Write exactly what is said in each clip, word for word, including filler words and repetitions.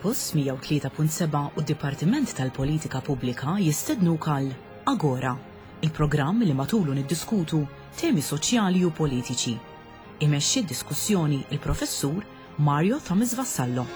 Campus mija u tlieta punt seba' u d-Dipartiment tal-Politika Pubblika jistednuk għal Agora, il-programm li matulu niddiskutu temi soċjali u politiċi. Imexxi d-diskussjoni il-Professur Mario Thomas Vassallo.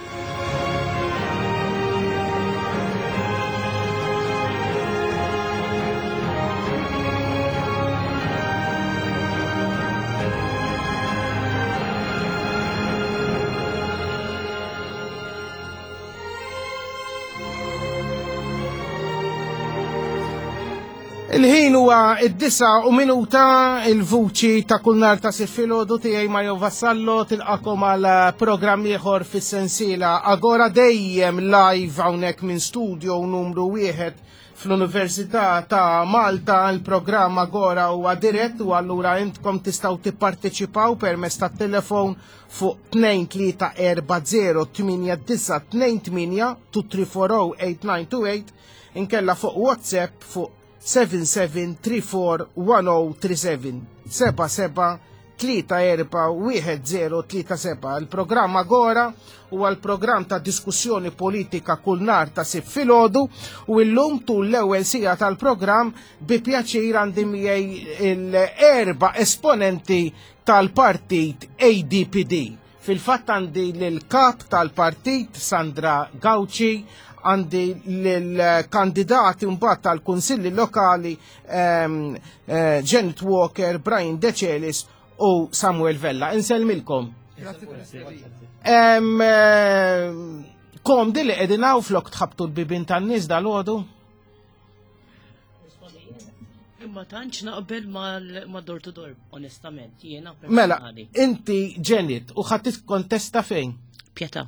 Il-ħin huwa id-disa u minuta, il-vuċi ta' kull nhar ta' Sibt filgħodu tiegħi Mario Vassallo tilqakom għal programm ieħor fis-sensiela Agora, dejjem live hawnhekk minn studio numru wieħed fl-Università ta' Malta. Il-programm Agora huwa dirett u allura intkom tistgħu tipparteċipaw permezz tat-telefon fuq tnejn tlieta erba' zero tmienja disa' tnejn tmienja, two three four oh eight nine two eight, inkella fuq WhatsApp fuq seven seven three four one oh three seven, seba' seba' tlieta erba' wieħed zero tlieta seba'. Il-programm Agora huwa l-programm ta' diskussjoni politika kull nhar ta' Sibt filgħodu u llum tul l-ewwel siegħa tal-programm bi pjaċir għandi miegħi l-erba' esponenti tal-partit A D P D. Fil-fatt għandi lill-kap tal-partit Sandra Gauci, għandi l-kandidati mbagħad tal-kunsilli lokali, ehm, eh, Janet Walker, Brian Decelis u Samuel Vella. Insellmilkom. Ehm, eh, komdi li qegħdin hawn flok tħabtu l-bibien tan-nies dal-għodu? Imma tantx naqbel mal-, ma' door to door, onestament, jiena Mela, personali. inti Janet, u ħadd tikkontesta fejn? Pietà.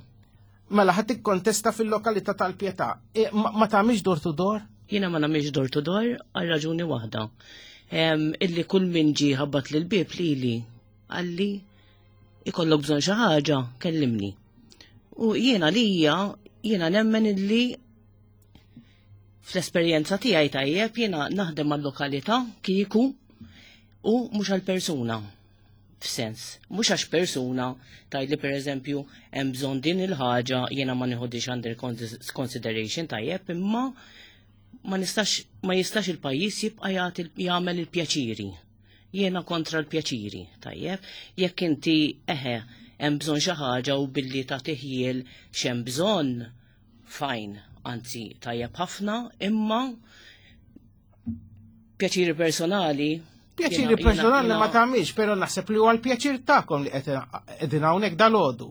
Mela, ħadd tikkontesta fil-lokalità tal-Pietà. E, ma, ma tagħmilx door to door? Jiena ma nagħmilx door to door għal raġuni waħda. Em, illi kull min ġie ħabbat lil bieb lili qalli ikollok bżonn xi ħaġa, kellimni. U jiena lija, jiena nemmen illi fl-esperjenza tiegħi tajjeb jiena naħdem mal-lokalità kieku u mhux għall-persuna. F'sens, mhux għax persuna tgħidli pereżempju hemm bżonn din il-ħaġa jiena ma nieħodix under consi-, consideration tajjeb, imma ma nistax, ma jistax il-pajjiż jibqa' jagħti jagħmel il-pjaċiri. Jiena kontra l-pjaċiri, tajjeb. Jekk inti eħe hemm bżonn xi ħaġa u billi tagħti ħjiel x'hemm bżonn, fine, anzi tajjeb ħafna, imma pjaċiri personali Pjaċiri Jiena, jiena, personali jiena ma tagħmilx, però naħseb li huwa l-pjaċir tagħkom li qed qegħdin hawnhekk dal-għodu.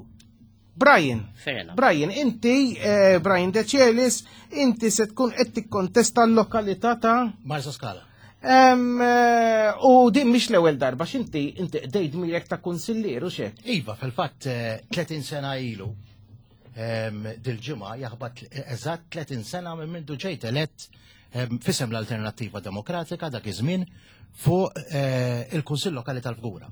Brian, Fair enough. Brian, inti, eh, Brian Decelis, inti se tkun qed tikkontesta l-lokalità ta' Marsa Scala. Em, eh, u din mhix l-ewwel darba, x'inti inti qdejt mirek ta' kunsillier u x'hekk? Iva, fil-fatt, eh, tletin sena ilu, em, dil-ġimgħa jaħbat eżatt tletin sena minn mindu ġejt elett, em, fisem l-Alternattiva Demokratika dak iż-żmien fuq, eh, il-Kunsill Lokali tal-Fgura.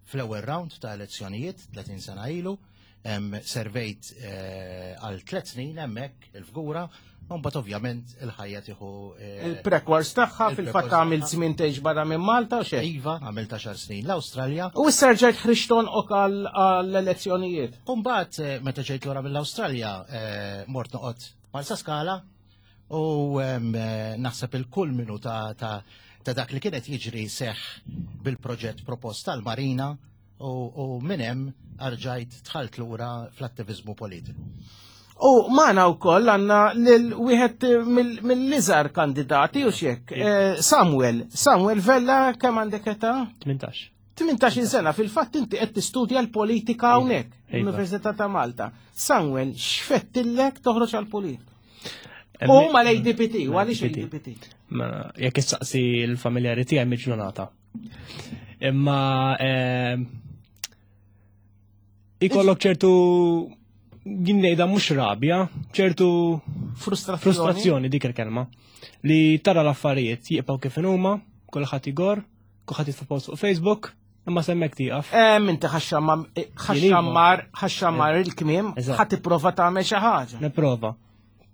Fl-ewwel round ta' elezzjonijiet tletin sena ilu, em, servejt, eh, għal tliet snin hemmhekk il-Fgura, u mbagħad ovvjament il-ħajja tieħu, eh, Il-prekwars tagħha, il-prekwars fil-fatt għamilt tagħha. żmien tgħix barra minn Malta u xejn. Iva, għamilt għaxar snin l-Awstralja. U issa rġajt ħriġt tonqok għal-, għall-elezzjonijiet. U mbagħad, eh, meta ġejt lura mill-Awstralja, eh, mort noqgħod Marsa Scala u, em, eh, naħseb il-kulminu ta', ta', ta' dak li kienet jiġri seħ bil-proġett propost tal-Marina u, u minn hemm arġajt dħalt lura fl-attivizmu politiku. U magħna wkoll għandna lil wieħed mill-, mill-iżgħar kandidati u x'hekk, eh, Samuel. Samuel Vella, kemm għandek età? Tmintax. Tmintax-il sena, fil-fatt inti qed tistudja l-politika Iva, hawnhekk, iva. l-Università ta' Malta. Samuel, x'fettillek toħroġ għall-politika? Emmi- U mal-A D P T, u għaliex A D P T. A D P T? Ma, jekk issaqsi l-familjari tiegħi miġnunata. Imma, ehm, ikollok ċertu, jien ngħidha mhux rabja, ċertu Frustrazzjoni. frustrazzjoni dik il-kelma. Li tara l-affarijiet jibqgħu kif huma, kulħadd igor, kulħadd jitfa' post fuq Facebook, imma semmek tieqaf. Ehm, inti ħaxxammar, eh, ħaxxammar, ħaxxammar il-kmiem, Eżatt. ħadd tipprova tagħmel xi ħaġa. Nipprova.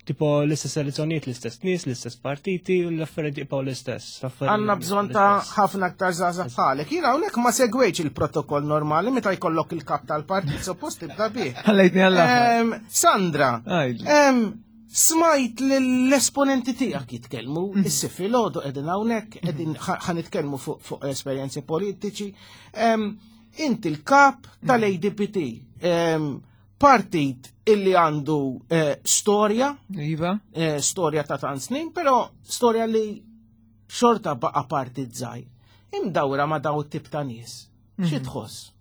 Tipo l-istess elezzjonijiet, l-istess nies, l-istess partiti u l-affarijiet jibqgħu l-istess. L-affarijiet Għandna bżonn ta' l-istess. ħafna aktar żgħażagħ bħalek. Jiena hawnhekk ma segwejx il-protokoll normali meta jkollok il-kap tal-partit, suppost tibda bih. Ħallejtni għall-aħħar. Em, Sandra, Għidli. em, smajt l-esponenti tiegħek jitkellmu, is-Sibt filgħodu qegħdin hawnhekk, qegħdin ħa nitkellmu fuq fuq esperjenzi politiċi. Em, Inti l-kap tal-A D P T, em, partit illi għandu eh, storja, Iva. eh, storja ta' tant snin, però storja li xorta baqa partit żgħir. Imdawra ma' daw tip ta' nies. Xi tħoss?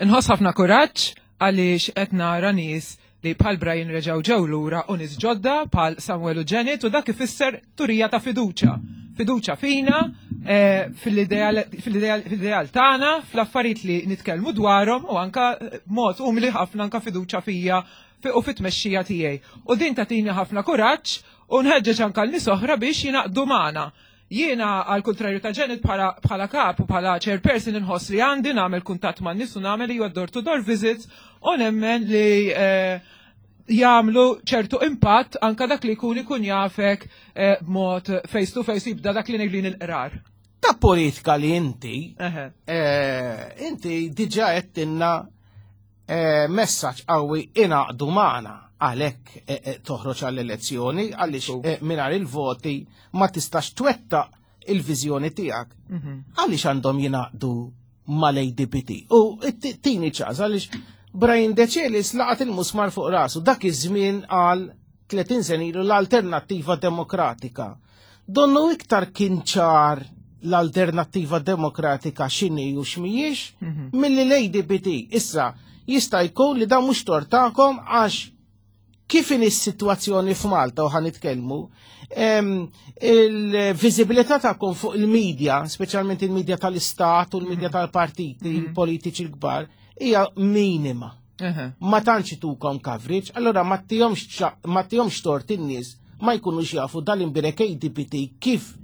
Nħoss ħafna kuraġġ għaliex qed nara nies li bħal Brian reġgħu ġew lura u nies ġodda bħal Samuel u Janet, u dak ifisser turija ta' fiduċa. Fiduċa fina, eh, fil-ideal fil-ideal fil-ideal tagħna, fl-affarijiet li nitkellmu dwarhom u anka eh, mod umli ħafna anka fiduċa fija fi- u fit-tmexxija tiegħi. U din tagħtini ħafna kuraġġ u nħeġġeġ anka l-nies oħra biex jingħaqdu magħna. Jiena, għal kontrarju ta' Janet, bħala bħala kap u bħala chairperson inħoss li għandi nagħmel kuntatt man nies u nagħmel ju door to door visits u nemmen li eh, jagħmlu ċertu impatt anka dak li jkun ikun jafek eh, b'mod face to face, jibda dak li ngħidlin il-qrar. Ta' politika li inti, Eħe. eh, inti diġa għedtilna eh, messaġġ qawwi, ingħaqdu magħna, għalhekk eh, eh, toħroġ għall-elezzjoni, għaliex eh, mingħajr il-voti ma tistax twettaq il-viżjoni tiegħek. Għaliex għandhom jingħaqdu mal-A D P T? U tini ċans, għaliex Brian Decelis laqat il-musmar fuq rasu dak iż-żmien għal tletin sena ilu l-Alternattiva Demokratika. Donnu iktar kien ċar l-Alternattiva Demokratika x'inhi u x'mhijiex milli l-A D P T. Issa, jista' jkun li dan mhux tort tagħkom, għax kif in is-sitwazzjoni f'Malta u ħa nitkellmu, em, il-viżibilità tagħkom fuq il-medja, speċjalment il-medja tal-istat u l-medja tal-partiti politiċi l-kbar, hija minima. Eħe. Ma tantx itukom coverage, allora ma tihomx ċa- ma tihomx tort in-nies ma jkunux jafu dal-imbirek A D P T kif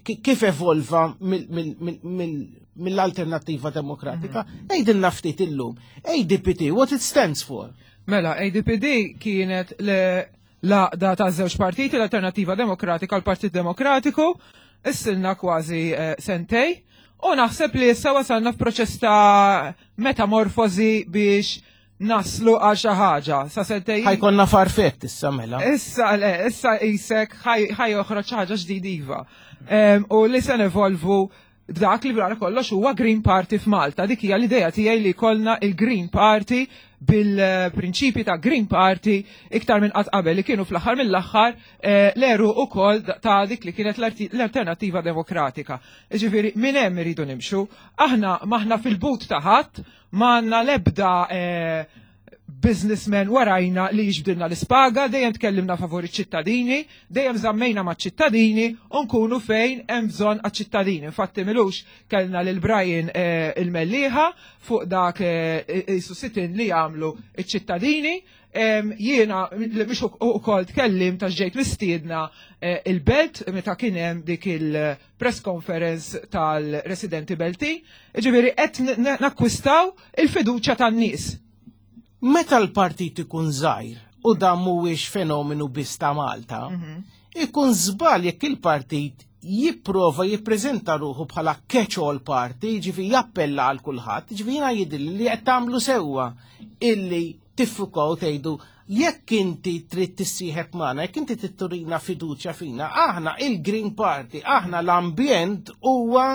ki- kif evolva mill- mill- mill- mill- mill-Alternattiva Demokratika. Għidilna ftit illum. A D P T, what it stands for? Mela, A D P D kienet l-għaqda ta' żewġ partiti, l-Alternativa Demokratika u l-Partit Demokratiku, ilna kważi eh, sentej, u naħseb li issa wasalna f'proċess ta' metamorfosi biex naslu għal xi ħaġa. Sa sentej. Ħa jkollna farfett issa mela. Issa, le, issa jisek ħa joħroġ ħaġa ġdid iva. Em, U li se nevolvu dak li wara kollox huwa Green Party f'Malta. Dik hija l-idea tiegħi, li jkollna il-Green Party bil-prinċipi ta' Green Party iktar minn qatt qabel, li kienu fl-aħħar mill-aħħar eh, l-eru ukoll ta' dik li kienet l-arti- l-Alternativa Demokratika. Ġifieri minn hemm iridu nimxu. Aħna m'aħna fil-but ta' ħadd, m'għandna l-ebda eh, businessmen warajna li jiġbdilna l-ispaga, dejjem tkellimna favur iċ-ċittadini, dejjem żammejna ma' ċittadini u nkunu fejn hemm bżonn għaċ-ċittadini. Infatti m'ilux kellna lil Brian eh, il-Mellieħa fuq dak eh, isu sit-in li jagħmlu iċ-ċittadini. Em, Jiena li mhux ukoll tkellim ta' ġejt mistiedna eh, il-Belt meta kien hemm dik il-press conference tal-residenti Belti. Ġifieri qed n- nakkwistaw il-fiduċja tan-nies. Meta l-partit ikun żgħir, u dan mhuwiex fenomenu biss ta' Malta, ikun żball jekk il-partit jipprova jippreżenta ruħu bħala catch-all party, ġifi jappella għal kulħadd. Ġifi jiena jidhirli li qed tagħmlu sewwa illi tiffukaw, tgħidu jekk inti trid tissieħeb magħna, jekk inti trid turina fiduċja fina, aħna il-Green Party, aħna l-ambjent huwa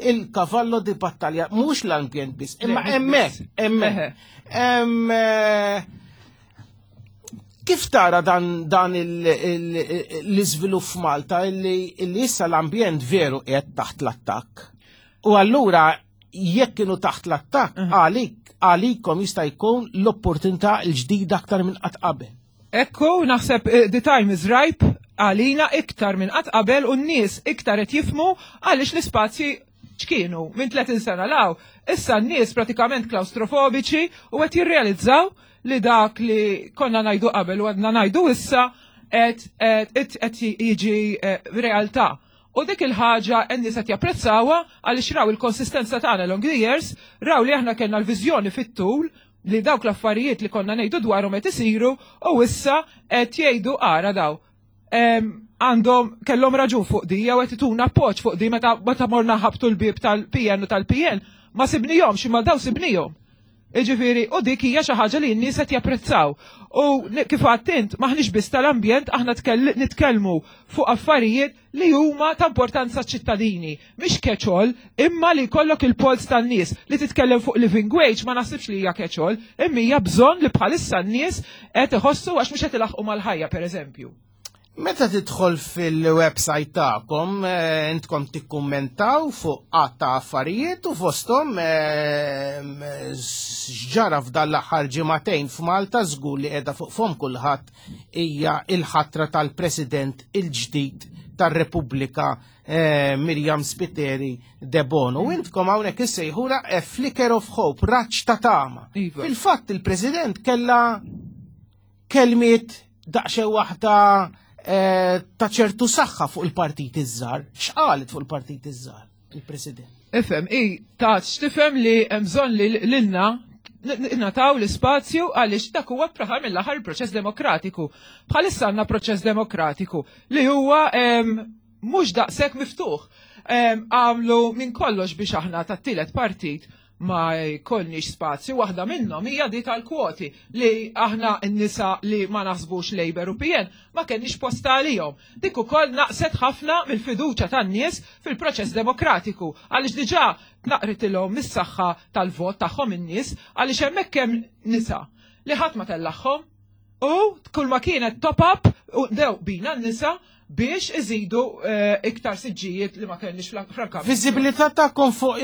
il-cavallo di battalja, mhux l-ambjent biss, imma Le, mhux hemmhekk, biss. hemmhekk. Eħe. Em, eh, Kif tara dan, dan il- il- l-iżvilupp f'Malta illi, illi issa l-ambjent veru qiegħed taħt l-attakk? U allura jekk kienu taħt l-attakk, għalik għalikom jista' jkun l-opportunità l-ġdida aktar minn qatt qabel. Ekku, naħseb eh, the time is ripe għalina iktar minn qatt qabel u n-nies iktar qed jifhmu għaliex l-ispazji ċkienu minn tletin sena 'l hawn. Issa n-nies pratikament klaustrofobiċi u qed jirrealizzaw li dak li konna ngħidu qabel u għadna ngħidu issa qed qed qed jiġi eh, realtà. U dik il-ħaġa n-nies qed japprezzawha għaliex raw il-konsistenza tagħna long the years, raw li aħna kellna l-viżjoni fit-tul. Li dawk l-affarijiet li konna ngħidu dwarhom qed isiru u issa qed jgħidu ara daw. Għandhom kellhom raġun fuq di jew qed ituna appoġġ fuq di meta meta morna ħabtu l-bieb tal-P N u tal-P L ma sibnihomx, imma daw sibnihom. Iġifieri, u dik hija xi ħaġa li n-nies qed japprezzaw. U kif għedt int, maħniex biss tal-ambjent, aħna nitkellmu fuq affarijiet li huma ta' importanza ċittadini. Mhix catch-all, imma li jkollok il-pols tan-nies. Li titkellem fuq living wage ma naħsibx li hija catch-all, imma hija bżonn li bħalissa n-nies qed iħossu għax mhux qed ilaħqu mal-ħajja, pereżempju. Meta tidħol fil-website tagħkom, eh, intkom tikkummentaw fuq għadd ta' affarijiet u fosthom eh, x'ġara f'dan l-aħħar ġimagħtejn f'Malta, żgur li qiegħda fuq fom kulħadd, hija il-ħatra tal-President il-ġdid tar-Repubblika, eh, Myriam Spiteri Debono. U intkom hawnhekk issejħula a flicker of hope, raġġ ta' tama. Iva. Fil-fatt il-President kella kelmiet daqsxejn waħda eh, ta' ċertu saħħa fuq il-partit iż-żgħar. X'qalet fuq il-partit iż-żgħar il-President? Ifhem, i ta' x'tifhem li hemm bżonn li lilna nataw l-ispazju għaliex dak huwa fl-aħħar mill-aħħar proċess demokratiku. Bħalissa għandna proċess demokratiku li huwa em, mhux daqshekk miftuħ. Em, Għamlu minn kollox biex aħna tat-tielet partit ma jkollniex spazju. Waħda minnhom hija di tal-kwoti li aħna n-nisa li ma naħsbux Labour u P N ma kenniex posta għalihom. Dik ukoll naqset ħafna mill-fiduċja tan-nies fil-proċess demokratiku, għaliex diġà tnaqritilhom mis-saħħa tal-vot tagħhom in-nies, għaliex hemmhekk hemm nisa li ħadd ma tellagħhom u kull ma kienet top-up u dew bina n-nisa biex iżidu eh, iktar siġġijiet li ma kellniex fl-kamra. Viżibilità tagħkom fuq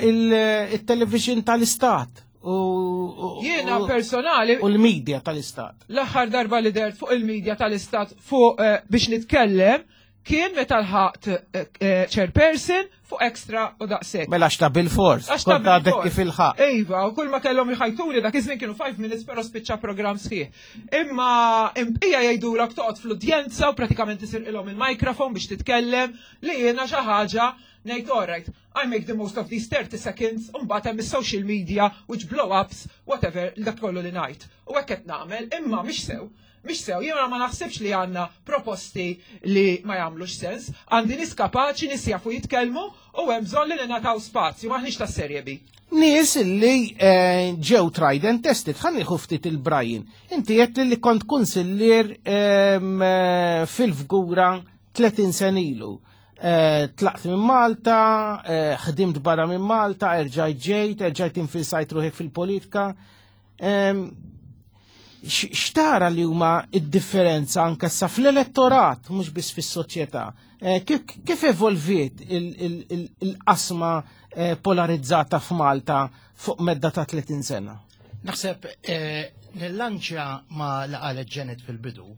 il-television tal-Istat u u- Jiena u- personali u l-media tal-Istat. L-aħħar darba li dert fuq il-medja tal-Istat fuq eh, biex nitkellem kien meta lħaqt eh, eh, chairperson fuq Extra u daqshekk. Mela xta bil-fors, Għax ta' kont għadek bil-fors. kif il-ħaq. Iva, u kull ma kellhom jħajtuli dak iż-żmien kienu five minutes, però spiċċa programm sħiħ. Imma imqija jgħidulek toqgħod fl-udjenza u pratikament isirqilhom il-mikrofon biex titkellem, li jiena xi ħaġa ngħid, "Alright, I make the most of these thirty seconds," u mbagħad hemm is-social media which blow ups whatever dak kollu li ngħid. U hekk qed nagħmel, imma mhix sew. Mhix sew, jiena ma naħsibx li għandna proposti li ma jagħmlux sens, għandi nies kapaċi, nies jafu jitkellmu u hemm bżonn li ningħataw spazju, maħniex tas serje B. Nies li eh, ġew tried and tested. Ħa nieħu ftit il-Brian. Inti qed li kont kunsillier em, eh, fil-Fgura tletin sena ilu. Eh, Tlaqt minn Malta, eh, ħdimt barra minn Malta, erġajt ġejt, erġajt infilsajt ruħek fil-politika. Em, x- X'tara li huma id-differenza anke sa fl-elettorat, mhux biss fis-soċjetà? Eh, Kif kif evolviet il- il- il- il-qasma eh, polarizzata f'Malta fuq medda ta' tletin sena? Naħseb eh, nillanċja ma li qalet Janet fil-bidu,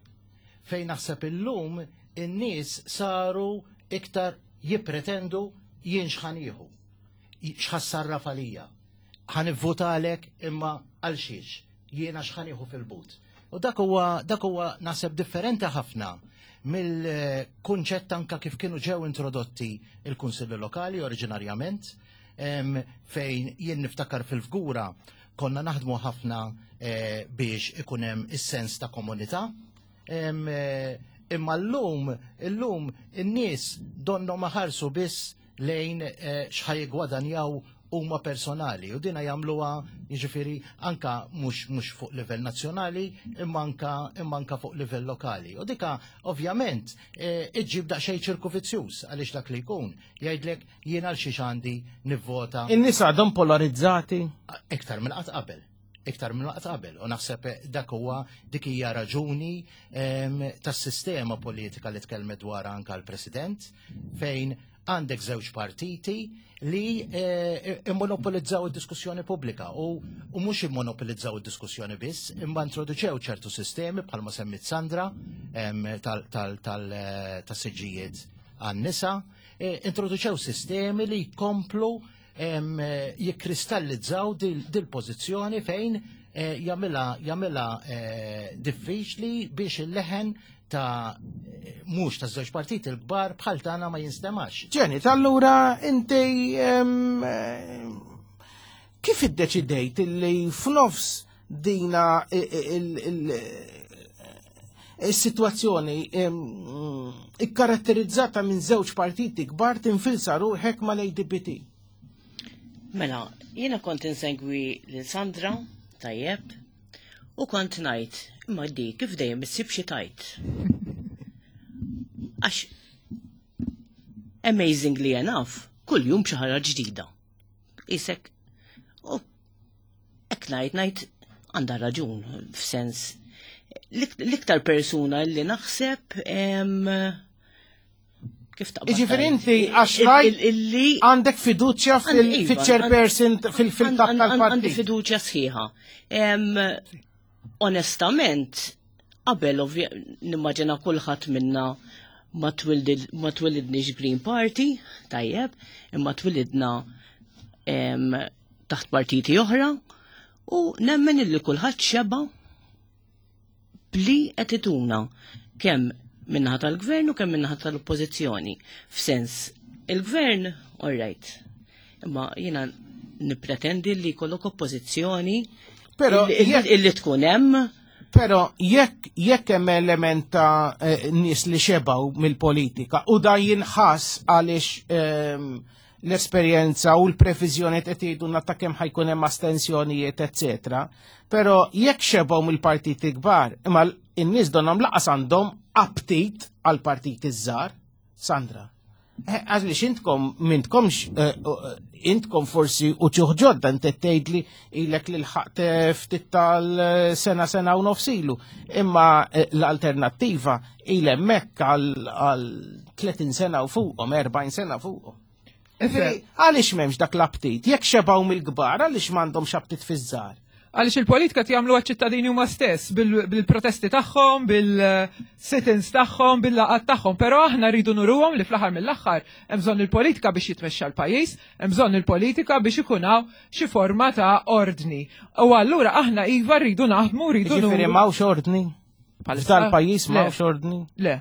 fejn naħseb illum in-nies saru iktar jippretendu jien x'ħa nieħu, x'ħa ssarraf għalija. Ħa nivvotalek imma għal xiex, jiena x'ħa nieħu fil-but. U dak huwa dak huwa naħseb differenti ħafna mill-kunċett anka kif kienu ġew introdotti il-kunsilli lokali oriġinarjament, em, fejn jien niftakar fil-Fgura konna naħdmu ħafna eh, biex ikun hemm is-sens ta' komunità. Em, eh, Imma llum, illum in-nies donnu ma ħarsu biss lejn eh, x'ħa jiggwadanjaw huma personali u dina jagħmluha, jiġifieri, anka mhux mhux fuq livell nazzjonali imma anka imma anka fuq livell lokali. U dika ovvjament eh, iġġib daqsxejn ċirku vizzjuż, għaliex dak li jkun jgħidlek jien għal xiex għandi nivvota. In-nies għadhom polarizzati. Iktar minn qatt qabel. Iktar minn qatt qabel. U naħseb dak huwa dik hija raġuni em, tas-sistema politika li tkellmet dwar anka l-President, fejn għandek żewġ partiti li eh, immonopolizzaw id-diskussjoni pubblika u, u mhux immonopolizzaw id-diskussjoni biss, imma introduċew ċertu sistemi bħalma semmit Sandra em, tal- tal- tal- eh, tas-siġġijiet għan-nisa, eh, introduċew sistemi li jkomplu em, eh, jikkristallizzaw dil- dil-pożizzjoni fejn eh, jagħmilha jagħmilha eh, diffiċli biex il-leħen ta' eh, mhux ta' żewġ partiti l-kbar bħal tagħna ma jinstemax. Janet, allura inti em, eh, Kif iddeċidejt li f'nofs dina il-situazzjoni ikkaratterizzata minn żewġ partiti kbar tinfilsa ruħek mal-A D P T? Mela, jiena kont insegwi lil Sandra, tajjeb, u kont ngħid, imma di kif dejjem issib xi tajt. Għax amazingly enough, kull jum xi ħaġa ġdida. Isek, u hekk ngħid ngħid għandha raġun, f'sens l-iktar persuna li naħseb em, kif taqbad Iġifieri tgħid? inti għax rajt Il- illi għandek fiduċja Għandi- iva, fil-chairperson, fil-kap Għandi tal-partit. fiduċja sħiħa. Em, Onestament, qabel ovvja- nimmaġina kulħadd minna ma twildid- ma twilidniex Green Party, tajjeb, imma twilidna em, taħt partiti oħra u nemmen illi kulħadd xeba bli qed ituna kemm min-naħa tal-gvern u kemm min-naħa tal-oppożizzjoni. F'sens, il-gvern, all right, imma jiena nippretendi li jkollok oppożizzjoni Però illi- jekk- illi tkun hemm. Però jekk jekk hemm element ta' eh, nies li xebaw mill-politika u da jinħass għaliex ehm, l-esperjenza u l-previżjoni qed jgħidulna ta' kemm ħa jkun hemm astensjonijiet, eċetera. Però jekk xebaw mill-partiti kbar, imma n-nies donhom lanqas għandhom aptit għal partiti żgħar, Sandra. Eh, għaliex intkom m'intkomx eh, eh, intkom forsi u ġodda inti tgħidli ilek li lħaqt ftit tal-sena, sena u nofs ilu. Imma eh, l-alternattiva ilha hemmhekk għal għal tletin sena u fuqhom, erbgħin sena fuqhom. Ġifieri, għaliex m'hemmx dak l-aptit? Jekk xebaw mill-kbar, għaliex m'għandhomx aptit fiż-żgħar? Għaliex il-politika jagħmlu ċittadini huma stess bil- bil-protesti tagħhom, bil-sit-ins tagħhom, bil-laqat tagħhom, però aħna rridu nuruhom li fl-aħħar mill-aħħar hemm bżonn il-politika biex jitmexxa l-pajjiż, hemm bżonn il-politika biex ikun hawn xi forma ta' ordni. U allura aħna iva rridu naħdmu, rridu Ġifieri nuru. m'hawnx ordni? Bħalissa? F'dal-pajjiż Le. m'hawnx ordni? Le.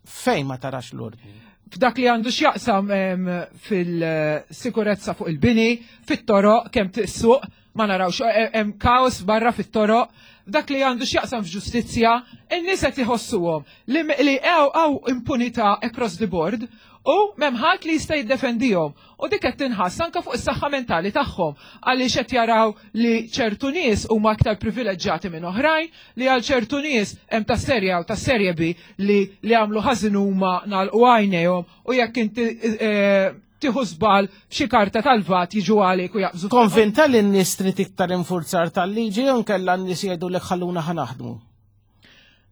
Fejn ma tarax l-ordni? F'dak li għandu x'jaqsam em, fil-sikurezza fuq il-bini, fit-toroq, kemm tissuq, ma narawx, eh, hemm kaos barra fit-toroq, dak li għandu x'jaqsam f'ġustizzja, in-nies qed iħossuhom li li hawn hawn impunità across the board u m'hemm ħadd li jista' jiddefendihom. U dik qed tinħass anke fuq is-saħħa mentali tagħhom għaliex qed jaraw li ċertu nies huma aktar privileġġjati minn oħrajn, li għal ċertu nies hemm ta' serje u ta' serje B li li għamlu ħażin huma nagħlqu għajnejhom u jekk inti eh, tieħu żball f'xi karta tal-VAT jiġu għalik u jaqbżu. Konvinta li n-nies trid iktar infurzar tal-liġi jew nkella n-nies jgħidu li ħalluna ħa naħdmu?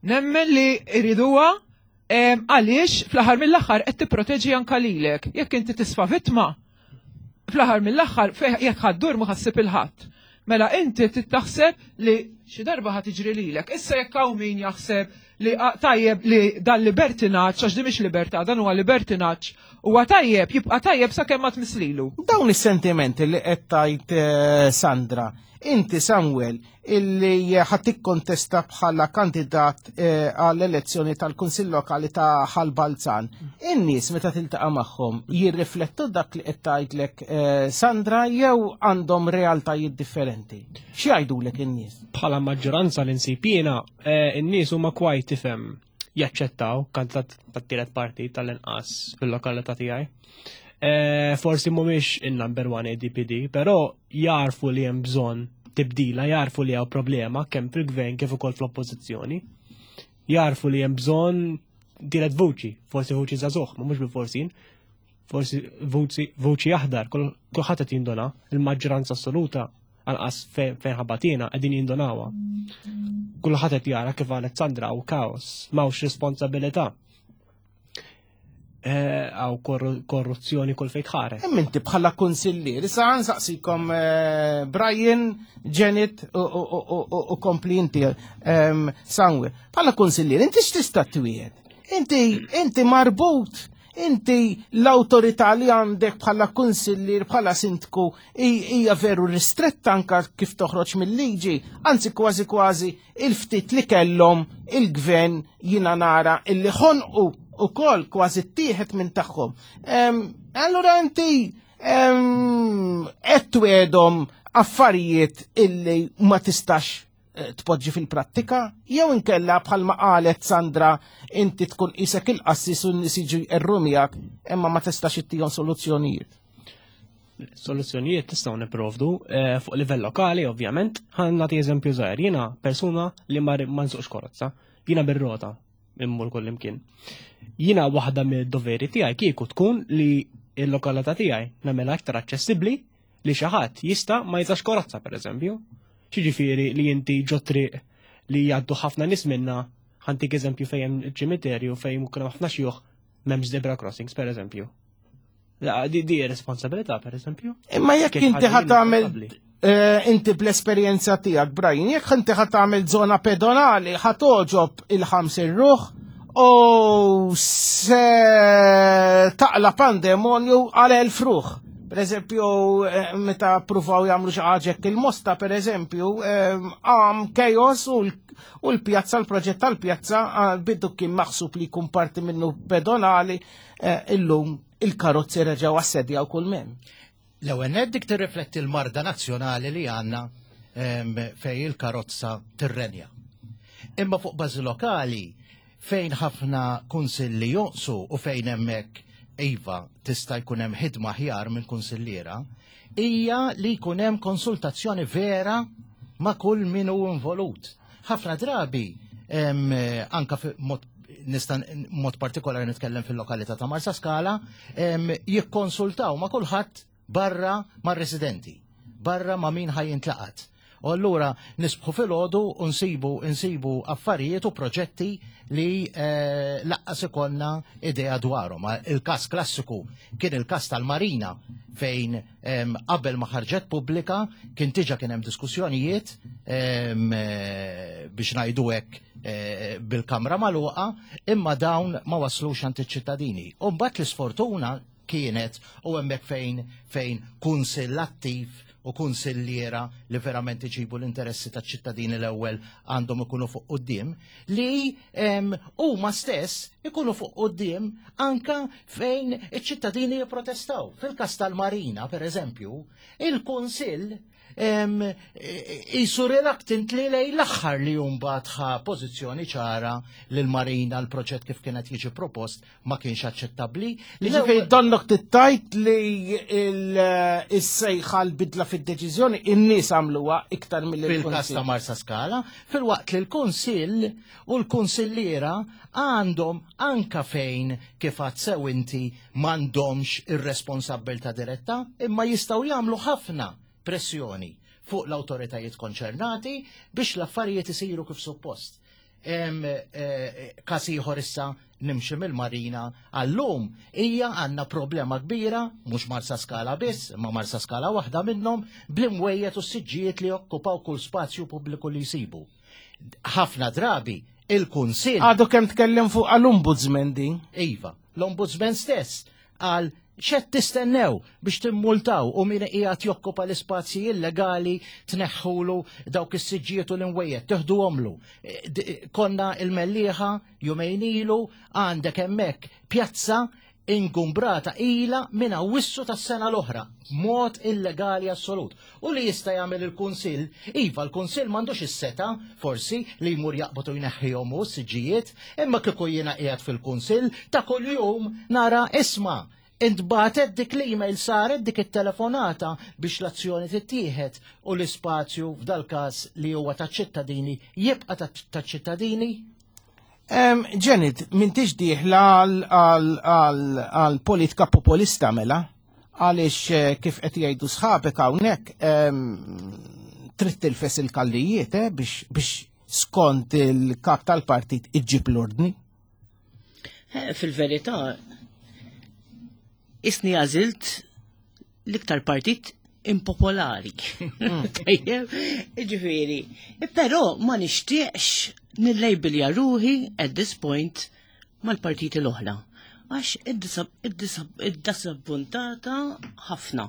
Nemmen li iriduha em, għaliex fl-aħħar mill-aħħar qed tipproteġi anka lilek. Jekk inti tisfa vittma, fl-aħħar mill-aħħar fe- jekk ħa ddur ma ħassib il-ħadd. Mela inti taħseb li xi darba ħa tiġri lilek. Issa jekk hawn min jaħseb li ah, tajjeb li dan libertinaġġ, għax di mhix libertà, dan huwa libertinaġġ, huwa tajjeb, jibqa' tajjeb sakemm ma tmislilu. Dawn is-sentimenti li qed tgħid eh, Sandra, inti Samuel illi ħa tikkontesta bħala kandidat eh, għall-elezzjoni tal-Kunsill Lokali ta' Ħal Balzan, in-nies meta tiltaqa' magħhom jirriflettu dak li qed tgħidlek eh, Sandra jew għandhom realtajiet differenti? X'jgħidulek in-nies? Bħala maġġoranza li nsib jiena, eh, in-nies huma kwajt tifhem jaċċettaw kandidat tat-tielet partit tal-inqas fil-lokalità tiegħi. Eh, Forsi mhumiex in-number one A D P D, però jarfu li hemm bżonn tibdila, jarfu li hawn problema kemm fil-gvern kif ukoll fl-oppożizzjoni. Jarfu li hemm bżonn tielet vuċi, forsi vuċi żagħżugħ, ma mhux bil-forsin, forsi vuċi vuċi aħdar, kull- kulħadd qed jindona, il-maġġoranza assoluta anqas fejn fejn ħabatina qegħdin jindonawha. Kulħadd qed jara kif qalet Sandra hawn kaos, m'hawnx responsabilità. Eh, Hawn korru- korruzzjoni kull fejn tħares. Hemm inti bħala kunsillier, issa nsaqsikom eh, Brian, Janet u- u- u u- u kompli inti ehm, Samuel. Bħala kunsillier, inti x'tista' twiegħed? Inti inti marbut, inti l-awtorità li għandek bħala kunsillier, bħala sindku hija veru ristretta anka kif toħroġ mill-liġi, anzi kważi kważi il-ftit li kellhom il-gvern jina nara illi ħonqu u kol kważi ttieħed minn tagħhom. Em, Allura inti qed twegħedhom affarijiet illi ma tistax eh, tpoġġi fil-prattika, jew inkella bħalma qalet Sandra inti tkun isek il-qassis u n-nies jiġu jqerru miegħek imma ma tistax ittihom soluzzjonijiet. Soluzzjonijiet tistgħu nipprovdu eh, fuq livell lokali, ovvjament. Ħa nagħti eżempju żgħir. Jiena persuna li ma ma nsuqx karozza, jiena bir-rota immur kull imkien. Jiena waħda mid-doveri tiegħi kieku tkun li l-lokalità tiegħi nagħmilha aktar aċċessibbli li xi ħadd jista' ma jużax karozza, pereżempju. Xiġifieri li inti ġo triq li jgħaddu ħafna nies minna, ħa ntik eżempju fejn hemm ċimiterju fejn mkun ħafna xjuħ, m'hemmx zebra crossings, pereżempju. La, Di di responsabilità, pereżempju. Imma jekk Kien inti ħaġa ħa tagħmel innaċċettabbli. eh, inti bl-esperjenza tiegħek, Brian, jekk inti ħa tagħmel żona pedonali, ħa togħġob il-ħamsin ruħ u se taqla pandemonju għal elf ruħ. Per eżempju, eh, meta pruvaw jagħmlu xi ħaġa hekk il-Mosta, per eżempju, eh, għam chaos u l- u l-pjazza, l-proġett tal-pjazza, ah, bidu kien maħsub li jkun parti minnu pedonali, eh, illum il-karozzi reġgħu assedjaw kull mem. L-ewwel nett dik tirrifletti l-marda nazzjonali li għandna em, fej il-karozza tirrenja. Imma fuq bażi lokali fejn ħafna kunsilli jonqsu u fejn hemmhekk iva tista' jkun hemm ħidma aħjar minn kunsilliera, hija li jkun hemm konsultazzjoni vera ma' kull min hu involut. Ħafna drabi em, anka fi mod nista' mod partikolari nitkellem fil-lokalità ta' Marsa Skala, em, jikkonsultaw ma' kulħadd barra mar-residenti, barra ma' min ħa jintlaqat. U allura nisbħu filgħodu u nsibu nsibu affarijiet u proġetti li eh, lanqas ikollna idea dwarhom. Il-każ klassiku kien il-każ tal-Marina fejn em, qabel ma ħarġet pubblika kien diġà kien hemm diskussjonijiet em, eh, biex ngħidu hekk eh, bil-kamra magħluqa, imma dawn ma waslux għand iċ-ċittadini. U mbagħad l-isfortuna kienet u hemmhekk fejn fejn kunsill attiv u kunsilliera li verament iġibu l-interessi taċ ċittadini l-ewwel għandhom ikunu fuq quddiem, li em, huma stess ikunu fuq quddiem anka fejn iċ-ċittadini jipprotestaw. Fil-każ tal-Marina, per eżempju, il-Kunsill em, jisu reluctantly lejn l-aħħar li mbagħad ħa pożizzjoni ċara li l-Marina, l-proġett kif kienet jiġi propost ma kienx aċċettabbli. Li ġifieri donnok tittajt li il-sejħa l-bidla fid-deċiżjoni in-nies għamluha iktar mill fil-kas ta' Marsa Skala, filwaqt li l-Kunsill u l-Kunsilliera għandhom anka fejn kif għedt sew inti m'għandhomx ir-responsabbiltà diretta, imma jistgħu jagħmlu ħafna pressjoni fuq l-autoritajiet konċernati biex l-affarijiet isiru kif suppost. Em, eh, Kas ieħor issa nimxi mill-Marina għallum hija għandna problema kbira, mhux Marsa Skala biss, ma Marsa Skala waħda minnhom, bl-imwejjed u s-siġġijiet li jokkupaw kull spazju pubbliku li jsibu. Ħafna drabi il-Kunsill Għadu kemm tkellem fuq għall-ombudsman din. Iva, l-ombudsman stess għal xed tistennew biex timmultaw u min qiegħed jokkupa l-ispazji illegali tneħħulu dawk is-siġġijiet u l-imwejjed, teħduhomlu. E, d- Konna il-Mellieħa jumejn ilu, għandek hemmhekk pjazza ingumbrata ila minn Awwissu tas-sena l-oħra, mod illegali assolut. U li jista' jagħmel il-Kunsill, iva, l-Kunsill m'għandux is-setgħa forsi li jmur jaqbad u jneħħihom hu s-siġġijiet, imma kieku jiena qiegħed fil-Kunsill ta' kuljum nara, isma', intbagħtet dik l-email, saret dik it-telefonata biex l-azzjoni tittieħed u l-ispazju f'dal-każ li huwa taċ-ċittadini jibqa' taċ-ċittadini. Em, Janet, m'intix dieħla għal politika populista mela, għaliex eh, kif qed jgħidu sħabek hawnhekk em, trid tilfes il-kallijiet eh, biex biex skont il-kap tal-partit iġġib l-ordni. Eh, Fil-verità, isni għażilt l-iktar partit impopolari. Tajjeb, ġifieri. Però ma nixtieqx nillejbilja ruħi at this point mal-partiti l-oħra. Għax id-disappuntata ħafna.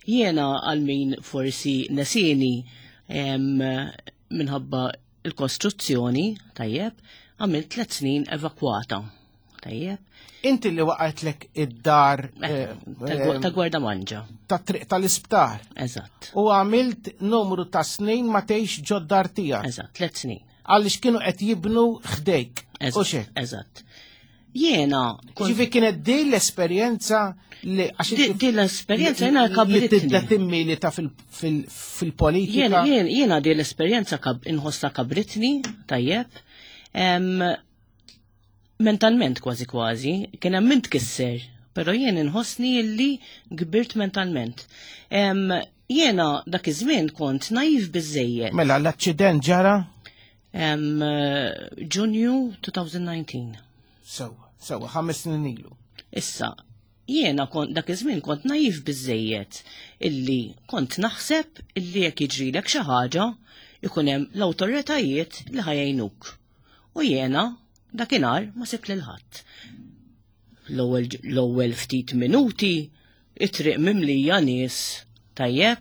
Jiena għal min forsi nesini em, minħabba il-kostruzzjoni, tajjeb, għamilt tliet snin evakwata. Tajjeb. Inti li waqgħetlek id-dar eh, ta' Gwardamanġa. Ta' triq tal-isptar. Eżatt. U għamilt numru ta' snin ma tgħix ġod-dar tiegħek. Eżatt, tliet snin. Għaliex kienu qed jibnu ħdejk. Eżatt. Eżatt. Jiena. Ġifi kienet din l-esperjenza li. Din l-esperjenza jiena kabritni. Li tibda timmilita fil-politika. Jiena din l-esperjenza inħossha kabritni, tajjeb. Mentalment kważi kważi, kien hemm min tkisser, però jien inħossni illi kbirt mentalment. Jiena dak iż-żmien kont naiv biżejjed. Mela l-aċċident ġara? Ġunju elfejn u dsatax. Sewa, sewa, ħames snin ilu. Issa, jiena kont dak iż-żmien kont naiv biżejjed illi kont naħseb illi jekk jiġrilek xi ħaġa ikun hemm l-awtoritajiet li ħa jgħinuk. U jiena dakinhar ma sibt lil ħadd. L-ewwel ftit minuti it-triq mimlija nies, tajjeb,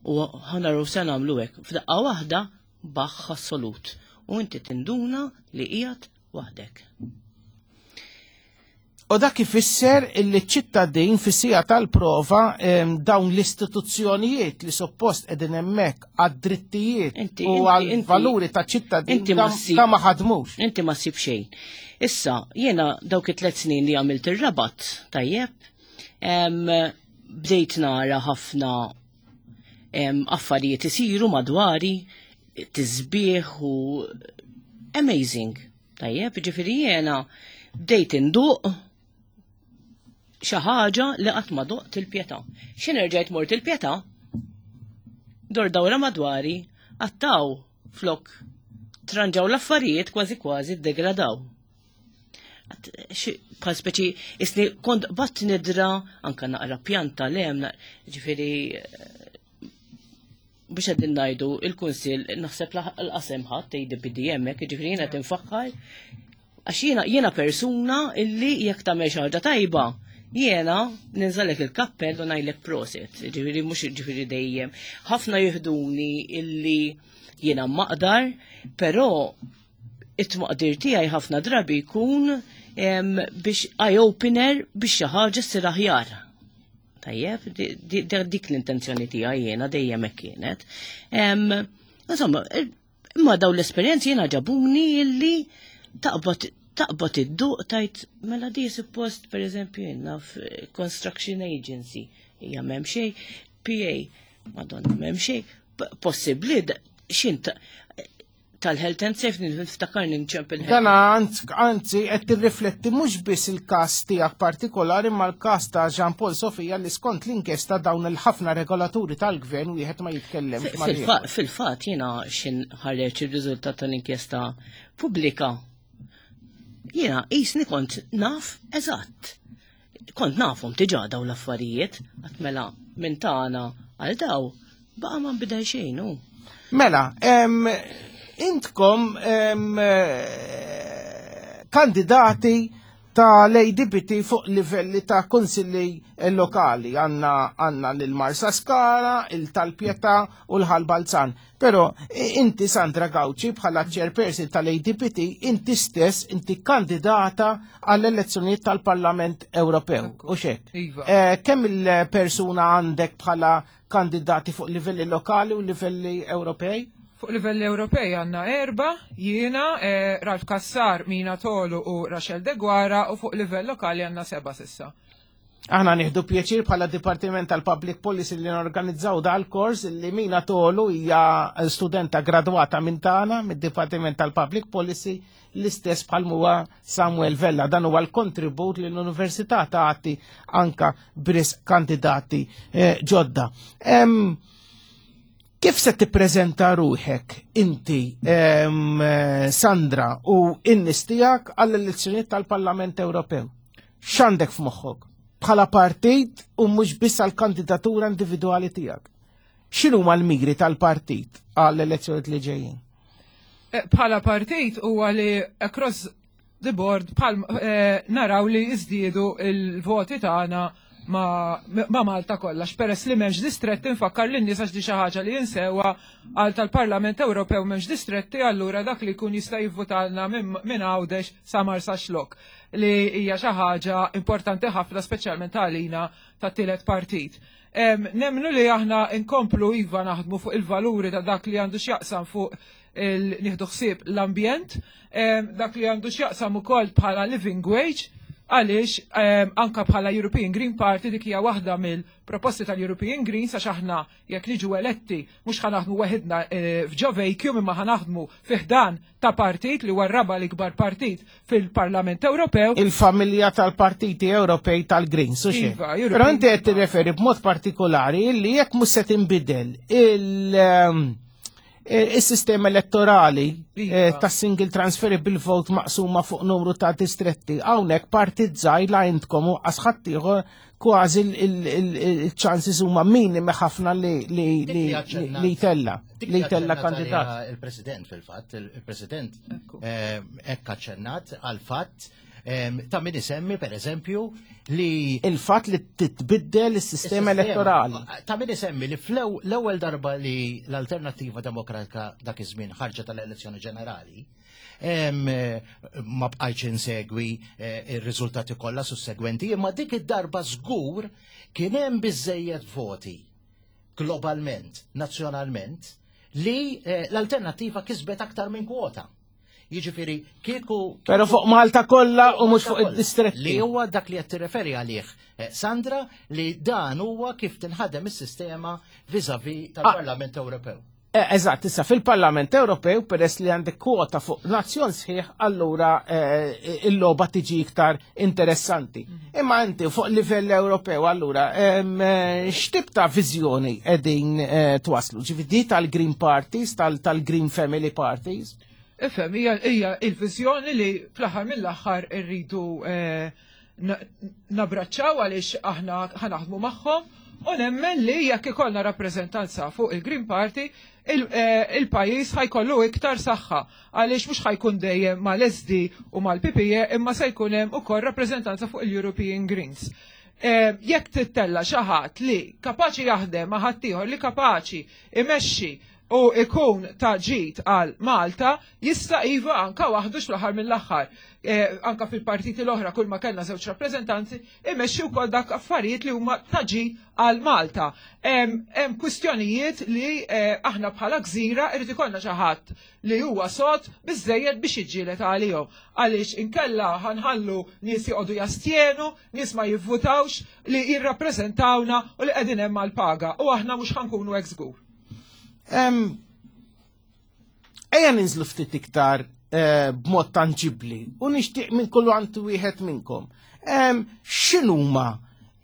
u ħa naraw se nagħmlu hekk. F'daqqa waħda baħ assolut. U inti tinduna li qiegħed waħdek. U dak ifisser illi ċittadin fis-siegħa tal-prova dawn l-istituzzjonijiet li suppost qegħdin hemmhekk għad-drittijiet u għal-valuri ta' ċittadin ta' ma ħadmux. Inti ma ssib xejn. Issa, jiena dawk it-tliet snin li għamilt ir-Rabat, tajjeb, bdejt nara ħafna affarijiet isiru madwari, tisbieħ u amazing. Tajjeb, ġifieri jiena bdejt induq xi ħaġa li qatt ma doqt il-Pietà. Xi nerġajt mort il-Pietà, dor dawra madwari, għattaw flok tranġaw l-affarijiet kważi kważi degradaw. Bħal speċi, isni kont bat nidra, anka naqra pjanta lem, ġifieri, biex għeddin ngħidu il-kunsil, naħseb l-qasem ħadd A D P D hemmhekk, ġifieri jiena tinfaħħar, għax jiena jiena persuna illi jekk tagħmel xi ħaġa tajba, jiena ninżalek il-kappell u ngħidlek prosit, ġifieri mhux ġifieri dejjem. Ħafna jihduni illi jiena maqdar, però it-maqdir tiegħi ħafna drabi jkun biex eye-opener biex xi ħaġa ssir aħjar. Tajjeb, dik l-intenzjoni tiegħi jiena dejjem hekk kienet. Insomma, imma daw l-esperjenzi jiena ġabuni illi taqbad taqbad id-duq tajt mela di suppost per eżempju jiena construction agency hija m'hemm xejn, P A, madonna, m'hemm xejn, possibbli xint tal-health and safety niftakar nċempel. Dana anzi qed tirrifletti mhux biss il-każ tiegħek partikolari ma l-każ ta' Jean Paul Sofia li skont l-inkjesta dawn il-ħafna regolaturi tal-gvern wieħed ma jitkellem. Fil-fatt jiena xin ħareġ ir-riżultat tal-inkjesta pubblika. Jiena qisni kont naf eżatt. Kont nafhom diġà daw l-affarijiet, għat mela minn tagħna għal daw baqa' ma nbidel xejn hu. Mela, intkom eh, kandidati ta' l-A D P T fuq livelli ta' konsilli lokali. Għanna għanna l-Marsa Skala, il-Tal-Pietà u l-Ħal Balzan. Pero inti, Sandra Gauci, bħala chairperson tal-A D P T, inti stess, inti kandidata għall-elezzjonijiet tal-Parlament Ewropew. U xek? Iva. Eh, kemm il-persuna għandek bħala kandidati fuq livelli lokali u livelli Ewropej? Fuq livelli Ewropej għanna erba, jiena, eh, Ralph Cassar, Mina Tolu u Rachel Deguara, u fuq livell lokali għanna seba sissa. Aħna nieħdu pjaċir bħala Dipartiment tal-Public Policy li norganizzaw dal-kors li Mina Tolu hija studenta gradwata minn tagħna mid-Dipartiment tal-Public Policy, l-istess bħal huwa Samuel Vella. Dan huwa l-kontribut li l-Università tagħti anka bris kandidati eh, ġodda. Em, Kif se tippreżenta ruħek inti, em, eh, Sandra, u in-nies tiegħek għall-elezzjonijiet tal-Parlament Ewropew? X'għandek f'moħħok bħala partit u mhux biss għall-kandidatura individwali tiegħek? X'inhuma l-miri tal-partit għall-elezzjonijiet li ġejjin? Eh, Bħala partit huwa li across the board bħal eh, naraw li iżdiedu il-voti tagħna ma, ma Malta kollha. Peress li m'hemmx distretti, nfakkar lin nies għax di xi ħaġa li jinsewa, għal tal-Parlament Ewropew m'hemmx distretti, allura dak li jkun jista' jivvutalna minn min Għawdex sa Marsaxlokk, li hija xi ħaġa importanti ħafna, speċjalment għalina tat-tielet partit. Em, Nemnu li aħna nkomplu iva naħdmu fuq il-valuri ta' dak li għandu x'jaqsam fuq il-nieħdu ħsieb l-ambjent, em, dak li għandu x'jaqsam ukoll bħala living wage, għaliex em, anka bħala European Green Party dik hija waħda mill-proposti tal-European Greens, għax aħna jekk niġu eletti mhux ħa naħdmu weħidna eh, f'ġo vacuum, imma ħa naħdmu fi ħdan ta' partit li huwa r-raba' l-ikbar partit fil-Parlament Ewropew. Il-familja tal-partiti Ewropej tal-Greens, u xejn. Iva, European. Però inti qed tirreferi b'mod partikolari li jekk mhux se tinbidel il- ehm, eh, il-sistema elettorali Iva. eh, ta' single transferable vote maqsuma fuq numru ta' distretti, hawnhekk partit żgħir la intkom u ħadd ieħor kważi il-chances huma minimi ħafna li li Dik li li aċċennat- li tella dik li tella aċċennat kandidat. għaliha il-President fil-fatt, il-President Ekku. eh, hekk aċċennat għal-fatt eh, ta' min isemmi, per eżempju, li Il-fatt li titbiddel is-sistema elettorali. Ta' min isemmi li fl-ewwel darba li l-Alternattiva Demokratika dak iż-żmien ħarġet tal-elezzjoni ġenerali, em, eh, ma bqajtx insegwi eh, ir-riżultati kollha sussegwenti, imma dik id-darba żgur kien hemm biżejjed voti globalment, nazzjonalment, li eh, l-Alternattiva kisbet aktar minn kwota. Jiġifieri kieku Però fuq Malta kollha u mhux fuq id-distretti. Li huwa dak li qed tirreferi għalih, eh, Sandra, li dan huwa kif tinħadem is-sistema vis-à-vis tal-Parlament Ewropew. Eh, Eżatt, issa fil-Parlament Ewropew, peress li għandek kwota fuq nazzjon sħiħ, allura eh, il-logħba tiġi iktar interessanti. Imma inti fuq livell Ewropew, allura em, eh, x'tip ta' viżjoni qegħdin eh, twaslu? Ġifieri tal-Green Parties, tal- tal-Green Family Parties? Ifhem, hija hija il-viżjoni li fl-aħħar mill-aħħar irridu eh, na- nabraċċaw għaliex aħna ħa naħdmu magħhom u nemmen li jekk ikollna rappreżentanza fuq il-Green Party, il- eh, il-pajjiż ħa jkollu iktar saħħa, għaliex mhux ħa jkun dejjem mal-S D u mal-P P E, imma se jkun hemm ukoll rappreżentanza fuq il-European Greens. Eh, Jekk tittella xi ħadd li kapaċi jaħdem ma' ħaddieħor li kapaċi imexxi u ikun ta' ġid għal Malta, jista' iva anka waħdu fl-aħħar mill-aħħar. Eh, anka fil-partiti l-oħra kull ma kellna żewġ rappreżentanti imexxi wkoll dak affarijiet li huma ta' ġid għal Malta. Hemm hemm kwistjonijiet li eh, aħna bħala gżira irid ikollna xi ħadd li huwa sod biżejjed biex jiġġieled għalihom. Għaliex inkella ħa nħallu nies joqogħdu jastjenu, nies ma jivvutawx li jirrappreżentawna u li qegħdin hemm għall-paga u aħna mhux ħa nkunu hekk żgur. Em, Ejja ninżlu ftit iktar eh, b'mod tanġibli u nixtieq minn kullu għandu wieħed minnkom. Em, X'inhuma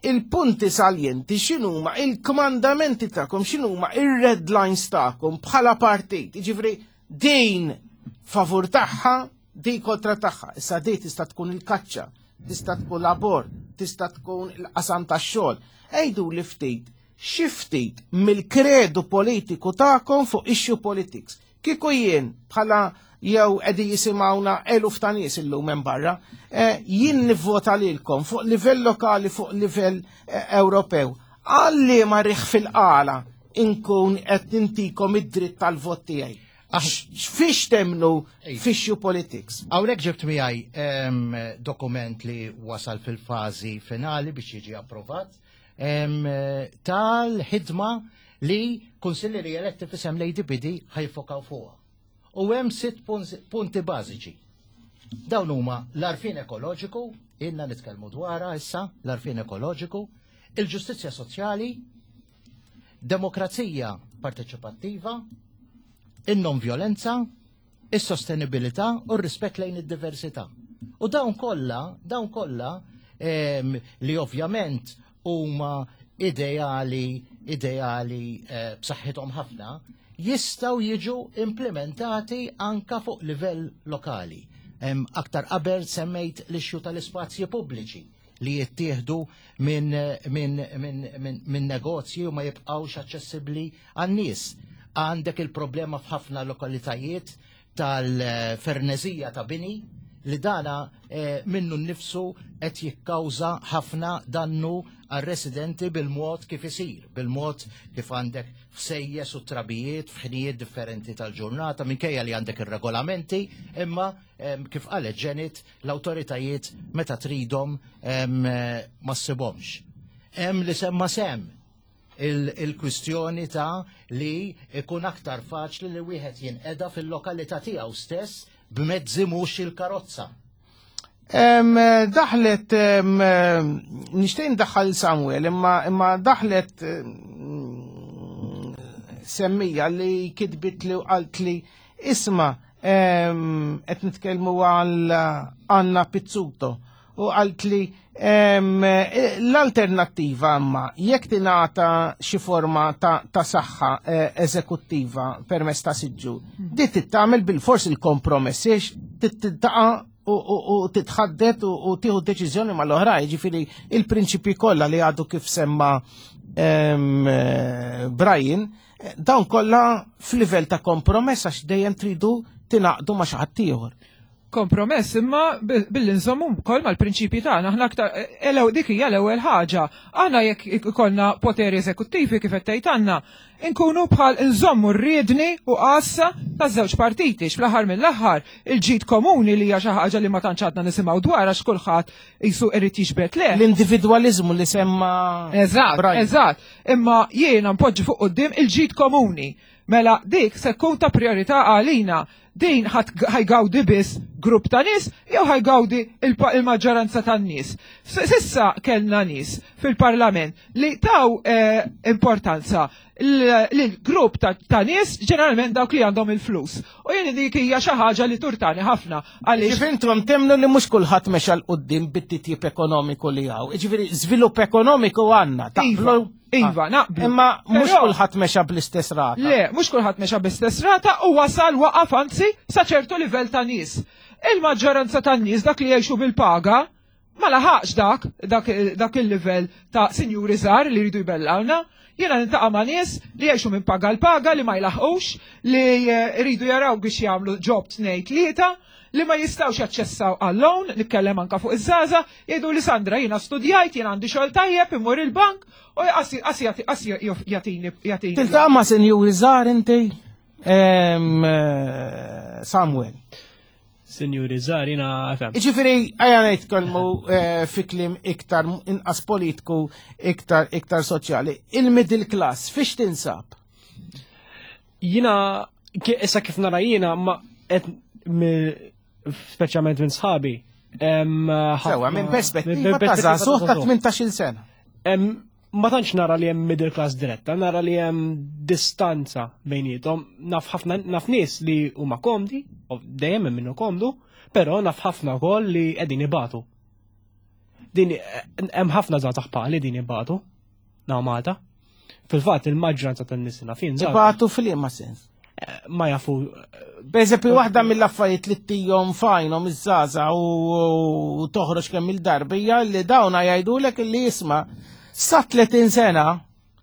il-punti saljenti, x'inhuma il-kmandamenti tagħkom, x'inhuma ir-red lines tagħkom bħala partit? Jiġifieri din favur tagħha, di kontra tagħha. Issa di tista' tkun il-kaċċa, tista' tkun l-abort, tista' tkun il-qasam tax-xogħol. Ejdu li ftit xi ftit mill-kredu politiku tagħkom fuq issue politics. Kieku jien bħala jew qegħdin jisimgħuna eluf ta' nies illum hemm barra, eh, jien nivvota lilkom fuq livell lokali, fuq livell eh, Ewropew. Għalli ma riħ fil-qala inkun qed nintikom id-dritt tal-vot tiegħi. Fiex temnu f'issue politics? Hawnhekk ġibt miegħi em, dokument li wasal fil-fażi finali biex jiġi approvat em, tal-ħidma li kunsillieri eletti f'isem l-A D P D ħa jiffokaw fuqha. U hemm sitt punti bażiċi. Dawn huma l-għarfien ekoloġiku, ilna nitkellmu dwarha issa, l-għarfien ekoloġiku, il-ġustizzja soċjali, demokrazija parteċipattiva, in-non violenza, is-sostenibilità u r-rispett lejn id-diversità. U dawn kollha, dawn kollha em, li ovvjament huma ideali, ideali eh, b'saħħithom ħafna, jistgħu jiġu implementati anka fuq livell lokali. Em, aktar qabel semmejt l-issue tal-ispazji pubbliċi li jittieħdu minn min, min, min, min negozji u ma jibqawx aċċessibbli għan-nies. Għandek il-problema f'ħafna lokalitajiet tal-fernezija ta' bini li dana eh, minnu nnifsu qed jikkawża ħafna dannu għar-residenti bil-mod kif isir, bil-mod kif għandek fsejjes u trabijiet f'ħinijiet differenti tal-ġurnata, minkejja li għandek ir-regolamenti, imma em, kif qalet Janet, l-awtoritajiet meta tridhom em, ma ssibhomx. Hemm li semma sem il-kwistjoni ta' li ikun aktar faċli li wieħed jinqeda fil-lokalità tiegħu stess b'mezzi mhux il-karozza. Em, daħlet, em, nixtieq ndaħħal Samuel, imma, imma daħlet em, semmija li kitbit li u qalt li isma' em, qed nitkellmu għal Anna Pizzuto u qalt li em, l-alternattiva imma jekk tingħata xi forma ta', ta' saħħa eh, eżekuttiva permezz ta' siġġu, di tittamel bil-fors il-kompromess, tittaqa' u, u, u titħaddet u, u tieħu deċiżjoni mal-oħrajn, ġifieri il-prinċipi kollha li għadu kif semma em, eh, Brian, eh, dawn kollha f'livell ta' kompromess għax dejjem tridu tingħaqdu ma' xi ħadd ieħor. Kompromess imma billi nżommu wkoll mal-prinċipji tagħna aħna aktar elew dik hija l-ewwel ħaġa. Aħna jekk ikollna poteri eżekuttivi kif qed tgħid għandna, inkunu bħal nżommu r-riedni u qassa taż-żewġ partiti fl-aħħar mill-aħħar il-ġid komuni li hija xi ħaġa li ma tantx għadna nisimgħu dwar għax kulħadd jisu irid jiġbed le. L-individwaliżmu li semma Eżatt, Brian. eżatt. Imma jiena npoġġi fuq quddiem il-ġid komuni. Mela dik se tkun ta' priorità għalina. Din ħa jgawdi biss grupp ta' nies jew ħa jgawdi il-maġġoranza tan nies. S'issa kellna nies fil-parlament li taw eh, importanza l-grupp ta' nies, ġeneralment dawk li għandhom il-flus. U jien dik hija xi ħaġa li turtani ħafna għaliex Ġifieri intom temmnu li mhux kulħadd mexa 'l quddiem bit-titjib ekonomiku li hawn. Ġifieri żvilupp ekonomiku għandna, taqblu? Iva, naqblu. Imma mhux Però- kulħadd mexa bl-istess rata. Le, mhux kulħadd mexa bl-istess rata u wasal waqaf anzi sa ċertu livell ta' nies. Il-maġġoranza tan nies, dak li jgħixu bil-paga, ma laħaqx dak, dak, dak il-livell ta' sinjuri żgħar li jridu jbellawna. Jiena niltaqa' ma' nies li jgħixu minn paga l-paga li ma jlaħqux, li eh, jridu jaraw biex jagħmlu job tnejn tlieta, li ma jistawx jaċċessaw għall-loan, nitkellem anka fuq iż-żgħażagħ, jgħidu li "Sandra, jiena studjajt, jiena għandi xogħol tajjeb, immur il-bank u qas qas jagħtini jagħtini. Tiltaqa' ma' sinjuri żgħar inti? Em, eh, Samuel. Sinjuri żgħar jiena fem. Ġifieri, ejja nitkellmu eh, fi kliem iktar inqas politiku, iktar iktar soċjali. Il-middle class, fiex tinsab? Jiena ki- issa kif nara jiena ma qed mi- speċjalment minn sħabi. em, Sewa, ħafna- minn perspettiva ta' perspettiva żagħżugħ ta' żagħżugħ. tmintax-il sena. Em, Ma tantx nara li hemm middle class diretta, nara li hemm distanza bejniethom. Naf ħafna naf nies li huma komdi, u dejjem hemm minnu komdu, però naf ħafna wkoll li qegħdin ibatu. Din hemm ħafna żgħażagħ bħali din ibatu naw Malta. Fil-fatt il-maġġoranza tan-nies naf jien żgħażagħ Ibatu fil-liema sens? Ma jafu. Per eżempju, waħda mill-affarijiet li ttihom f'għajnhom iż-żgħażagħ u u toħroġ kemm il-darbija li dawna jgħidulek li jisma' sa tletin sena,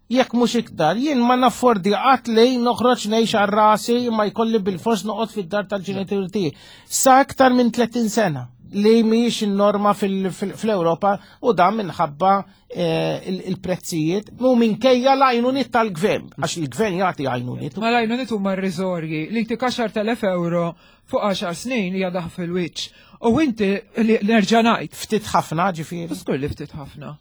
jekk mhux iktar, jien ma naffordi qatt li noħroġ ngħix għal rasi, ma jkolli bil-fors noqgħod fid-dar tal-ġenituri tiegħi. Sa aktar minn tletin sena, li mhijiex in-norma fil- fil- fl-Ewropa, u dan minħabba eh, il- il-prezzijiet u minkejja l-għajnuniet tal-gvern, għax il-gvern jagħti għajnuniet. Ma l-għajnuniet huma irriżorji li tik għaxart elef euro fuq għaxar snin hija daħk fil-wiċċ. U inti li nerġa' ngħid, Ftit ħafna ġifieri. Żgur li ftit ħafna.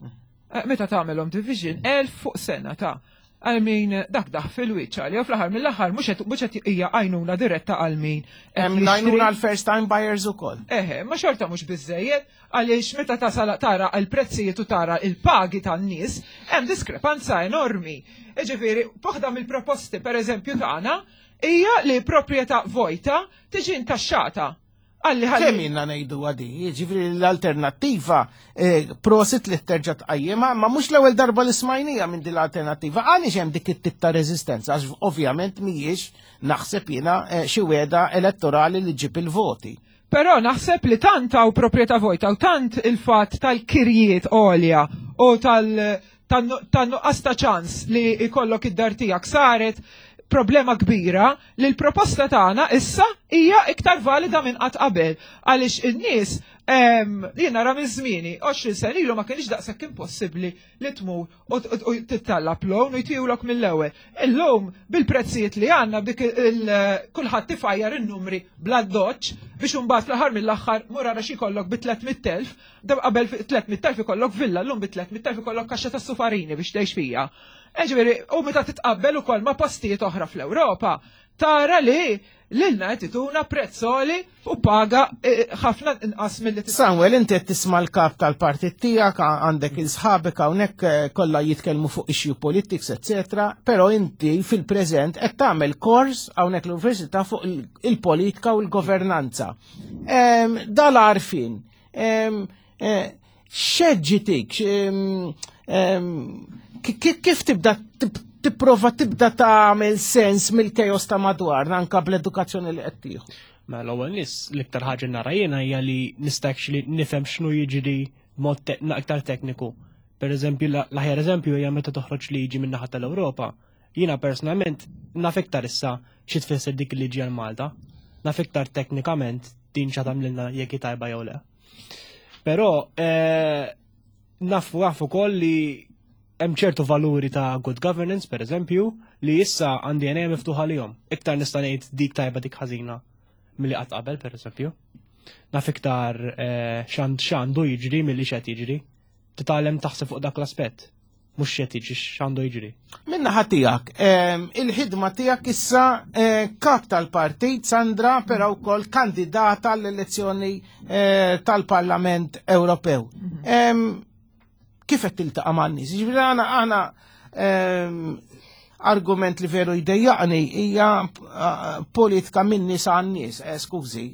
Eh, Meta tagħmelhom division, elf fuq sena ta' għal min dak daħk fil-wiċċ għalija fl-aħħar mill-aħħar mhux qed mhux qed hija għajnuna diretta għal min qed Hemm jixtri. l-għajnuna għal first time buyers ukoll. Eħe, ma xorta mhux biżejjed, għaliex meta tasal tara l-prezzijiet u tara il-pagi tan-nies, hemm diskrepanza enormi. Ġifieri, waħda mill-proposti pereżempju tagħna hija li proprjetà vojta tiġi intaxxata. Għalli ħalli. Kemm jiena ngħidu għadi, ġifieri l-alternattiva, eh, prosit li terġa' tqajjimha, ma mhux l-ewwel darba li smajnija minn din l-alternattiva. Għaliex hemm dik it-tip ta' reżistenza? Għax ovvjament mhijiex, naħseb jiena, eh, xi wegħda elettorali li ġib il-voti. Però naħseb li tant hawn proprjetà vojta u tant il-fatt tal-kirjiet għolja u tal- tan-nuqqas ta' ċans li jkollok id-dar tiegħek saret problema kbira li l-proposta tagħna issa hija iktar valida minn qatt qabel, għaliex in-nies Jien nara minn żmieni, għoxrin sena ilu ma kienx daqshekk impossibbli li tmur u tittallab loan u jtihulok mill-ewwel. Illum bil-prezzijiet li għandna b'dik kulħadd tifajjar in-numri bla doċ biex imbagħad fl-aħħar mill-aħħar mur ara xi jkollok bi tliet mitt elf, qabel tliet mitt elf ikollok villa, llum bi tliet mitt elf ikollok kaxxa ta' sufarini biex tgħix fija. Ġifieri, u meta titqabbel ukoll ma' postijiet oħra fl-Ewropa, tara li lilna qed ituna prezzoli u paga ħafna inqas milli Samuel, inti qed tisma' l-kap tal-partit tiegħek, għandek il-sħabek hawnhekk kollha jitkellmu fuq issue politics, eccetera, però inti fil-preżent qed tagħmel kors hawnhekk l-università fuq il-politika u l-governanza. Dal-għarfien, x'ħeġġitik, kif tibda tipprova tibda tagħmel sens mill-kejos ta' madwarna anka bl-edukazzjoni li qed tieħu? Mela l-ewwel nies l-iktar ħaġa nara jiena hija li nista' actually nifhem x'inhu jiġri b'mod aktar tekniku. Per eżempju, l-aħjar eżempju hija meta toħroġ liġi min-naħa tal-Ewropa. Jiena personalment naf iktar issa xi tfisser dik il-liġi għal Malta. Naf iktar teknikament din xa tagħmlilna jekk tajba jew le. Però nafu naf ukoll li hemm ċertu valuri ta' good governance, per eżempju, li issa għandi għajnejja miftuħa lihom. Iktar nista' ngħid dik tajba dik ħażina milli qatt qabel, per eżempju. Naf iktar x'għandu jiġri milli x'qed jiġri. Titgħallem taħseb fuq dak l-aspett. Mhux x'qed jiġri, x'għandu jiġri. Min-naħa tiegħek, il-ħidma tiegħek issa kap tal-partit, Sandra, però wkoll kandidata l-elezzjoni tal-Parlament Ewropew. Kif qed tiltaqa' man-nies? Jiġifieri aħna aħna argument li veru jdejjaqni hija politika minn nies għan-nies, skużi,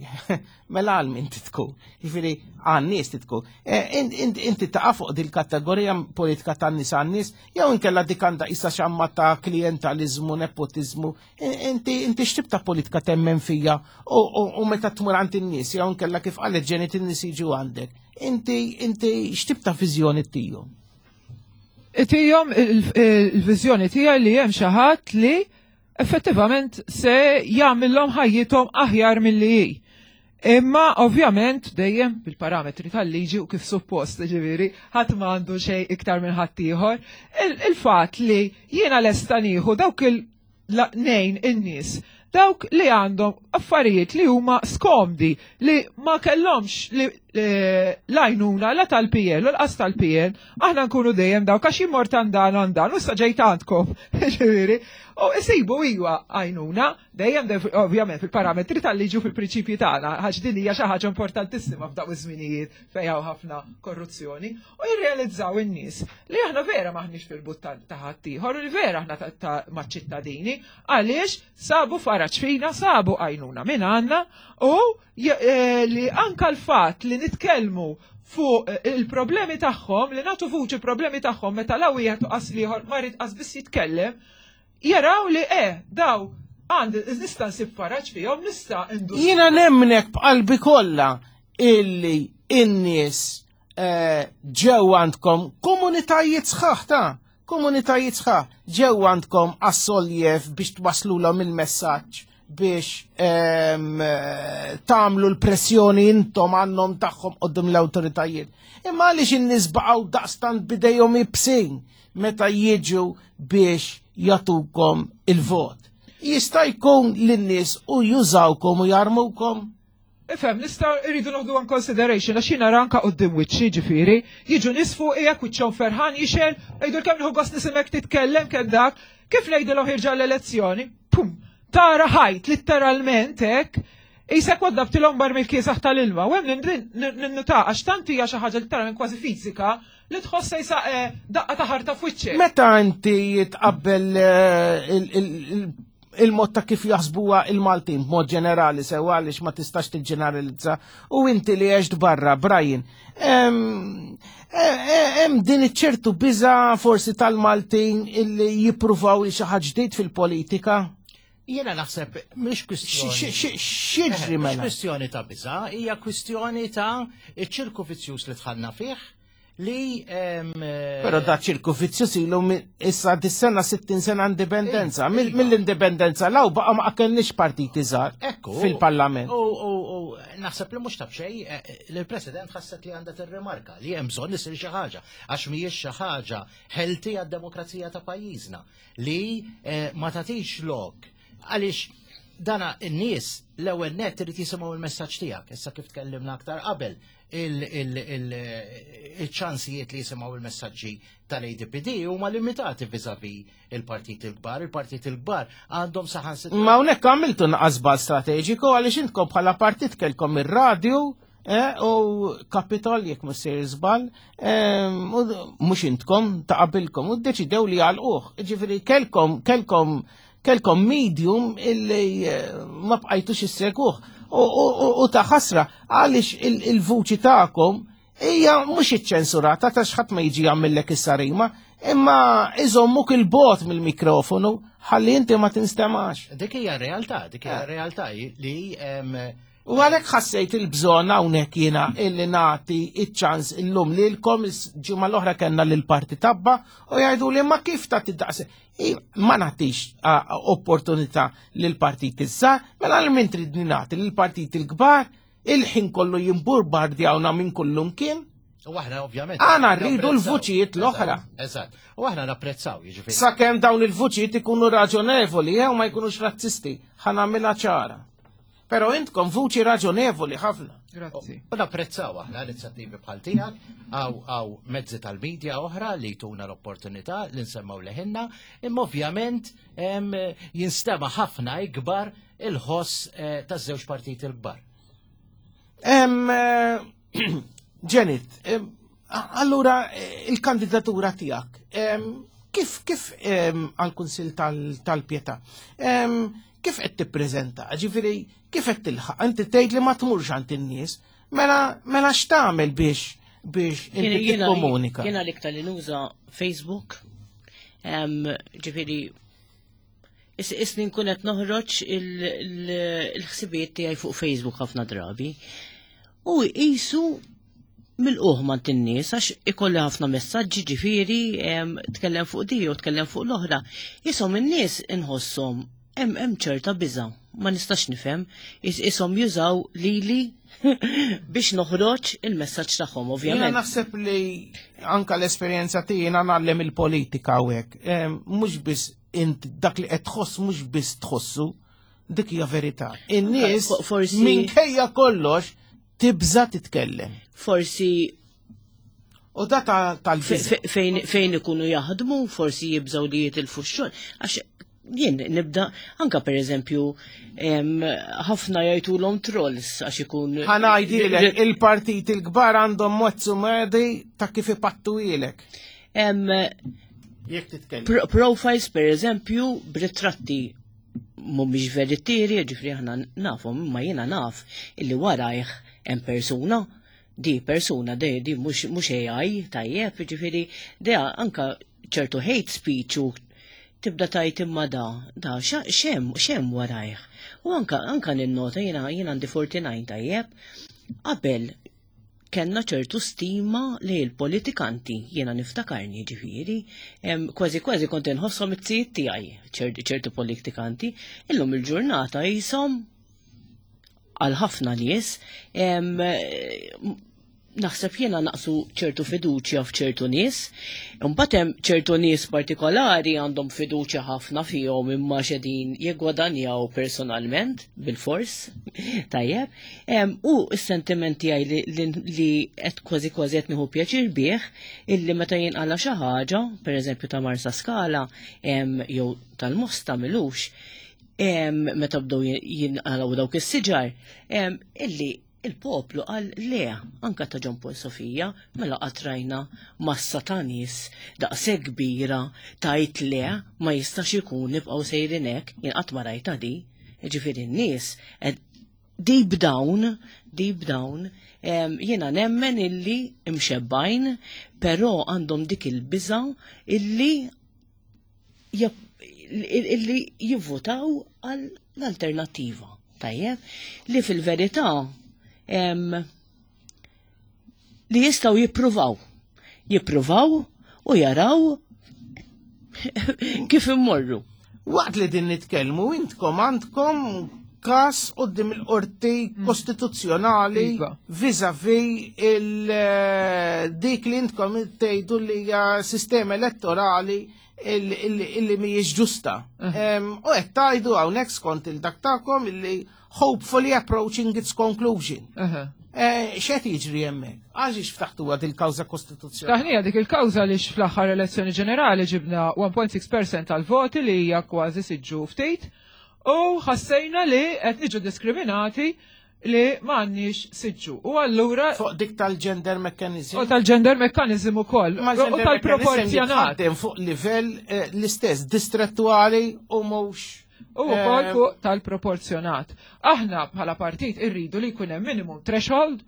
mela għal min titkun. Jiġifieri għan-nies titkun. Inti taqa' fuq dil-kategorija politika tan-nies għan-nies, jew inkella dik għandha issa xamma ta' klientalizmu, nepotizmu, inti inti x'tip ta' politika temmen fija u meta tmur għand in-nies, jew inkella kif qalet Janet in-nies jiġu għandek. Inti inti x'tip ta' viżjoni tihom? Tihom il-viżjoni tiegħi li hemm xi ħadd li effettivament se jagħmilhom ħajjithom aħjar milli hi. Imma ovvjament dejjem bil-parametri tal-liġi u kif suppost, ġifieri, ħadd ma għandu xejn iktar minn ħadd ieħor. Il-fatt li jiena lesta nieħu dawk il-nejn in-nies, dawk li għandhom affarijiet li huma skomdi, li ma kellhomx l-għajnuna la tal-P L u l-qas tal-P N, aħna nkunu dejjem dawk għax jimmort għandan għandan, u ġejt għandkom, ġifieri. U isibu iwa għajnuna, dejjem ovvjament fil-parametri tal-liġi u fil-prinċipji tagħna, għax din hija xi ħaġa importantissima f'daw iż-żminijiet fejn hawn ħafna korruzzjoni, u jirrealizzaw in-nies li aħna vera maħniex fil-but ta' ħaddieħor, u li vera aħna maċ-ċittadini, għaliex sabu faraġ fina, sabu għajnuna minn għandna, u li anka l-fatt li nitkellmu fuq il-problemi tagħhom, li nagħtu vuċi problemi tagħhom meta la wieħed u qas ieħor ma jrid qas biss jitkellem, jaraw li eh daw għandi nista' nsib faraġ fihom, nista' indu. Jiena nemnek b'qalbi kollha illi in-nies ġew għandkom komunitajiet sħaħ ta' komunitajiet sħaħ ġew għandkom għas-soljev biex twaslulhom il-messaġġ biex tagħmlu l-pressjoni intom għannom tagħhom quddiem l-awtoritajiet. Imma għaliex in-nies baqgħu daqstant bidejhom ibsin meta jiġu biex jagħtukom il-vot. Jista' jkun lin-nies u jużawkom u jarmukom? Ifhem, nista' irridu noħdu in consideration għax jiena ranka quddiem wiċċi ġifieri, jiġu nies fuq qiegħek wiċċhom ferħan jixel, jgħidu kemm nieħu gost nisimek titkellem kemm dak, kif ngħidilhom ħirġa l-elezzjoni, pum, tara ħajt literalment hekk, Isek waddabtilhom barmil kiesaħ tal-ilma, u hemm ninnuta għax tant hija xi ħaġa literalment kważi fiżika li tħossa jisa daqqa ta' ħarta f'wiċċek. Meta inti tqabbel il-mod ta' kif jaħsbuha il-Maltin b'mod ġenerali sewa għaliex ma tistax tiġġeneralizza u inti li għext barra, Brian, hemm din iċ-ċertu biża forsi tal-Maltin illi jippruvaw li xi ħaġa ġdid fil-politika? Jiena naħseb mhix kwistjoni. X'jiġri mela? Mhix kwistjoni ta' biża, hija kwistjoni ta' iċ-ċirku vizzjuż li dħalna fih, li em, eh, Però da ċirku vizzjuż ilu mi- issa dis-sena sittin sena indipendenza. Iva. Mill- Mill-indipendenza law baqa ma kellniex partiti żgħar Ekku. fil-parlament. U, u, u naħseb li mhux ta' b'xejn, eh, eh, li l-President ħasset li għandha tirrimarka li hemm bżonn isir xi ħaġa għax mhijiex xi ħaġa healthy għad-demokrazija ta' pajjiżna li eh, ma tagħtix lok għaliex dana n-nies l-ewwel net irid jisimgħu il-messaġġ tiegħek. Issa kif tkellimna aktar qabel il- il- il- il-ċansijiet li jisimgħu il-messaġġi tal-A D P D huma limitati vis-a-vis il-partit il-kbar. Il-partit il-kbar għandhom saħansitra Ma hawnhekk għamiltu naqasbal strateġiku għaliex intkom bħala partit kelkom ir-radju eh, u Kapitol, jekk mhux sejr żball, eh, u mhux intkom, ta' qabilkom, u ddeċidew li għalquh. Ġifieri kelkom kelkom kelkom medium illi eh, ma bqajtux issegwuh. U, u, u, u ta' ħasra għaliex il- il-vuċi tagħkom hija mhux iċċensurata ta' x'ħadd ma jiġi jagħmellek is-sarima, imma iżommuk il-bogħod mill-mikrofonu ħalli inti ma tinstemax. Dik hija realtà, dik hija realtà li em, U għalhekk ħassejt il-bżonn hawnhekk jiena illi nagħti iċ-ċans illum lilkom. Il-ġimgħa l-oħra kellna lil parti tabba u jgħidu li ma kif ta' tiddaqs. Ma nagħtix a, opportunità lil partit issa, mela lil min tridni nagħti? Lil partit il-kbar il-ħin kollu jimburbardjawna minn kullum kien. U aħna ovvjament. Aħna rridu napprezzaw. l-vuċijiet l-oħra. Eżatt. U aħna napprezzaw, jiġifieri. Sakemm dawn il-vuċijiet ikunu raġonevoli jew ma jkunux razzisti, ħa nagħmilha ċara. Però intkom vuċi raġonevoli ħafna. Grazzi. U napprezzaw aħna inizjattivi bħal tiegħek għaw għaw mezzi tal-medja oħra li tuna l-opportunità li nsemmaw leħinna, imma ovvjament em, jinstema ħafna ikbar il-ħoss eh, taż-żewġ partiti l-kbar. Em, eh, Janet, em, a- allura eh, il-kandidatura tiegħek, em, kif kif em, għal-Kunsil tal- tal-Pietà, em, kif qed tippreżenta? Ġifieri, kif qed tilħaq? Inti tgħid li ma tmurx għand in-nies, mela mela x'tagħmel biex biex inti tikkomunika? Jiena l-iktar li nuża Facebook, em, ġifieri, is- isni nkun qed noħroġ il- il- il-ħsibijiet tiegħi fuq Facebook ħafna drabi. U qisu mill-uħ ma in-nies għax ikolli ħafna messaġġi, ġifieri em, tkellem fuq di u tkellem fuq l-oħra. Isom in-nies inħosshom hemm hemm ċerta biża', ma nistax nifhem, is- isom jużaw lili biex noħroġ il-messaġġ tagħhom Jiena ovvjament. naħseb li anka l-esperjenza tiegħi nagħllem il-politika hawnhekk. Em, Mhux biss int dak li qed tħoss mhux biss tħossu, dik hija verità. In-nies Fo- forsi- minkejja kollox tibża titkellem. Forsi U da ta- fe- tal-biża. fe- fejn fejn ikunu jaħdmu, forsi jibżaw li jitilfu x-xogħol. Għax jien nibda, anka per eżempju, em, ħafna jgħidulhom trolls għax ikun. Ħa ngħidilek, il-partiti l-kbar għandhom mozzu medi ta' kif ipattuhielek. Em, Jekk titkellem. pro- profiles per eżempju, b'ritratti mhumiex veritieri, ġifri aħna nafhom, imma jiena naf illi warajh hemm persuna, di persuna, di, di mhux mhux A I, tajjeb, ġifieri, di anka ċertu hate speech u tibda tajt imma da, da, xa- xem, xem warajh. U anka, anka ninnota, jiena jiena għandi erbgħa u erbgħin, tajjeb, qabel kellna ċertu stima li l-politikanti, jiena niftakarni ġifieri, em, kważi kważi kont inħosshom it-tijiet tiegħi ċerti ċertu politikanti, illum il-ġurnata jisom għal ħafna nies, em, naħseb jiena naqsu ċertu fiduċja f'ċertu nies, imbagħad hemm ċertu nies partikolari għandhom fiduċja ħafna fihom imma xedin jiggwadanjaw personalment bil-fors, tajjeb, Em, u s-sentiment tiegħi li, li, li qed kważi kważi qed nieħu pjaċir bih illi meta jinqala xi ħaġa, pereżempju ta' Marsa Skala, em, jew tal-Mosta milux, em, meta bdew jinqalgħu dawk is-siġar, em, illi il-poplu qal le, anka ta' John Paul Sofia, mela qatt rajna massa ta' nies daqshekk kbira tajt le, ma jistax ikun nibqgħu sejrin hekk, jien qatt ma rajta di. Ġifieri n-nies ed- deep down, deep down, em, jiena nemmen illi imxebbajn, però għandhom dik il-biża illi jab- illi jivvotaw għal l-alternativa. Tajjeb, li fil-verità em, li jistaw jippruvaw. Jippruvaw u jaraw kif immorru. Waqt li din nitkellmu intkom għandkom każ quddiem il-qorti kostituzzjonali Iva. vis-a-vis il eh, dik li intkom tgħidu li hija sistema elettorali illi mhijiex ġusta. Em, U qed tgħidu hawnhekk skont il-dak tagħkom illi hopefully approaching its conclusion. Aha. Eh, X'qed jiġri hemmhekk? Għaliex ftaħtu għad il-kawża kostituzzjonali? Taħnija dik il-kawża li fl-aħħar elezzjoni ġenerali ġibna wieħed punt sitta fil-mija tal-voti, li hija kważi siġġu ftit, u ħassejna li qed niġu diskriminati li m'għandniex siġġu. U allura Fuq dik tal-gender mechanism. U tal-gender mechanism ukoll. Ma U gender tal-proporzjonat. mechanism fuq livell eh, l-istess distrettuali u mhux. U wkoll eh, fuq tal-proporzjonat. Aħna bħala partit irridu li jkun hemm minimum threshold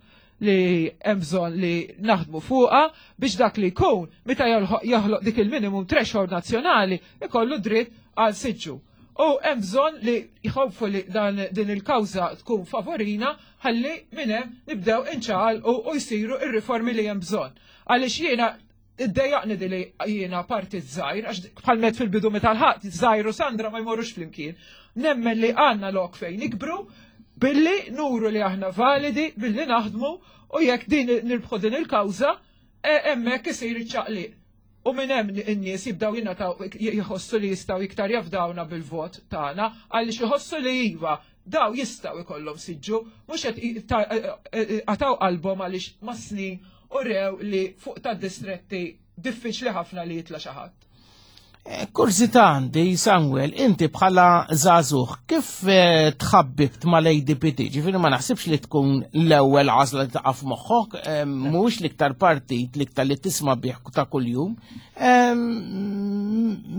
li hemm bżonn li naħdmu fuqha biex dak li jkun meta joħloq joħloq dik il-minimum threshold nazzjonali ikollu dritt għal siġġu. U hemm bżonn li jħobfu li dan din il-kawża tkun favorina ħalli minn hemm nibdew inċaqalqu u jsiru ir-riformi li hemm bżonn. Għaliex jiena iddejjaqni di li jiena partit żgħir, għax bħal met fil-bidu meta l-ħadd żgħir u Sandra ma jmorrux flimkien. Nemmen li għandna lok fejn nikbru billi nuru li aħna validi, billi naħdmu, u jekk din nirbħu din il-kawża, e, hemmhekk isir iċ-ċaqliq. U minn hemm in-nies jibdew jingħataw, jħossu li jistgħu iktar jafdawna bil-vot tagħna, għaliex iħossu li iva daw jistgħu jkollhom siġġu, mhux qed qataw qalbhom għaliex ma' snin u rew li fuq ta' distretti diffiċli ħafna li jitla' xi ħadd. Eh, Kurżità għandi, Samuel, inti bħala żagħżugħ, kif eh, tħabbibt mal-A D P T? Ġifieri ma naħsibx li tkun l-ewwel għażla li taqa' f'moħħok, eh, mhux l-iktar partit l-iktar li tisma' bih ta' kuljum.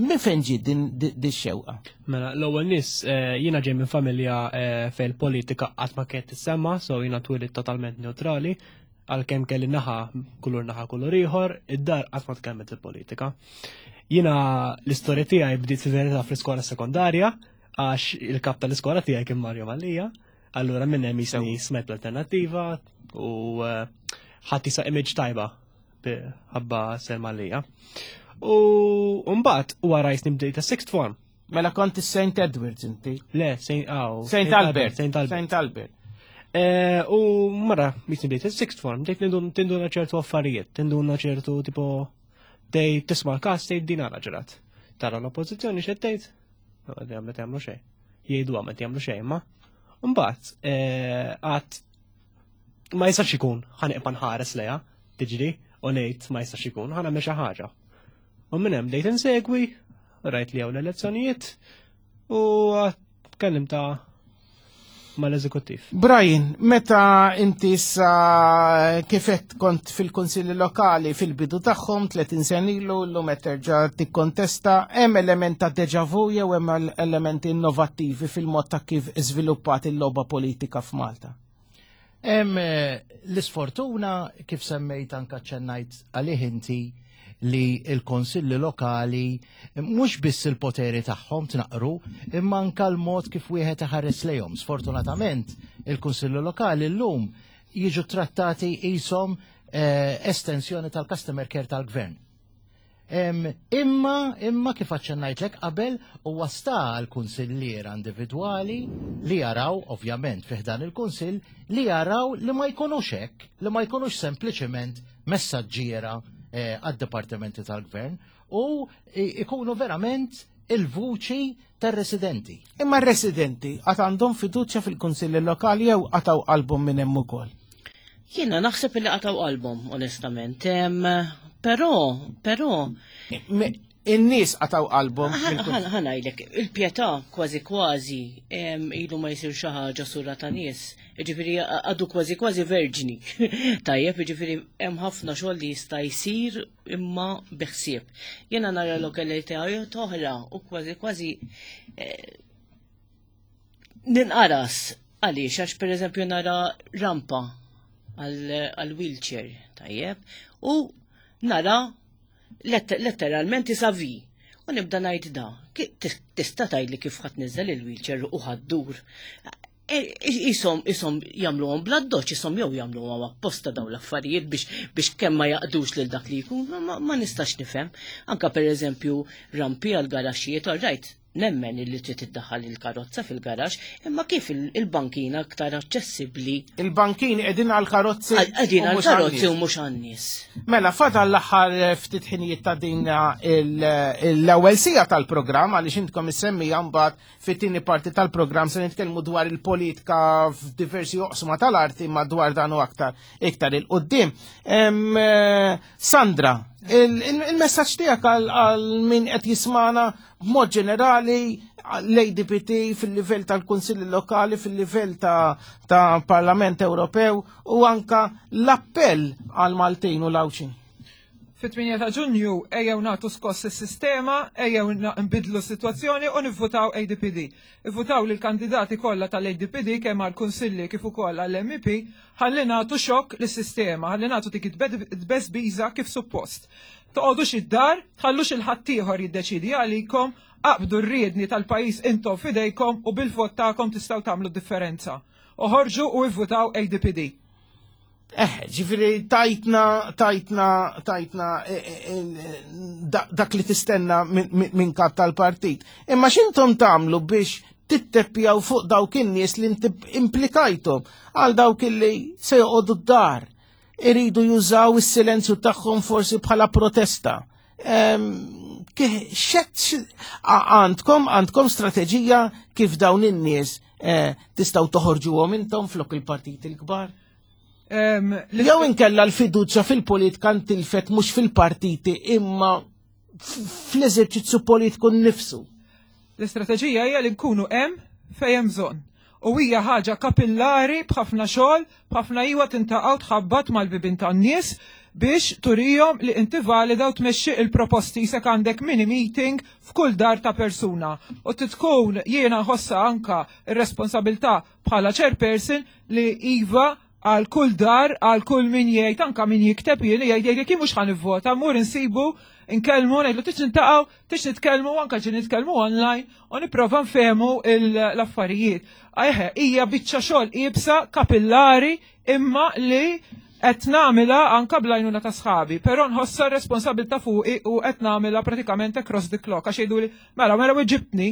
Min fejn ġiet din di xewqa? Mela, l-ewwel nies, eh, jiena ġej minn familja eh, fejn politika qatt ma kienet tissemma, so jiena twilit totalment neutrali, għalkemm kelli naħa kulur naħa kulur ieħor, id-dar qatt ma tkellmet il-politika. Jiena l-istorja tiegħi bdiet fi verità fl-iskola sekondarja, għax il-kap tal-iskola tiegħi kien Mario Mallia, allura minn hemm jisni smajt l-Alternattiva u eh, ħadd jisa image tajba ħabba Sir Mallia. U mbagħad wara jisni bdejt ta' sixth form. Mela kont is-Saint Edwards inti. Le, Saint aw, Saint Albert. Saint Albert. Saint Albert. Eh, U mara, jisni bdejt il-sixth form, bdejt nindun- tinduna ċertu affarijiet, tinduna ċertu tipo, tgħid tisma' l-kas, tgħid din għala ġrat. Tara l-oppożizzjoni x'qed tgħid? Għamlet jagħmlu xejn. Jgħidu għamet jagħmlu xejn, ma. Mbagħad, eh, għat ma jistax ikun ħa nibqa' nħares lejha, tiġri, u ngħid ma jistax ikun, ħa nagħmel xi ħaġa. U minn hemm bdejt insegwi, rajt li hawn l-elezzjonijiet u tkellim ta' mal-eżekuttiv. Brian, meta inti issa kifet kont fil-konsilli lokali fil-bidu tagħhom tletin sena ilu, llum qed terġa' tikkontesta, hemm element ta' deja vu jew hemm elementi innovattivi fil-mod ta' kif iżviluppat il-logħba politika f'Malta? Hemm eh, l-isfortuna, kif semmejt anka ċennajt għalih inti, li il-konsilli lokali mhux biss il-poteri tagħhom tnaqru, imma anka l-mod kif wieħed iħares lejhom. Sfortunatament il-kunsilli lokali llum jiġu trattati qishom eh, estensjoni tal-customer care tal-gvern. Em, imma, imma kif aċċennajtlek qabel, huwa sta għal kunsilliera individwali li jaraw, ovvjament, fi ħdan il-kunsill, li jaraw li ma jkunux hekk, li ma jkunux sempliċement messaġġiera eh, għad-dipartimenti tal-gvern u i- ikunu verament il-vuċi tar-residenti. Imma r-residenti għad għandhom fiduċja fil-kunsilli lokali jew qataw qalbhom minn hemm ukoll? Jiena naħseb li qataw qalbhom, onestament. Em, Però, però, Me- In-nies qataw qalbhom. ħa ngħidlek, il-Pietà kważi kważi em, ilu ma jsir xi ħaġa sura ta' nies. Ġifieri għadu kważi kważi verġni. Tajjeb, ġifieri hemm ħafna xogħol li jista' jsir imma biħsieb. Jiena nara lokalitajiet oħra u kważi kważi eh, ninqaras għaliex, għax pereżempju nara rampa għal wheelchair, tajjeb, u nara lett- letteralment isavi. U nibda ngħid da, ki- tis- tista' tgħidli kif ħadd niżel il-wheelchair u ħaddur. Isom, isom jagħmluhom bla doċ, isom jew jagħmluhom apposta dawn l-affarijiet biex biex kemm ma jaqdux lil dak li jkun, ma, ma nistax nifhem. Anka pereżempju rampi għal garaxxijiet, all right, nemmen illi trid iddaħħal il-karozza fil-garax, imma kif il-bankina aktar aċċessibbli. Il-bankin qegħdin għal-karozzi. Qegħdin għal-karozzi u mhux għan-nies. Mela, fadal l-aħħar ftit ħinijiet ta' din l-ewwel sija tal-programm għaliex intkom issemmija mbagħad fit-tieni parti tal-programm se nitkellmu dwar il-politika f'diversi oqsma tal-arti ma dwar dan u aktar iktar il-qudiem. Sandra, il-messaġġ tiegħek għal min qed jismana b'mod ġenerali l-A D P T fil-livell tal-Kunsilli Lokali, fil-livell ta', ta Parlament Ewropew u anka l-appell għal Maltin u l-Għawdxin. Fit-tmienja ta' Ġunju ejjew nagħtu skoss is-sistema, ejjew nbidlu s-sitwazzjoni u nivvutaw A D P D. Ivvutaw lil kandidati kollha tal-A D P D kemm għall-kunsilli kif ukoll għall-M E P ħalli nagħtu xokk lis-sistema, ħalli nagħtu dik it-tbeżbiża kif suppost. Toqgħodux id-dar, tħallux il-ħaddieħor jiddeċidi għalikom, aqbdu r-riedni tal-pajjiż intom fidejkom u bil-vot tagħkom tistgħu tagħmlu differenza. Oħorġu u ivvutaw A D P D. Eh, ġifieri tajtna, tajtna, tajtna eh, eh, dak li tistenna minn kap tal-partit. Imma x'intom tagħmlu biex titteppjaw fuq dawk in-nies li implikajtom għal dawk li se joqogħdu d-dar, iridu jużaw is-silenzju tagħhom forsi bħala protesta? Xet għandkom għandkom strateġija kif dawn in-nies tistgħu toħorġuhom intom flok il-partiti l-kbar? Jew inkella l-fiduċja fil-politika ntilfet mhux fil-partiti imma fl-eżerċizzju politiku nnifsu. L-istrateġija hija li nkunu hemm fejn hemm bżonn. U hija ħaġa kapillari b'ħafna xogħol, b'ħafna iwa tintaqgħu tħabbat mal-bibin tan-nies biex turijom li inti valida u tmexxi il-proposti se għandek mini meeting f'kull dar ta' persuna. U titkun jiena nħossa anka ir-responsabilità bħala chairperson li iva għal kull dar, għal kull min jgħid, anka min jikteb jien jgħid jgħid jien mhux ħa nivvota, mur insibu, nkellmu, ngħidlu tix nintaqgħu, tix nitkellmu, anka ġi nitkellmu online u nipprova nfehmu l-affarijiet. Eħe, hija biċċa xogħol iebsa, kapillari, imma li qed nagħmilha anka bl-għajnuna ta' sħabi, però nħossa r-responsabilità fuqi u qed nagħmilha pratikament across the clock għax jgħiduli, mela mela weġibtni,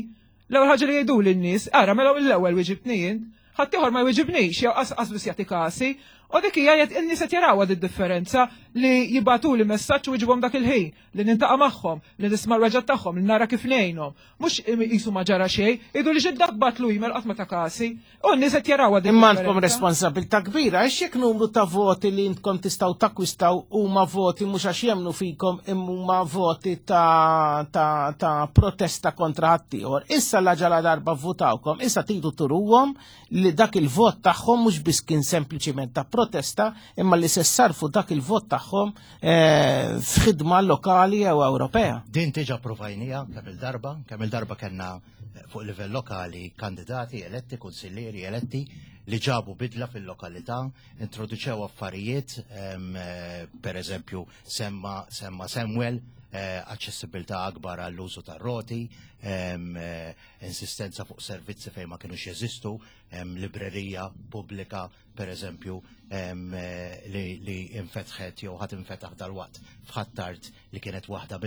l-ewwel ħaġa li jgħiduli n-nies, ara mela l-ewwel weġibtni jien, ħaddieħor ma jweġibnix, jew qas biss jagħti kasi. U dik hija jgħid in-nies qed jarawha di differenza li jibatu li messaġġ u jġibhom dak il-ħin, li nintaqa' magħhom, li nisma' l-weġgħat tagħhom, li nara kif ngħinhom. Mhux qisu ma ġara xejn, jgħidu li ġiddak batlu email qatt ma ta' kasi. U n-nies qed jarawha di Imma għandkom responsabilità kbira, għax jekk numru ta' voti li intkom tistgħu takkwistaw huma voti mhux għax jemnu fikom imma huma voti ta', ta, ta protesta kontra ħaddieħor. Issa la ġala darba votawkom, issa tridu turuhom li dak il-vot tagħhom mhux biss kien sempliċiment ta' protesta, imma li se sarfu dak il-vot tagħhom eh, f'ħidma lokali jew Ewropea. Din diġà provajnieha kemm il-darba, kemm il-darba kellna eh, fuq livell lokali kandidati eletti, kunsillieri eletti li ġabu bidla fil-lokalità, introduċew affarijiet, em, eh, per eżempju, semma, semma Samuel, eh, aċċessibilità akbar għall-użu tar-roti, em, eh, insistenza fuq servizzi fejn ma kienux jeżistu, em, librerija pubblika, per eżempju, em, eh, li, li infetħet jew ħat infetaħ dal-waqt f'Ħ'Attard li kienet waħda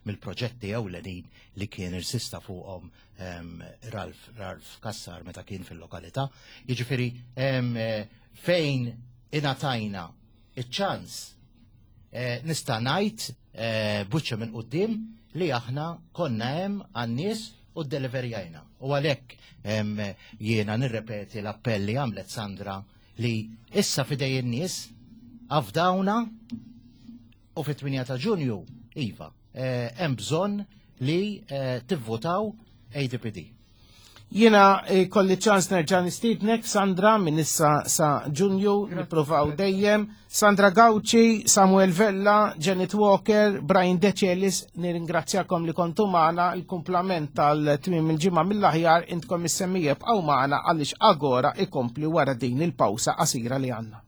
mill-proġetti ewlenin li kien irsista fuqhom em, Ralph, Ralph Kassar meta kien fil-lokalità. Jiġifieri em, eh, fejn ingħatajna iċ-ċans eh, nista' ngħid eh, buċċa minn quddiem li aħna konna hemm għan-nies u ddeliverjajna. U għalhekk em, jiena nirrepeti l-appell li għamlet Sandra li issa fidej in-nies afdawna u fit-tmienja ta' Ġunju, iva, eh, hemm bżonn li eh, tivvotaw A D P D. Jiena eh, kolli ċans nerġa' nistiednek, Sandra, minn issa sa Ġunju, nippruvaw dejjem. Sandra Gauci, Samuel Vella, Janet Walker, Brian Decelis, nirringrazzjakom li kontu magħna. Il-kumplament tal-tmiem il-ġimgħa mill-aħjar intkom is-semmija bqgħu magħna għaliex Agora ikompli wara din il-pawsa qasira li għandna.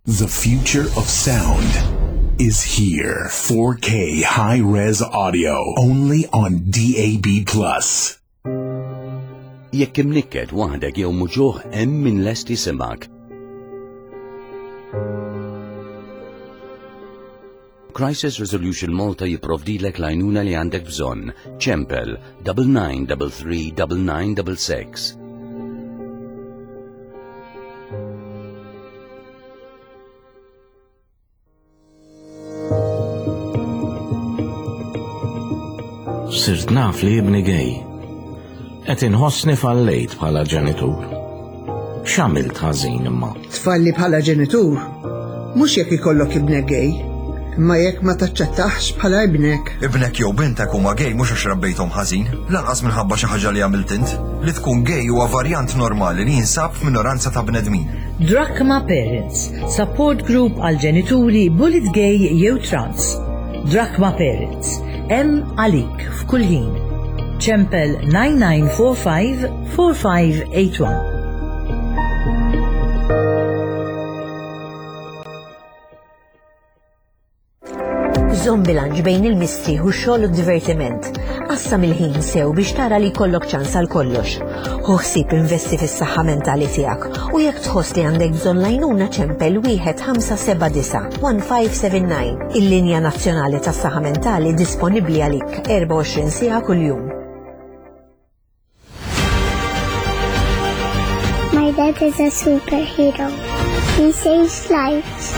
The future of sound is here. four K high-res audio only on D A B plus. Jekk imnikket waħdek jew muġugħ, hemm min lest jismgħek. Crisis Resolution Malta jipprovdilek l-għajnuna li għandek bżonn. Ċempel double nine double three double nine double six. Sirt naf li ibni gay. Qed inħossni fallejt bħala ġenitur. X'għamilt ħażin imma? Tfalli bħala ġenitur, mhux jekk ikollok ibnek gay, imma jekk ma taċċettaħx bħala ibnek. Ibnek jew bintek huma gay mhux għax rabbejthom ħażin, lanqas minħabba xi ħaġa li għamilt int. Li tkun gay huwa varjant normali li jinsab f'minoranza ta' bnedmin. Drachma Parents, support group għal ġenituri bullied gay jew trans. Drachma Parents, hemm għalik f'kull ħin. Ċempel nine nine four five four five eight one. Żomm bilanċ bejn il-mistrieħ u x-xogħol u d-divertiment. Qassam il-ħin sew biex tara li jkollok ċans għal kollox. Ħu ħsieb investi fis-saħħa mentali tiegħek u jekk tħoss li għandek bżonn l-għajnuna, ċempel wieħed ħamsa seba' disa' one five seven nine. Il-linja nazzjonali tas-saħħa mentali disponibbli għalik erbgħa u għoxrin siegħa kuljum. My dad is a superhero. He saves lives.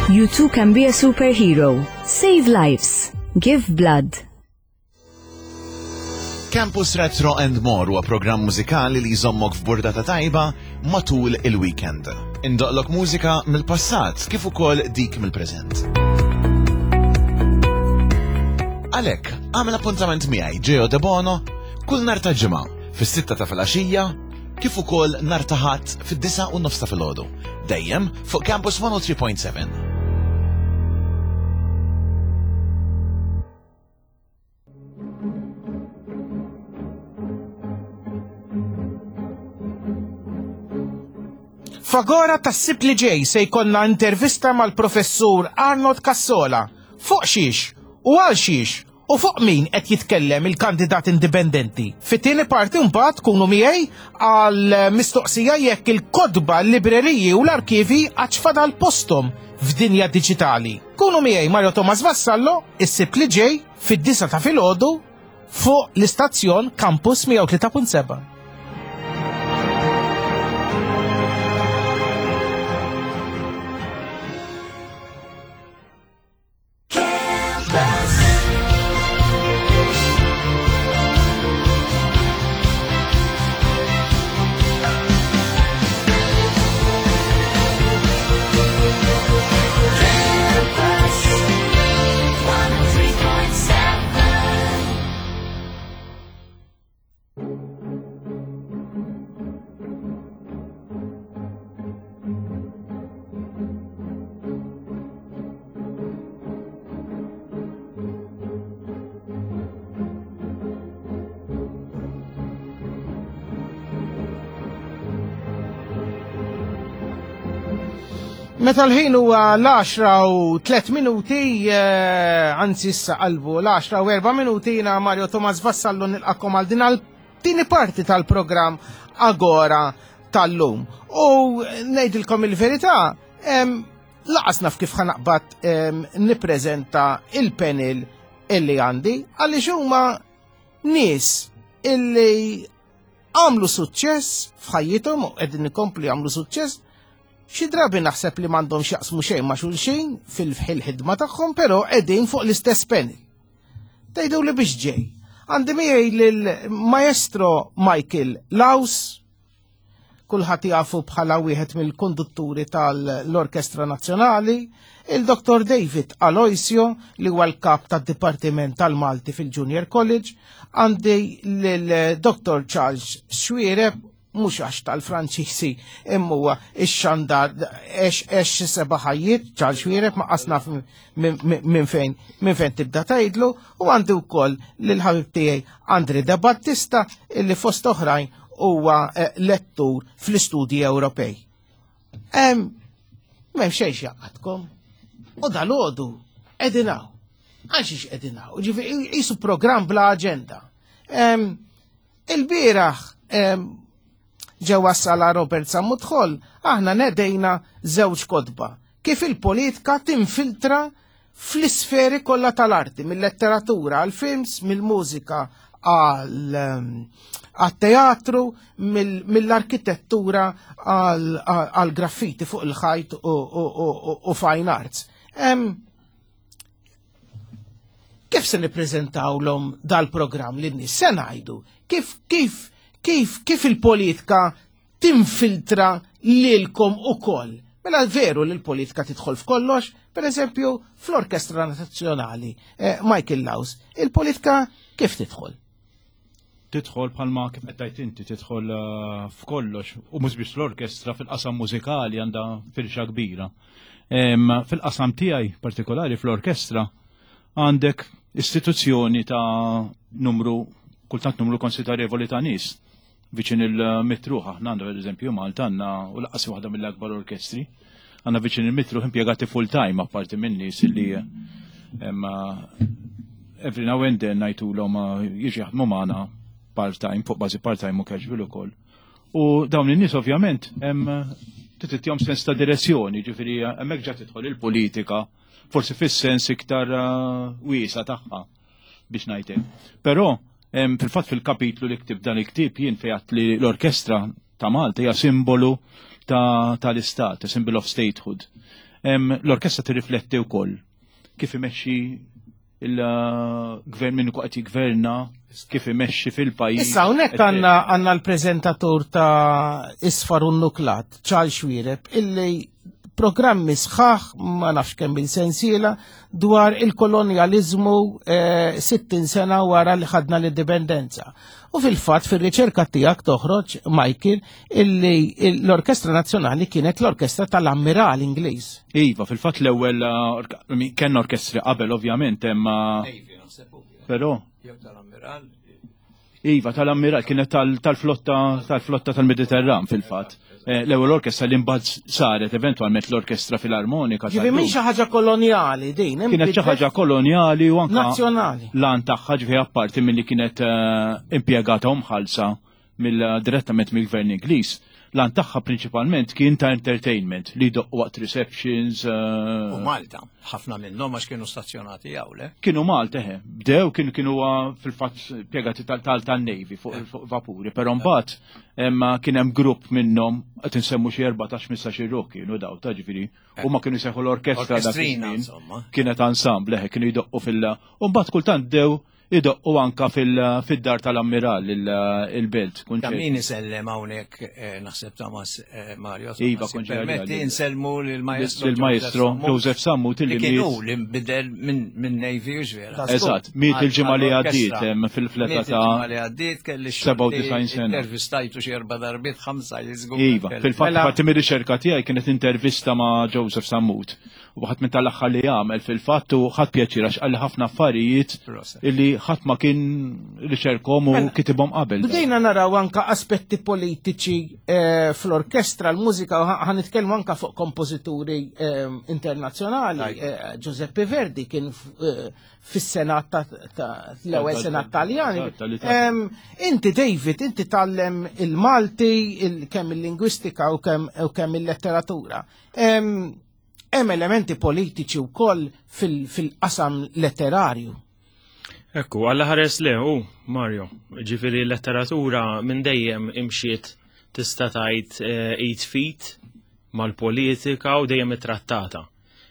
You too can be a superhero. Save lives. Give blood. Campus Retro and More huwa programm mużikali li jżommok f'burdata tajba matul il-weekend. Indoqqlok mużika mill-passat kif ukoll dik mill-preżent. Għalhekk, għamel appuntament miegħi, Geo De Bono, kull nhar ta' Ġimgħa fis-sitta ta' filgħaxija kif ukoll nhar ta' Ħadd fid-disgħa u nofs ta' filgħodu. Dejjem fuq Campus one oh three point seven. F'Agora tas-Sibt li ġej se jkollna intervista mal-professur Arnold Cassola fuq xiex u għal xiex u fuq min qed jitkellem il-kandidat indipendenti. Fit-tieni parti mbagħad tkunu miegħi għal mistoqsija jekk il-kotba, l-libreriji u l-arkivi għadx fadal postom f'dinja diġitali. Kunu miegħi, Mario Thomas Vassallo, is-Sibt li ġej fid-disgħa ta' filgħodu fuq l-istazzjon Campus mija u tlieta punt seba'. Campus one oh three point seven. Meta l-ħin huwa l-għaxra u tliet minuti, eh, anzi issa qalbu l-għaxra u erba' minuti, jiena Mario Thomas Vassallo nilqakom għal din għal tieni parti tal-programm Agora tal-lum. U ngħidilkom il-verità, em, lanqas naf kif ħa naqbad em, nippreżenta il-panel illi għandi, għaliex huma nies illi għamlu suċċess f'ħajjithom u qegħdin ikomplu jagħmlu suċċess. Xi drabi naħseb li m'għandhom x'jaqsmu xejn ma' xulxin fil-ħidma tagħhom, però qegħdin fuq l-istess panel. Tgħidu li biex ġej. Għandi miegħi lil Maestro Michael Laus, kulħadd jafu bħala wieħed mill-kondutturi tal-Orkestra Nazzjonali, il-Dottor David Aloisio li huwa l-kap tad-Dipartiment tal-Malti fil-Junior College, għandi lil Dottor Charles Xuereb, mhux għax tal-Franċisi, imma huwa ix-xandar għex għex seba' ħajjiet, Charles Xuereb, ma qasna minn fejn minn fejn tibda tgħidlu, u għandi wkoll lil ħabib tiegħi Andre De Battista illi fost oħrajn huwa eh, lettur fl-istudji Ewropej. M'hemm xejn jgħaqqadkom. U dalgħodu qegħdin hawn. Għal xiex qegħdin hawn? Ġifieri qisu programm bla aġenda. Il-bieraħ ġewwa sala Robert Sammut Hall aħna nedejna żewġ kotba kif il-politika tinfiltra fl-isferi kollha tal-arti, mill-letteratura għal films, mill-mużika għal teatru, mill-arkitettura għal graffiti fuq il-ħajt u fine arts. Kif se nippreżentawlhom dal-programm lin-nies? Se ngħidu kif kif kif kif il-politika tinfiltra lilkom ukoll. Mela veru li l-politika tidħol f'kollox, per eżempju fl-Orkestra Nazzjonali, eh, Michael Laus, il-politika kif tidħol? Tidħol bħalma kif qed tgħid inti, tidħol eh, f'kollox u mhux biex l-orkestra fil-qasam mużikali għandha firxa kbira. Fil-qasam tiegħi partikolari fl-orkestra għandek istituzzjoni ta' numru, kultant numru konsiderevoli ta' nies. Viċin il-mitt ruħ, aħna għandna, per eżempju, Malta għandna u lanqas waħda mill-akbar orkestri. Għandna viċin il-mitt ruħ impjegati full time, apparti minn nies illi every now and then ngħidulhom jiġi jaħdmu magħna part-time, fuq bażi part-time u casual ukoll. U dawn in-nies ovvjament hemm titihom sens ta' direzzjoni, ġifieri hemmhekk ġa tidħol il-politika, forsi fis-sens iktar wiesa tagħha biex ngħidlek. Però fil-fatt fil-kapitlu li ktib dan il-ktib jien fejat li l-orkestra ta' Malta hija simbolu tal-istat, ta symbol of statehood. L-orkestra tirrifletti wkoll kif imexxi il-gvern minnu qed jigverna, kif imexxi fil-pajjiż. Issa hawnhekk għandna għandna l-preżentatur ta' Isfar u Nuklat, Charles Xuereb, illi programmi sħaħ, ma nafx kemm il-sensiela, dwar il-kolonjalizmu eh, sittin sena wara li ħadna l-indipendenza. U fil-fatt fil-riċerka tiegħek toħroġ, Michael, illi l-Orkestra Nazzjonali kienet l-orkestra tal-Ammiral Ingliż. Iva, fil-fatt l-ewwel eh, kien orkestri qabel ovvjament imma però Jew tal-Ammiral. Iva, tal-Ammiral, kienet tal-flotta tal-flotta tal-Mediterran fil-fatt. Eh, l-ewwel orkestra li mbagħad saret eventwalment l-Orkestra Filarmonika. Ġifieri minn xi ħaġa kolonjali din. Kienet xi ħaġa kolonjali u anke nazzjonali. L-għan tagħha, ġifieri apparti milli kienet eh, impjegata u mħallsa mill direttament mill-gvern Ingliż. L-għan tagħha prinċipalment kien ta' entertainment li doqq waqt receptions. eh, U Malta, ħafna minnhom għax kienu stazzjonati hawn, le? Kienu Malta, eħe. Bdew kienu kienu fil-fatt impjegati tal-Navy fuq fuq vapuri, però mbagħad emma kien hemm grupp minnhom, qed insemmu xi erbatax ħmistax ruħ kienu daw ta' ġifieri u ma kienu jsejħu l-orkestra dak Orkestrina, iż-żmien. insomma. Kienet ensemble, eħe, kienu jdoqqu fil- u mbagħad kultant bdew idoqqu anka fil- fid-dar tal-Ammiral il-Belt. Ta' min isellem hawnhekk eh, naħseb Thomas eh, Mario. Iva, Thomas, konġi permetti għalli. insellmu lill-maestro Lill-maestro Joseph Sammut li illi kien miet. hu li nbidel minn minn Navy u vera. Eżatt, miet il-ġimgħa li għaddiet hemm fil-fleta Miet ta' il-ġimgħa li għaddiet kelli sebgħa u disgħin sena. Intervistajtu xi erba' darbiet, ħamsa jiżgur. Iva, fil-fatt parti mir-riċerka tiegħi kienet intervista ma' Joseph Sammut. U ħadd minn tal-aħħar li jagħmel fil-fatt u ħadd pjaċir għax qalli ħafna affarijiet illi ħadd ma kien riċerkom u kitibhom qabel. Bdejna naraw anka aspetti politiċi eh, fl-orkestra, l-mużika, u ħa nitkellmu anka fuq kompożituri eh, internazzjonali. Eh, Giuseppe Verdi kien f- eh, fis-senat ta' ta' l-ewwel Tal- senat Taljani. tal-Italja. Em, Inti David, inti tgħallem il-Malti, il- kemm il-lingwistika u kemm u kemm il-letteratura. Em, Hemm elementi politiċi wkoll fil- fil-qasam letterarju. Ekku, għalla ħares le, u, Mario, ġifiri letteratura minn dejjem imxiet tista' tgħid eh, id f'id mal-politika u dejjem ittrattata.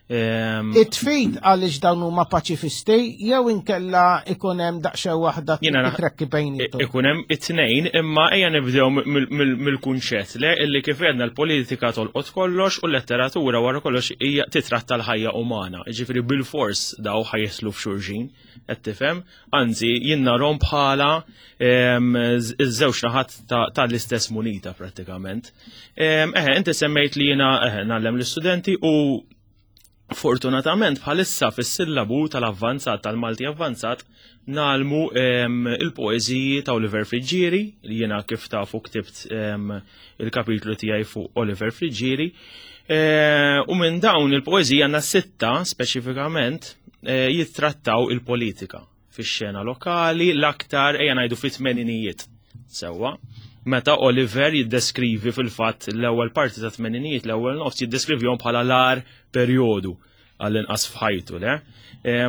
Em, Id f'id għaliex dawn huma paċifisti jew inkella ikun hemm daqsxejn waħda Jiena naħ- trekki bejnietom. Ikun hemm it-tnejn, imma ejja nibdew mill- mill- mill-kunċett le illi kif għedna l-politika tolqot kollox u l-letteratura wara kollox hija titratta l-ħajja umana. Ġifieri bil-fors daw ħa jaslu f'xulxin, qed tifhem? Anzi, jien narhom bħala em, iż-żewġ naħat ta- tal-istess munita prattikament. Em, Eħe, inti semmejt li jiena eħe ngħallem l-istudenti u Fortunatament bħalissa fis-sillabu tal-avvanzat tal-Malti avvanzat ngħallmu il-poeżiji ta' Oliver Friggieri, li jiena kif tafu ktibt il-kapitlu tiegħi fuq Oliver Friggieri. U minn dawn il-poeżiji għandna sitta speċifikament jittrattaw il-politika fix-xena lokali l-aktar ejja ngħidu fit-tmeninijiet. Sewwa, meta Oliver jiddeskrivi fil-fatt l-ewwel parti ta' tmeninijiet, l-ewwel nofs jiddeskrivihom bħala l-agħar perjodu għall-inqas f'ħajtu, le?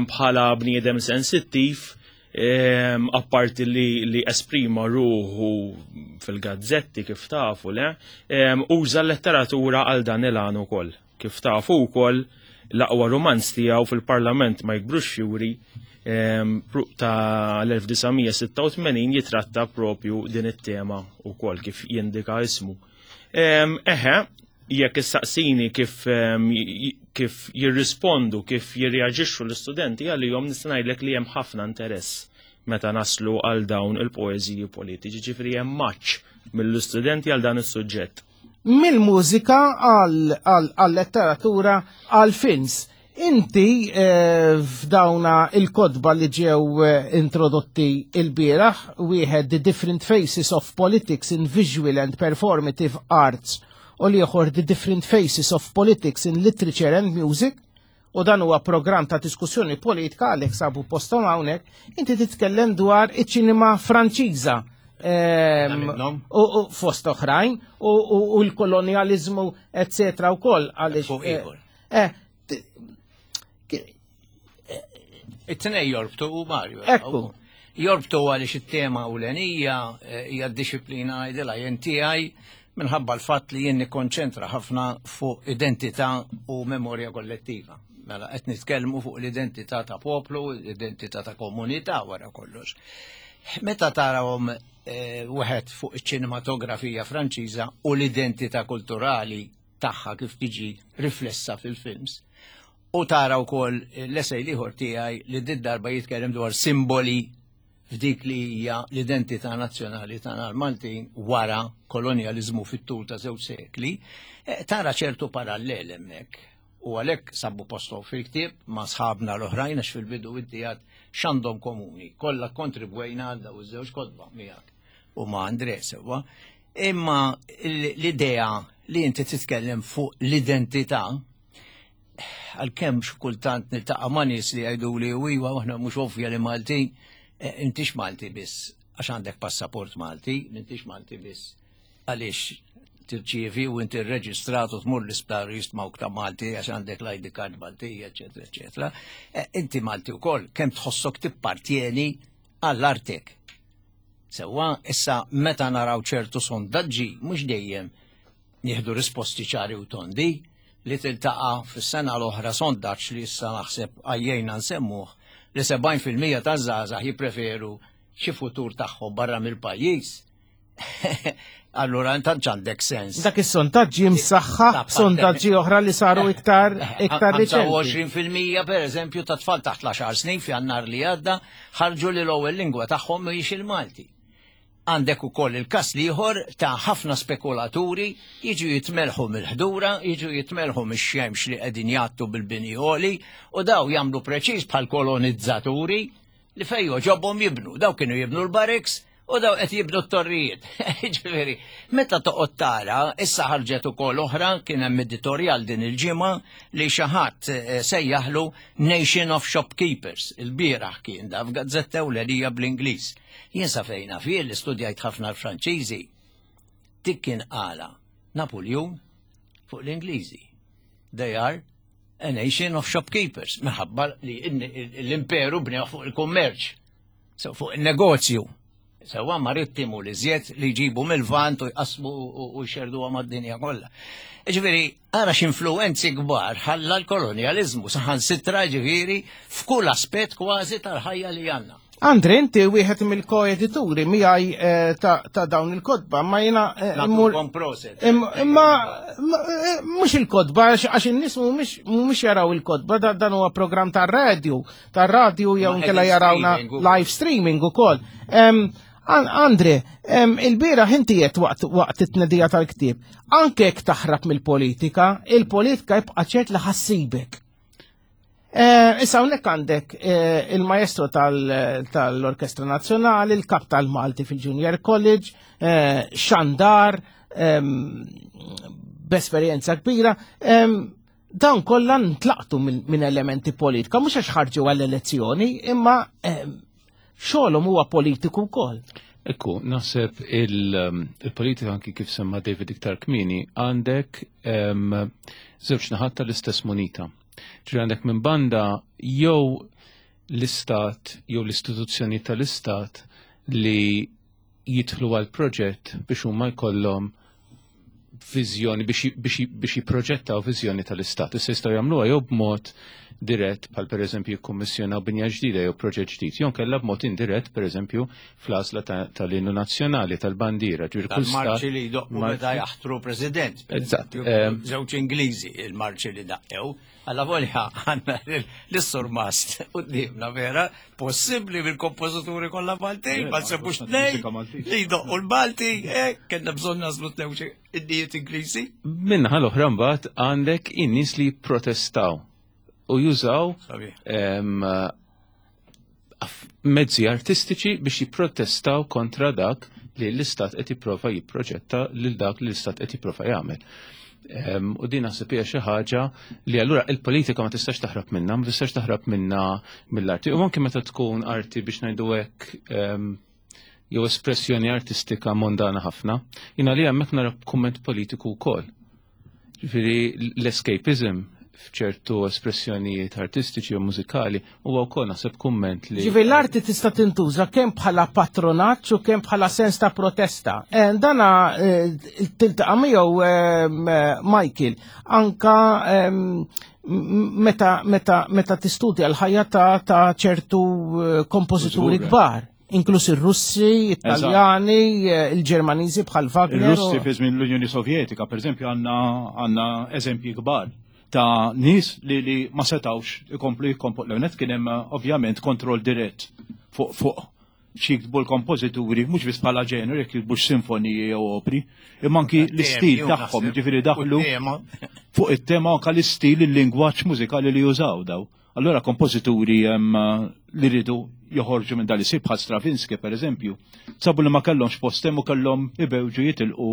Bħala bniedem sensittiv, apparti li, li esprima ruħu fil-gazzetti kif tafu, le? Uża l-letteratura għal dan il-għan ukoll. Kif tafu wkoll l-aqwa romanz tiegħu fil-Parlament ma jikbrux fjuri ta' l-elf disa' mija sitta u tmenin jitratta propju din it-tema ukoll kif jindika ismu. Eħe, jekk issaqsini kif, kif jirrispondu, kif jirreaġixxu l-istudenti għalihom, nista' ngħidlek li hemm ħafna interess meta naslu għal dawn il-poeżiji politiċi, ġifieri hemm maċ mill-istudenti għal dan is-suġġett. Mill-mużika għal-letteratura għal-films. Inti f'dawna il-kotba li ġew introdotti il-bieraħ, wieħed The Different Faces of Politics in Visual and Performative Arts u l-ieħor The Different Faces of Politics in Literature and Music, u dan huwa programm ta' diskussjoni politika għalhekk sabu posthom hawnhekk, inti titkellem dwar iċ-ċinema Franċiża. U fost oħrajn u l-kolonializmu eccetera wkoll għaliex. It-tnej jorbtu u Mario. Ekku. Jorbtu għaliex it-tema ewlenija hija d-disciplina ngħidilha jien tiegħi minħabba l-fatt li jien nikkonċentra ħafna fuq identità u memorja kollettiva. Mela qed nitkellmu fuq l-identità ta' poplu, l-identità ta' komunità wara kollox. Meta tarawhom wieħed fuq iċ-ċinematografija Franċiża u l-identità kulturali tagħha kif tiġi riflessa fil-films. U tara wkoll l-esej l-ieħor tiegħi li din darba jitkellem dwar simboli f'dik li hija l-identità nazzjonali tagħna l-Maltin wara kolonjaliżmu fit-tul ta' żewġ sekli, tara ċertu parallel hemmhekk. U għalhekk sabu posthom fil-ktieb ma' sħabna l-oħrajn għax fil-bidu inti għad x'għandhom komuni. Kollha kontribwejna għal dawn iż-żewġ kotba miegħek u ma' Andre sewwa. Imma l-idea li inti titkellem fuq l-identità, għalkemm xi kultant niltaqa' ma' nies li jgħidu li iwa aħna mhux ovvja li Maltin, intix Malti biss għax għandek passaport Malti, intix Malti biss għaliex tirċievi u inti rreġistrat u tmur l-isptar jistmawk ta' Malti għax għandek l-I D card Maltija, eċetera, eċetera. Inti Malti wkoll kemm tħossok tippartjeni għall-artek. Sewwa, issa meta naraw ċertu sondaġġi mhux dejjem nieħdu risposti ċari u tondi li tiltaqa' fis-sena l-oħra sondaġġ li issa naħseb għajjejna nsemmuh li sebgħin fil-mija taż-żgħażagħ jippreferu xi futur tagħhom barra mill-pajjiż. Allura intant għandek sens. Dak is-sondaġġi msaħħa b'sondaġġi oħra li saru iktar iktar riċenti. ħamsa u għoxrin fil-mija pereżempju ta' tfal taħt l-għaxar snin f'Jannar li għadda ħarġu li l-ewwel lingwa tagħhom mhijiex il-Malti. Għandek ukoll il-każ l-ieħor ta' ħafna spekulaturi jiġu jitmelħu mill-ħdura, jiġu jitmelħu mix-xemx li qegħdin jgħattu bil-bini għoli u daw jagħmlu preċiż bħal kolonizzaturi li fejn joġobhom jibnu. Daw kienu jibnu l-barracks u daw qed jibnu t-torrijiet. Ġifieri, meta toqgħod tara, issa ħarġet ukoll oħra kien hemm editorjal din il-ġimgħa li xi ħadd sejjaħlu Nation of Shopkeepers. Il-bieraħ kien da f'gazzetta ewlenija bl-Ingliż. Jien sa fejn naf jien li studjajt ħafna l-Franċiżi, dik kien qala Napoleon fuq l-Ingliżi. They are a nation of shopkeepers, minħabba li l-imperu bnew fuq il-kummerċ, so fuq il-negozju. Sewa marittimu li żjed li jġibu mill-vant u jqasmu u jxerduha mad-dinja kollha. Ġifieri, ara x'influwenzi kbar ħalla l-kolonjaliżmu saħansitra ġifieri f'kull aspett kważi tal-ħajja li għandna. Andre, inti wieħed mill-koedituri miegħi ta' dawn il-kotba, ma jiena Nagħtukom proset. Imma mhux il-kotba, għax in-nies mhumiex jaraw il-kotba, dan huwa programm tar-radju, tar-radju jew inkella jarawna live streaming ukoll. Andre, il-bieraħ inti qed waqt it-tnedija tal-ktieb, anke jekk taħrab mill-politika, il-politika jibqa' ċert li ħassibek. Eh, Issa hawnhekk għandek eh, il-maestro tal- tal-Orkestra Nazzjonali, il-kap tal-Malti fil-Junior College, eh, xandar, ehm, b'esperjenza kbira. ehm, Dawn kollha ntlaqtu minn min elementi politika, mhux għax ħarġu għall-elezzjoni, imma ehm, xogħolhom huwa politiku wkoll. Ekku, naħseb il- il-politika anki kif semma David iktar kmieni, għandek em, żewġ naħat tal-istess munita. Ġifieri għandek minn banda jew l-istat jew l-istituzzjoni tal-istat li jidħlu għal proġett biex huma jkollhom viżjoni biex biex biex jipproġettaw viżjoni tal-istat. Issa jistgħu jagħmluha jew b'mod dirett bħal pereżempju jikkummissjonaw binja ġdida jew proġett ġdid, jew kellha b'mod indirett pereżempju fl-għażla ta- tal-innu nazzjonali tal-bandiera. Ġifieri kull stat- Tal-marċi li jdoqqu meta jaħtru president. per Eżatt, eżempju, ehm. Żewġ Ingliżi il-marċi li daqqew. Alla volja għandna l-surmast qudiemna vera, possibbli bil-kompożituri kollha Maltin, ma nsebux tnejn li jdoqqu l-Malti, eh, kellna bżonn nażlu tnejn innijiet Ingliżi. Min-naħa l-oħra mbagħad għandek in-nies li jipprotestaw u jużaw Sabiħ. em, aff- mezzi artistiċi biex jipprotestaw kontra dak li l-istat qed jipprova jipproġetta lil dak li l-istat qed jipprova jagħmel. Em, U din naħseb hija xi ħaġa li allura il-politika ma tistax taħrab minnha, ma tistax taħrab minnha mill-arti. U anke meta tkun arti biex ngħidu hekk em, jew espressjoni artistika mondana ħafna, jiena li hemmhekk nara kumment politiku wkoll. Ġifieri l-escapism f'ċertu espressjonijiet artistiċi u mużikali huwa wkoll naħseb kumment li Ġifieri l-arti tista' tintuża kemm bħala patronaġġ u kemm bħala sens ta' protesta. Eh, Dana eh, tiltaqa' miegħu ehm, eh, Michael anka ehm, m- meta meta meta tistudja l-ħajja ta' ta' ċertu eh, kompożituri Żgur, eh. kbar, inkluż ir-Russi, Italjani, eh, il-Ġermaniżi bħal Wagner. Il-Russi fi żmien l-Unjoni Sovjetika, per eżempju, għandna għandna eżempji kbar ta' nies li, li ma setawx ikomplu jikkompo. L-ewwel kien hemm ovvjament kontroll dirett fuq fuq xi jiktbu l-kompożituri, mhux biss bħala ġeneru, jekk jiktbux sinfoniji jew opri, imma anki l-istil Temi, tagħhom, naħseb, ġifieri daħlu u tema. fuq it-tema anka l-istil, il-lingwaġġ mużikali li jużaw daw. Allora kompożituri em, li ridu joħorġu minn dal-istil bħal Stravinsky per eżempju, sabu li ma kellhomx post hemm u kellhom ibewġu jitilqu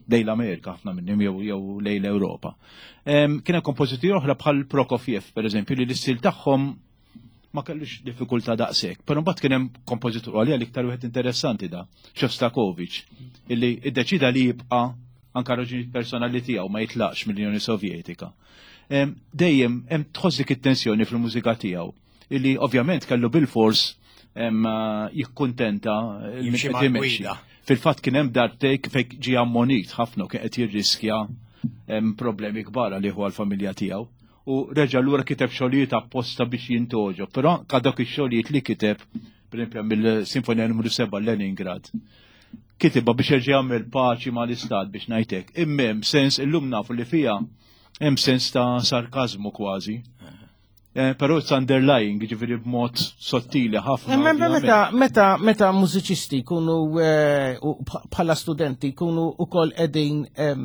lejn l-Amerika ħafna minnhom jew jew lejn l-Ewropa. Em, Kien hemm kompożituri oħra bħal Prokofiev per eżempju li l-istil tagħhom ma kellux diffikultà daqshekk. Però mbagħad kien hemm kompożitur għalija l-iktar wieħed interessanti da, Shostakovich, illi iddeċida li jibqa' anka raġunijiet personali tiegħu ma jitlaqx mill-Unjoni Sovjetika. Em, Dejjem hemm tħoss dik it-tensjoni fil-mużika tiegħu, illi ovvjament kellu bil-fors em, jikkuntenta min Jimxi qed imexxi. mal-gwida. Fil-fatt kien hemm darbtejk fejn ġie ammonit ħafna u kien qed jirriskja em, problemi kbar għalih u għall-familja tiegħu. U reġa' lura kiteb xogħlijiet apposta biex jintogħġob, però ka dawk ix-xogħlijiet li kiteb, pereżempju mill-Sinfonija numru seba' Leningrad, kitibha biex jerġa' jagħmel paċi mal-istat biex ngħidlek. Imma hemm sens illum nafu li fiha hemm sens ta' sarkazmu kważi. Eh, Però it's underlying, ġifieri b'mod sottili ħafna. Imma ovvjament. meta meta meta mużiċisti jkunu eh, u bħala studenti jkunu ukoll qegħdin em,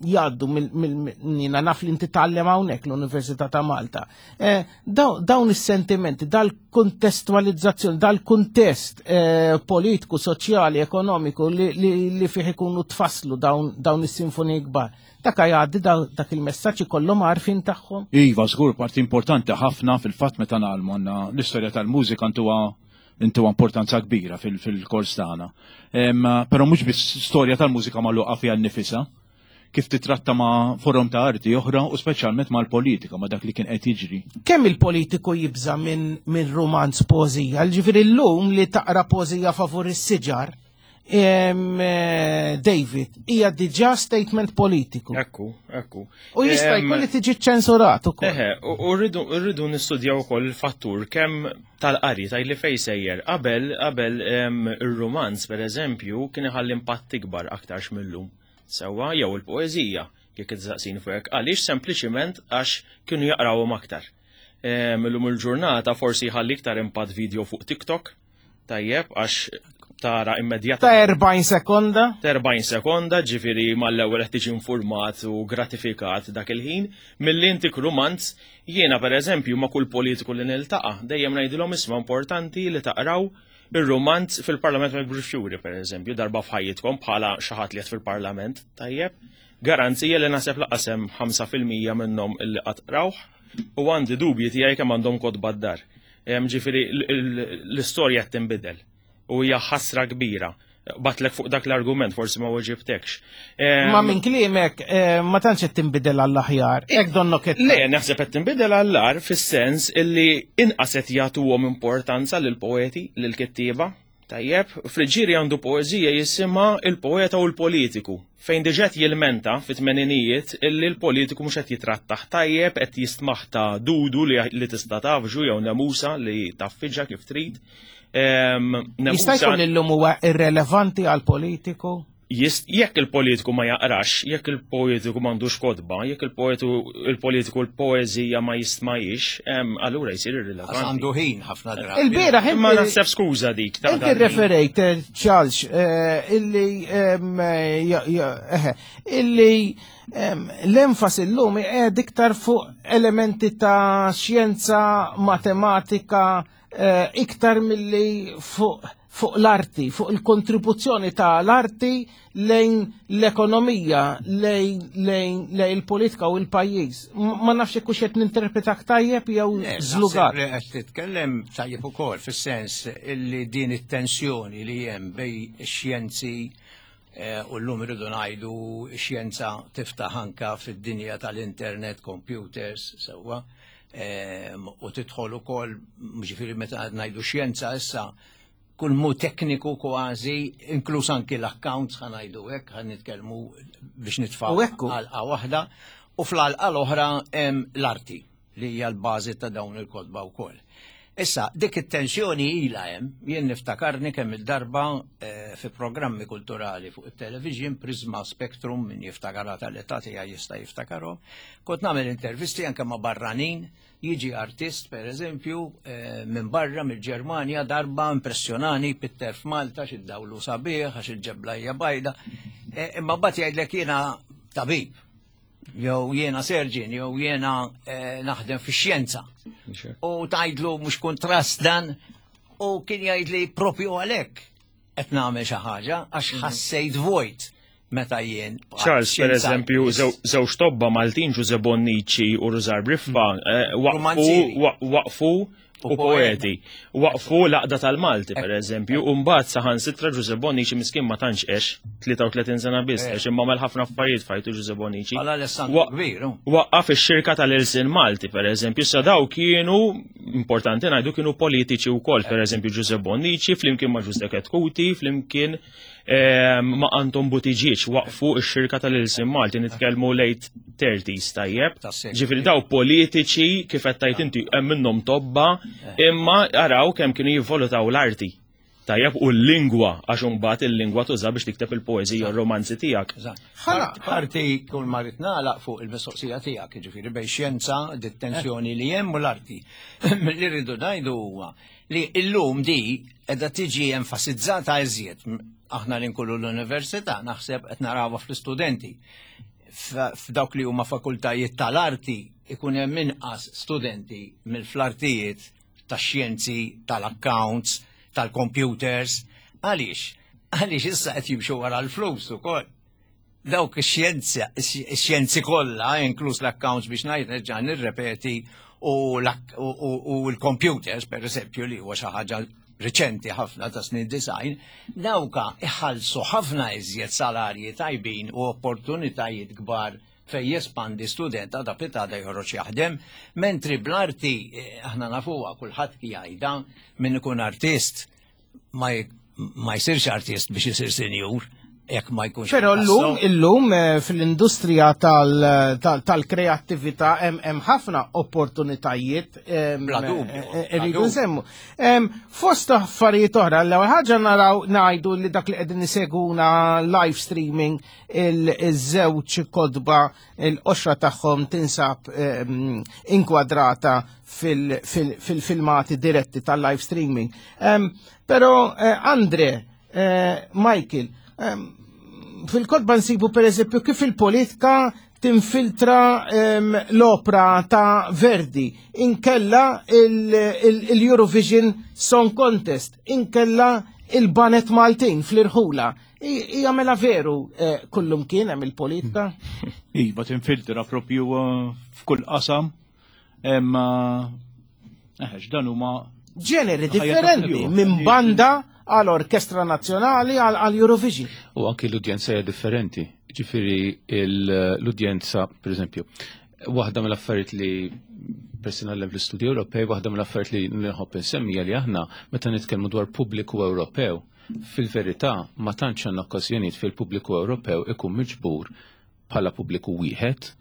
jgħaddu mill mill- jiena naf li inti tgħallem hawnhekk l-Università ta' Malta. Eh, daw- Dawn is-sentimenti, dal-kontestualizzazzjoni, dal-kuntest eh, politiku, soċjali, ekonomiku li, li, li fih ikunu tfasslu dawn, dawn is-sinfoniji kbar. Dak jgħaddi daw- dak il-messaġġ ikollhom għarfien tagħhom. Iva, żgur, parti importanti ħafna fil-fatt meta ngħallmu għandna l-istorja tal-mużika ntuha intuha importanza kbira fil- fil-kors tagħna. Em, Però mhux biss storja tal-mużika magħluqa fiha nnifisha, kif titratta ma' forom ta' arti oħra u speċjalment mal-politika, ma' dak li kien qed jiġri. Kemm il-politiku jibża minn min romanz poezija? Ġifieri llum li taqra poezija favur is-siġar, em, eh, David, hija diġà statement politiku. Ekku, ekku. U jista' Em, jkun li tiġi ċensurat ukoll. Eħe, u u rridu rridu nistudjaw ukoll il-fattur kemm tal-qari taj li fej sejjer. Qabel qabel em, ir-romanz pereżempju kien iħalli impatt ikbar aktarx mill-lum. Sewwa jew il-poeżija jekk iżaqsin fuq hekk. Għaliex sempliċiment għax kienu jaqrawhom aktar. Em, Illum il-ġurnata forsi jħalli iktar impatt video fuq TikTok. Tajjeb, għax tara immedjatament. Ta' erbgħin sekonda? Ta' erbgħin sekonda, ġifieri mal-ewwel qed tiġi informat u gratifikat dak il-ħin. Milli intik rumanz, jiena pereżempju ma' kull politiku li niltaqa', dejjem ngħidilhom isma' importanti li taqraw ir-rumanz fil-Parlament ma jikbrux fjuri, pereżempju, darba f'ħajjitkom bħala xi ħadd li qed fil-Parlament, tajjeb. Garanzija li naħseb lanqas hemm ħamsa fil-mija minnhom illi qatt qrawh u għandi dubji tiegħi kemm għandhom kotba d-dar. Ġifieri l-istorja qed tinbidel u hija ħasra kbira. Batlek fuq dak l-argument, forsi ma weġibtekx. Ma minn kliemek ma tantx qed tinbidel għall-aħjar. Hekk donnok qed Le, naħseb qed tinbidel għall-agħar fis-sens illi inqas qed jagħtuhom importanza lill-poeti, lill-kittieba. Tajjeb, Friggieri għandu poeżija jisimha Il-Poeta u l-Politiku, fejn diġà qed jilmenta fit-tmeninijiet illi l-politiku mhux qed jitrattaħ tajjeb, qed jistmaħ ta' dudu li tista' tafġu jew nemusa li taffiġa kif trid. Jista' jkun illum huwa irrelevanti għal politiku? Jekk il-politiku ma jaqrax, jekk il-politiku m'għandux kotba, jekk il-politiku l-poeżija ma jistmajx, allura jsir irrilevanti. Għandu ħin ħafna drabi. Il-bieraħ Ma naħseb skuża dik. Inti referejt, Charles, illi illi l-enfasi llum qiegħed iktar fuq elementi ta' xjenza, matematika, iktar milli fuq fuq l-arti, fuq il-kontribuzzjoni ta' l-arti lejn l-ekonomija, lejn lejn il-politika u l-pajjiż. Ma nafx hekk hux qed ninterpretak tajjeb jew żlugat. Li qed titkellem tajjeb ukoll fis-sens illi din it-tensjoni li hemm bejn ix-xjenzi u llum irridu ngħidu x-xjenza tiftaħ anka fid-dinja tal-internet, computers, sewwa, u tidħol ukoll, ġifieri meta ngħidu xjenza issa kull mu tekniku kważi, inkluż anki l-accounts ħa ngħidu hekk, ħa nitkellmu biex nitfgħu għalqa waħda, u fl-għalqa l-oħra hemm l-arti li hija l-bażi ta' dawn il-kotba wkoll. Issa, dik it-tensjoni ilha hemm, jien niftakarni kemm il-darba fi programmi kulturali fuq it-television, Prisma Spectrum, min jiftakarha tal-età tiegħi jista' jiftakarhom, kont nagħmel intervisti anke ma' barranin. Jiġi artist, per eżempju, minn barra, mill-Ġermanja, darba impressjonani, pitter f'Malta, xi dawlu sabiħ, għax il-ġebla hija bajda. Imma mbagħad jgħidlek jiena tabib, jew jiena surgeon, jew jiena naħdem fix-xjenza. U tgħidlu mhux kontrast dan, u kien jgħidli propju għalhekk qed nagħmel xi ħaġa għax ħassejt vojt. Meta jien. Charles, per eżempju, żewġ tobba Maltin, Ġuże Bonnici u Rużar Briffa, waqfu u poeti. Waqfu l-Għaqda tal-Malti, per eżempju, u mbagħad saħansitra Ġuże Bonnici miskin ma tantx għex, tlieta u tletin sena biss, għex imma għamel ħafna affarijiet fajtu Ġuże Bonnici. Waqqaf ix-xirka tal-Ilsien Malti, per eżempju, sa daw kienu, importanti ngħidu, kienu politiċi wkoll, per eżempju Ġuże Bonnici, flimkien ma' Ġuże Chetcuti, flimkien ma' Anton Buttigieg waqfu x-xirka tal-Ilsien Malti, nitkellmu late thirties tajjeb. Ġifieri daw politiċi kif qed tgħid inti hemm minnhom tobba, imma araw kemm kienu jivvalutaw l-arti. Tajjeb u l-lingwa, għax imbagħad il-lingwa tuża biex tikteb il-poeżija u r-romanzi tiegħek. Parti kull ma rid nagħlaq fuq il-mistoqsija tiegħek, jiġifieri bejn xjenza, dit-tensjoni li hemm u l-arti. Li rridu ngħidu huwa li llum di qiegħda tiġi enfasizzata iżjed. Aħna li nkullu l-università naħseb qed narawha fl-istudenti. F'dawk li huma fakultajiet tal-arti ikun hemm inqas studenti mill-fl-artijiet tax-xjenzi, tal-accounts, tal-computers. Għaliex? Għaliex issa qed jimxu wara l-flus ukoll. Dawk ix-xjenza, ix-xjenzi kollha, inkluż l-accounts biex ngħid nerġa' nirrepeti, u l-computers, per eżempju, li huwa xi ħaġa riċenti ħafna ta' snin design, dawka iħallsu ħafna iżjed salarji tajbin u opportunitajiet kbar fej jespandi student għada pitada joħroġ jaħdem, mentri bl-arti aħna nafuha kulħadd jgħidha min ikun artist ma jsirx artist biex isir senjur jekk ma jkunx. Però llum illum fl-industrija tal-kreattività hemm ħafna opportunitajiet irridu nsemmu. Fost affarijiet oħra, l-ewwel ħaġa naraw ngħidu li dak li qegħdin iseguna live streaming iż-żewġ kotba l-qoxra tagħhom tinsab inkwadrata fil-filmati diretti tal-live streaming. Però Andre, Eh, Michael, ehm, fil-kotba nsibu per eżempju kif il-politika tinfiltra ehm, l-opra ta' Verdi, inkella il-Eurovision Song Contest, inkella il-Baned Maltin fl-irħula. Hija mela veru eh, kullum kien hemm il-politika? Iva, tinfiltra propju eh, f'kull qasam. Imma eh, dan huma ġeneri differenti minn banda għal orkestra nazzjonali għal Eurovision. U anki l-udjenza hija differenti. Ġifieri l-udjenza, per eżempju, waħda mill-affarijiet li personalment fl-istudju Ewropej, waħda mill-affarijiet li nħobb insemmija li aħna meta nitkellmu dwar pubbliku Ewropew, fil-verità ma tantx għandna okkażjonijiet fil-pubbliku Ewropew ikun miġbur bħala pubbliku wieħed,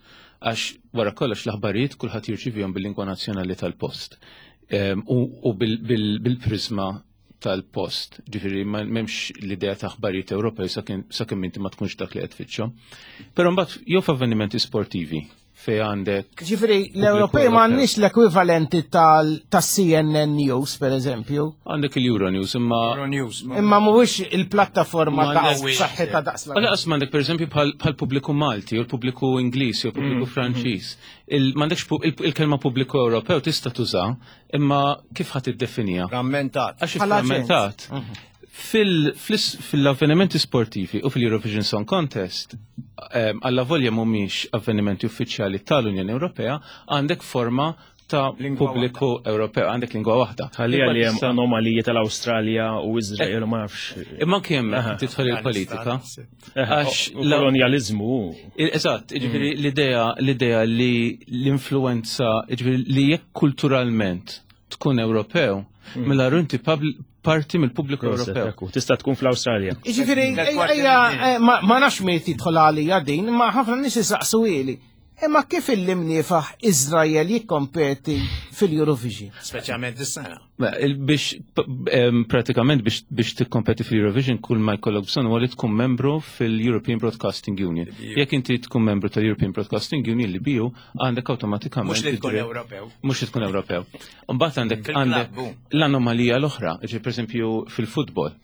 għax wara kollox l-aħbarijiet kulħadd jirċivihom bil-lingwa nazzjonali tal-post. U bil-prizma tal-post. Ġifieri m'hemmx l-idea ta' aħbarijiet Ewropej sakemm inti ma tkunx dak li qed tfittxhom. Però mbagħad jew f'avvenimenti sportivi fej għandek. Ġifieri l-Ewropej m'għandniex l-ekwivalenti tas-C N N News, per eżempju. Għandek il-Euronews, imma. Euronews. Imma mhuwiex il-plattaforma ta' saħħitha daqs. Lanqas m'għandek, per eżempju, bħal pubbliku Malti, u l-pubbliku Ingliż, jew pubbliku mm. Franċiż. M'għandekx il-kelma pubbliku Ewropew tista' tuża, imma kif ħadd iddefinija? Frammentat. Għax frammentat. Mhm. Fil-avvenimenti sportivi u fil-Eurovision Song Contest, għalla volja mhumiex avvenimenti uffiċjali tal-Unjoni Ewropea, għandek forma ta' pubbliku Ewropew, għandek lingwa waħda. Ħalli li hemm anomaliji tal-Awstralja u Izrael u ma nafx. Imma kemm tidħol il-politika. Għax kolonjalizmu. Eżatt, ġifieri mm. l-idea l-idea li l-influenza, ġifieri li jekk kulturalment tkun Ewropew, mm. mela inti parti mill-pubbliku Ewropew. Tista' tkun fl-Awstralja. Ġifieri, ejja, eh, ma nafx miet jidħol għalija din, ma ħafna nies isaqsu ili. Imma kif il-imniefaħ Izrael jikkompeti fil-Eurovision? Speċjalment is-sena. Biex pratikament biex biex tikkompeti fil-Eurovision, kull ma jkollok bżonn huwa li tkun membru fil-European Broadcasting Union. Jekk inti tkun membru tal-European Broadcasting Union, l-E B U, għandek awtomatikament. Mhux li tkun Ewropew. Mhux li tkun Ewropew. Mbagħad għandek għandek l-anomalija l-oħra, pereżempju fil-futbol.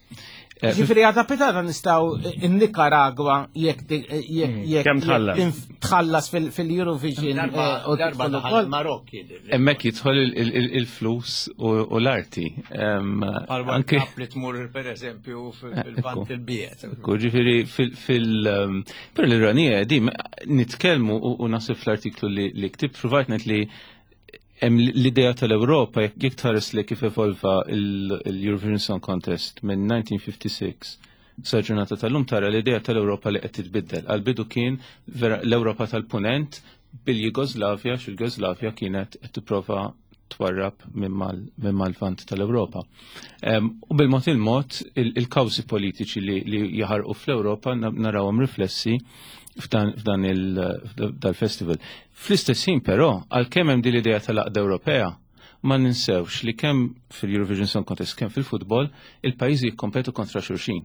Eh, Ġifieri għada pitgħada nistgħu in-Nicaragua jekk jekk Kemm tħallas? tħallas fil-Eurovision eh, u Darba tidħol daħal ukoll. Marokk jidher. Hemmhekk jidħol il- il- il-flus u u l-arti. Em, Bħal Anke Cup li tmur per eżempju fil-Lvant il-Biet. Ekku, ġifieri fil- fil- um, per l-ironija di nitkellmu u u nasib fl-artiklu li li ktibt provajt ngħid li hemm l-idea tal-Ewropa, jekk jekk tħares li kif evolva il-Eurovision Song Contest minn elf disa' mija u ħamsa u sittin sa ġurnata tal-lum, tara l-idea tal-Ewropa li qed titbiddel. Għal-bidu kien vera l-Ewropa tal-Punent bil-Jugoslavja, xil-Jugoslavja kienet qed tipprova twarrab minn mal-vant tal-Ewropa. Em, U bil-mod il-mod il-kawżi politiċi li, li jaħarqu fl-Ewropa na- narawhom riflessi f'dan f'dan il-festival. Fl-istess ħin però, għalkemm hemm din l-idea tal-għaqda Ewropea, ma ninsewx li kemm fil-Eurovision Song Contest, kemm fil-futbol, il-pajjiżi jikkompetu kontra xulxin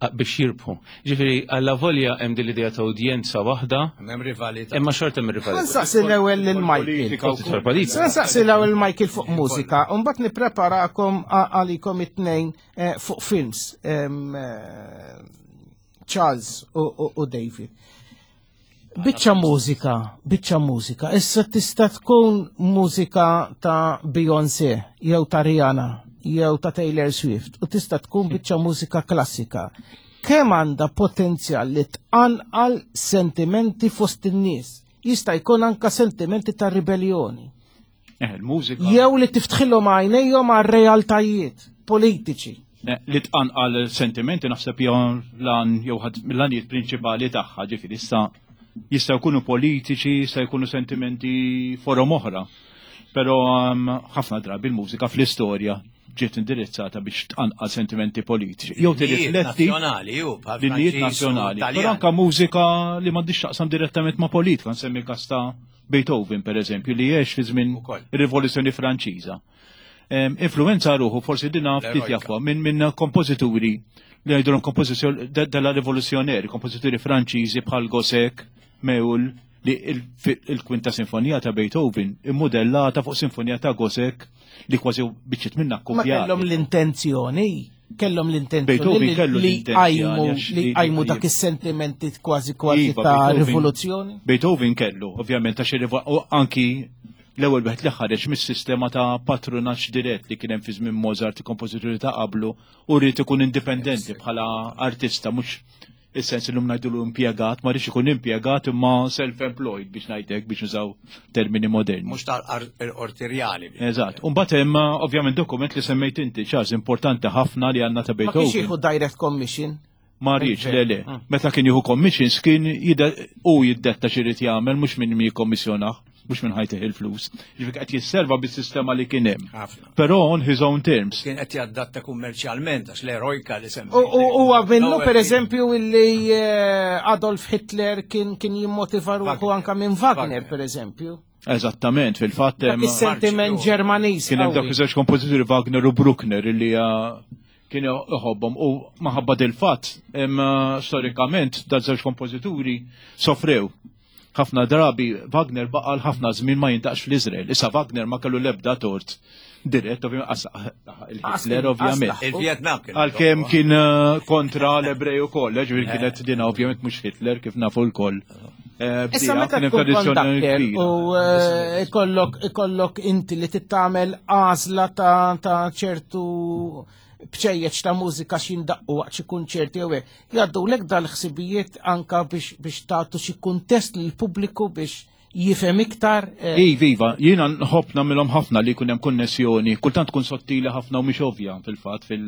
a- biex jirbħu. Ġifieri, għalla volja hemm din l-idea ta' udjenza waħda, Hemm rivalità. imma xorta hemm rivalità. Nsaqsi l-ewwel lil Michael. Tidħol politika. Nsaqsi l-ewwel Michael fuq mużika, u mbagħad nippreparakom a- għalikom it-tnejn eh, fuq films. Em, eh, Charles u, u, u David. Biċċa mużika, biċċa mużika. Issa tista' tkun mużika ta' Beyoncé, jew ta' Rihanna, jew ta' Taylor Swift, u tista' tkun biċċa mużika klassika. Kemm għandha potenzjal li tqanqal sentimenti fost in-nies? Jista' jkun anka sentimenti ta' ribellioni. Eh, il-mużika. Jew li tiftħilhom għajnejhom għal realtajiet politiċi. Eh, Li tqanqal sentimenti naħseb jew lan jew ħadd mill-għanijiet prinċipali tagħha, ġifieri issa jistgħu jkunu politiċi, jista' jkunu sentimenti forom oħra. Però um, ħafna drabi il-mużika fl-istorja ġiet indirizzata biex tqanqal sentimenti politiċi. Jew L-innijiet tirrifletti nazzjonali, ju, bħal l-innijiet Franċiż u nazzjonali. Taljan. Però anka mużika li m'għandix taqsam direttament ma' politika, nsemmi każ ta' Beethoven per eżempju, li għex fi żmien ir-Rivoluzzjoni Franċiża. Em, Influenza ruħu forsi dina ftit L-erojka. jafwa minn minn kompożituri li jgħidulhom kompożizzjoni della rivoluzzjoneri, kompożituri Franċiżi bħal Gossec, Méhul, li il- fi- il-kwinta sinfonija ta' Beethoven immodellata fuq sinfonija ta' Gossec li kważi biċċiet minna Ma kopjati. kellhom l-intenzjoni. Kellhom l-intenzjoni Beethoven li- kellu li l-intenzjoni qajmu għax li li- qajmu dak is-sentimenti kważi kważi Iva, ta' Beethoven- rivoluzzjoni. Beethoven kellu, ovvjament, għax irrivo- u anki l-ewwel wieħed li ħareġ mis-sistema ta' patronaġġ dirett li kien hemm fi żmien Mozart, il-kompożituri ta' qablu, u rrid ikun indipendenti bħala artista, mhux is-sens illum ngħidulu impjegat, ma rridx ikun impjegat imma self-employed biex ngħidlek biex nużaw termini moderni. Mhux tal-qorti rjali. Eżatt. U mbagħad hemm ovvjament dokument li semmejt inti, Charles, importanti ħafna li għandna ta' Ma kienx Beethoven. jieħu direct commission. Ma rridx, le le. Mm. Meta kien jieħu commissions kien jida- u jiddetta x'irid jagħmel mhux min mi jikkommissjonah, mhux minn ħajtih il-flus. Ġifieri qed jisserva bis-sistema li kien hemm. Ħafna. Però on his own terms. Kien qed jaddatta kummerċjalment għax l-Eroica li semmejt. U huwa minnu L-ewwel per eżempju illi eh, Adolf Hitler kien kien jimmotiva ruħu anka minn Wagner per eżempju. Eżattament, fil-fatt Dak hemm is-sentiment Ġermaniż. kien hemm dak qawwi. iż-żewġ kompożituri Wagner u Bruckner illi ah, kien iħobbhom u maħabba dil-fatt hemm ah, storikament da żewġ kompożituri sofrew. Ħafna drabi Wagner baqa' ħafna żmien ma jindaqx fl-Iżrael. Issa Wagner ma kellu l-ebda tort dirett, ovvjament, qas il-Hitler ovvjament. Il-Vietnam kien. Għalkemm kien eh, kontra l-Ebrej ukoll, eh, ġifieri kienet dina ovvjament mhux Hitler kif nafu lkoll. Eh, Issa bdieha, meta kien hemm tkun tradizzjoni conductor kbira. u eh, ikollok ikollok inti li tittamel għażla ta' ta' ċertu bċejjeċ ta' mużika x'indaqqu waqt xi kunċerti jew hekk. Jgħaddulek dal-ħsibijiet anka biex biex tagħtu xi kuntest lill-pubbliku biex jifhem iktar. eh, Iva, iva, jiena nħobb nagħmilhom ħafna li jkun hemm konnessjoni, kultant tkun sottili ħafna u mhix ovvja fil-fatt fil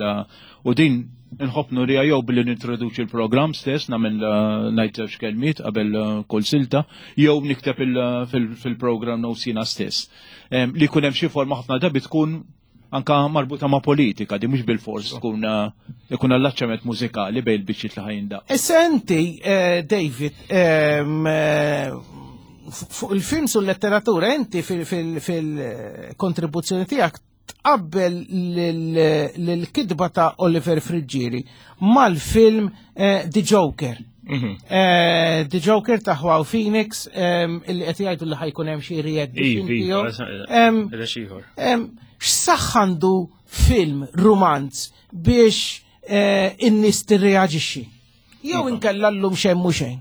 u din nħobb nurija jew billi nintroduċi l-programm stess nagħmel eh, ngħid żewġ kelmiet qabel eh, kull silta, jew nikteb il- fil- fil-programm notes jiena stess. Em, Li jkun hemm xi forma ħafna drabi tkun anka marbuta ma' politika, di mhux bil-fors tkun eh, ikun allaċċament mużikali bejn il-biċċiet li ħajindaq. Issa inti, eh, David, ehm, eh, fuq il-films u l-letteratura, inti fil-kontribuzzjoni tiegħek tqabbel l-kitba ta' Oliver Friggieri mal-film eh, The Joker. Mhm. Eh, The Joker ta' Joaquin Phoenix, ehm, illi qed jgħidu li ħa jkun hemm xi re-edition Iva, tiegħu. Ehm, ieħor. Em, X'saħħ għandu film romanz biex eh, in-nies tirreaġixxi? Jew inkella llum xejn mhu xejn.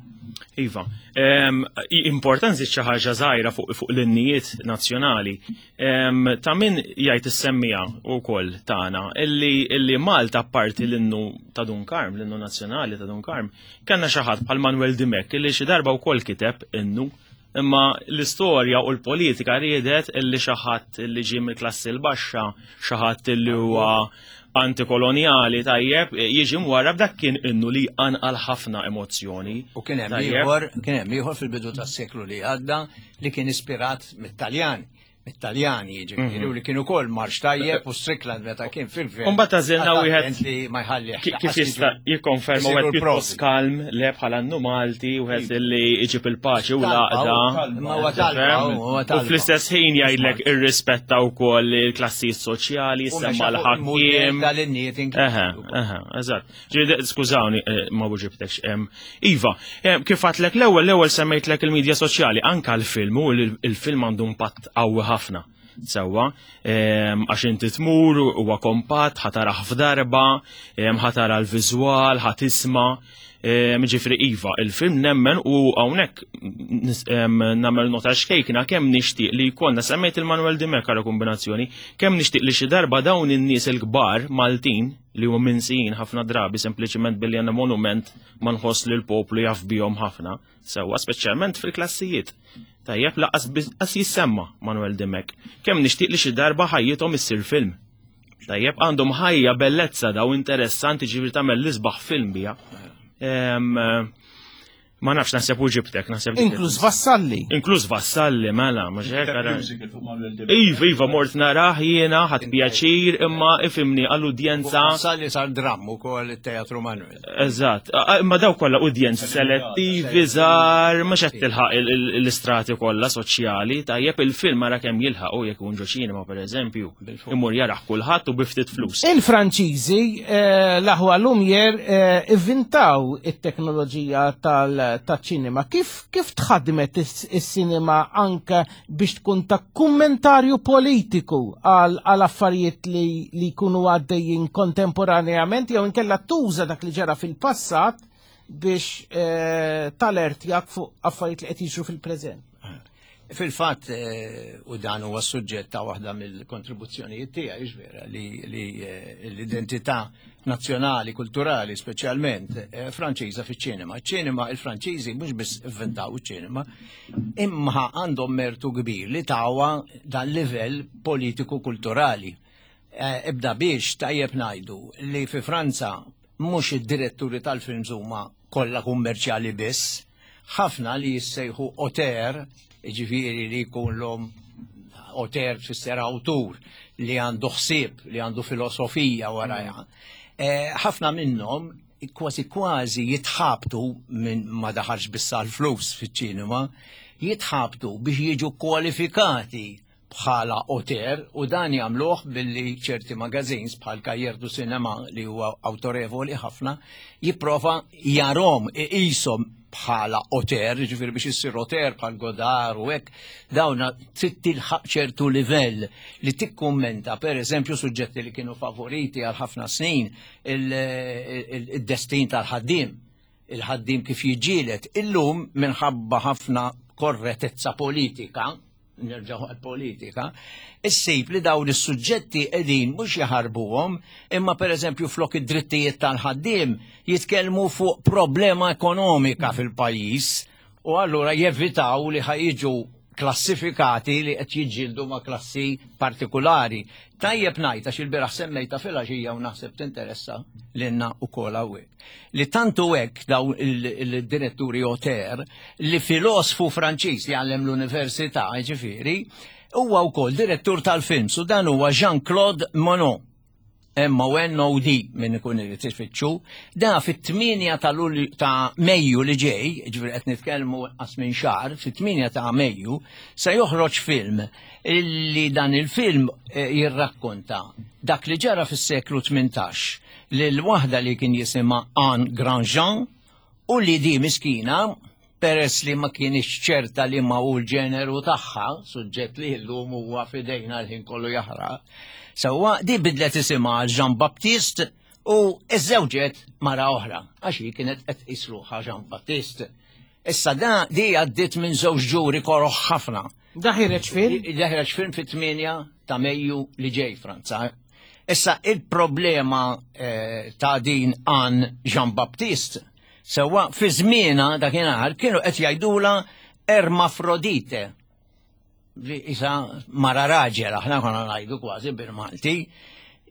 Iva, Em, i- importanti xi ħaġa żgħira fuq fuq l-innijiet nazzjonali. Em, Ta' min jgħid issemmija wkoll tagħna illi illi Malta apparti l-innu ta' Dun Karm, l-innu nazzjonali ta' Dun Karm, kellna xi ħadd bħal Manuel Dimech illi xi darba wkoll kiteb innu Imma l-istorja u l-politika riedet illi xi ħadd illi ġie mill-klassi l-baxxa, xi ħadd illi huwa antikoloniali tajjeb, jiġi mwara b'dak kien innu li anqal ħafna emozzjoni. U kien hemm Tajjeb. ieħor, kien hemm ieħor fil-bidu tas-seklu li għadda li kien ispirat mit-Taljan. Mit-Taljani jiġifieri Mhm. u li kien ukoll marx tajjeb u Strickland meta kien fil-gvern. Umbagħad għażilna Qagħad wieħed attent li ma jħallih Ki- Kif jista' jikkonferma isiru wieħed l-provi. pjuttost kalm le bħala annu Malti, wieħed li jġib il-paċi u Talba, l-għaqda. ma huwa talba, huwa U talba. fl-istess ħin jgħidlek irrispetta wkoll il-klassijiet soċjali, U semma mexa fuq il-mudell l-ħakkiem. tal-innijiet Eħe, eħe, eżatt. Ġifieri, skużawni, eh, ma buġibtekx. em, Iva, em, kif għatlek l-ewwel, l-ewwel semmejtlek il-medja soċjali, anka l-film, u l- il-film għandu impatt qawwi ħafna. Sewwa, em, għax inti tmur, huwa kompatt, ħa tarah f'darba, em, ħa tara l-viżwal, ħa tisma'. Em, Ġifieri Iva, il-film nemmen u hawnhekk nis- em, nagħmel nota xkejkna kemm nixtieq li jkollna semmejt il-Manuel Dimech għal kombinazzjoni, kemm nixtieq li xi darba dawn in-nies il-kbar Maltin li huma minsijin ħafna drabi sempliċiment billi għandna monument ma nħoss li l-poplu jaf bihom ħafna, sewwa speċjalment fil-klassijiet. Tajjeb laqas biz- qas jissemma Manuel Dimech. Kemm nixtieq li xi darba ħajjithom issir film. Tajjeb għandhom ħajja bellezza daw interessanti ġifieri tagħmel l-isbaħ film bija. Em, eh, Ma nafx naħseb u ġibtek, naħseb dik- Inkluż Vassalli. Inkluż Vassalli, mela, mhux hekk ara. Musical fuq Manuel Dimech. Iva, iva, mort narah jiena, ħadt pjaċir, imma ifimni għall-udjenza. Sali sar dramm ukoll it-Teatru Manuel. Eżatt, A- imma daw kollha udjenzi selettivi żgħar, mhux qed tilħaq il- il- l-istrati kollha soċjali, tajjeb il-film ara kemm jilħaq u jekk ikun ġo ċinema pereżempju, imur jarah kulħadd u bi ftit flus. Il-Franċiżi eh, l-aħwa Lumière eh, ivvintaw it-teknoloġija tal tal-ċinema. Kif, kif tħadmet is-sinema anke biex tkun ta' kummentarju politiku għal affarijiet li, li jkunu għaddejjin kontemporaneament jew inkella tuża dak li ġara fil-passat biex eh, talertjak fuq affarijiet li qed jiġru fil-preżent? Fil-fatt, eh, u dan huwa suġġett ta' waħda mill-kontribuzzjonijiet tiegħi, vera, li, li eh, l-identità nazzjonali, kulturali, speċjalment eh, Franċiża fiċ-ċinema. Iċ-ċinema, il-Franċiżi mhux biss inventaw iċ-ċinema, imma għandhom mertu kbir li tawa dan livell politiku kulturali. Ibda biex tajjeb ngħidu li fi Franza mhux id-diretturi tal-films huma kollha kummerċjali biss, ħafna li jissejħu auteur, ġifieri li jkun l-om auteur tfisser awtur li għandu ħsieb, li għandu filosofija warajha. Ħafna minnhom kważi kważi jitħabtu minn ma daħalx biss l-flus fiċ-ċinema, jitħabtu biex jiġu kwalifikati bħala auteur, u dan jagħmluh billi ċerti magazines bħal Cahiers du Cinema li huwa awtorevoli ħafna jipprova jarhom iqishom bħala auteur, ġifieri biex issir auteur bħal Godard u hekk, dawna trid tilħaq ċertu livell li tikkummenta pereżempju suġġetti li kienu favoriti għal ħafna snin, il-destin tal-ħaddiem, il-ħaddiem kif jiġġieled. Illum minħabba ħafna korretezza politika, nerġgħu għal-politika, issib li dawn is-suġġetti qegħdin mhux jaħarbuhom, imma pereżempju flok id-drittijiet tal-ħaddiem jitkellmu fuq problema ekonomika fil-pajjiż, u allura jevitaw li ħajġu klassifikati li qed jiġġieldu ma' klassi partikulari. Tajjeb ngħid għax il-bieraħ semmejta filgħaxija u naħseb tinteressa lilna wkoll hawnhekk. Li tantu hekk dawn il-diretturi auteur li filosfu Franċiż li għallem l-università, ġifieri, huwa wkoll direttur tal-films, u dan huwa Jean-Claude Monod. M O N O D minn ikun irid ifittxu, da fit-tmienja ta' Lulju ta' Mejju li ġej, ġifieri qed nitkellmu qas minn xahar, fit-tmienja ta' Mejju se joħroġ film illi dan il-film jirrakkonta dak li ġara fis-seklu tmintax lil waħda li kien jisimha Anne Grandjean, u li di miskina peress li ma kienx ċerta li ma hu l-ġeneru tagħha, suġġett li llum huwa f'idejna l-ħin kollu jaħraq. Sewwa di bidlet isimha għal Jean Baptiste u iżżewġet mara oħra, għax hi kienet qed tqis ruħha Jean Baptiste. Issa da di għaddiet minn żewġ ġuri koroħ ħafna. Da ħireġ film? Da ħireġ film fit-tmienja ta' Mejju li ġej Franza. Issa il-problema eh, ta' din Anne Jean Baptiste, sewwa fi żmienha dakinhar kienu qed jgħidula Ermafrodite, li isa mara raġel, aħna konna ngħidu kważi bil-Malti.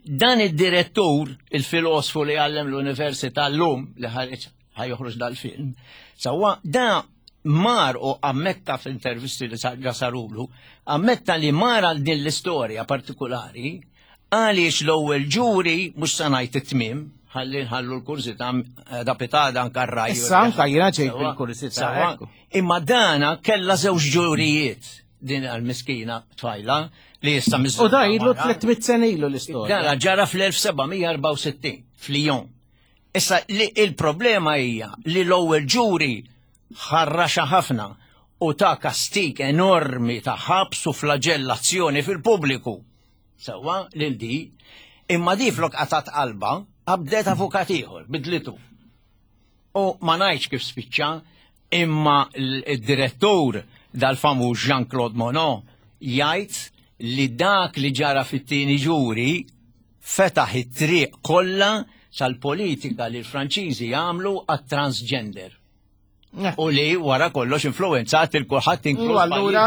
Dan id-direttur, il-filosfu li għallem l-università llum li ħareġ ħajoħroġ dal-film, sewwa da mar u ammetta f'intervisti li sarulu, ammetta li mar għal din l-istorja partikolari għaliex l-ewwel ġuri mhux se ngħid it-tmiem, ħalli nħallu l-kursità da pitada anka r-raj. Issa anka jiena ġejt bil-kursità. Imma dana kellha żewġ ġurijiet din għal-miskina tfajla li issa miżżewġa. U da ilu tliet mitt sena ilu l-istorja. Dana ġara fl-elf seba' mija erbgħa u sittin f'Lyon. Issa li il-problema hija li l-ewwel ġuri ħarraxa ħafna u ta' kastik enormi ta' ħabs u flagellazzjoni fil-pubbliku. Sewwa lil di, imma di flok qatat qalba qabdet avukat ieħor, bidlitu. U ma ngħidx kif spiċċa, imma l-direttur dal-famuż Jean-Claude Monod jgħid li dak li ġara fit-tieni ġuri fetaħ it-triq kollha sal-politika li l-Franċiżi jagħmlu għat-transgender. U li wara kollox influenzat il-kulħadd inkluż. Allura,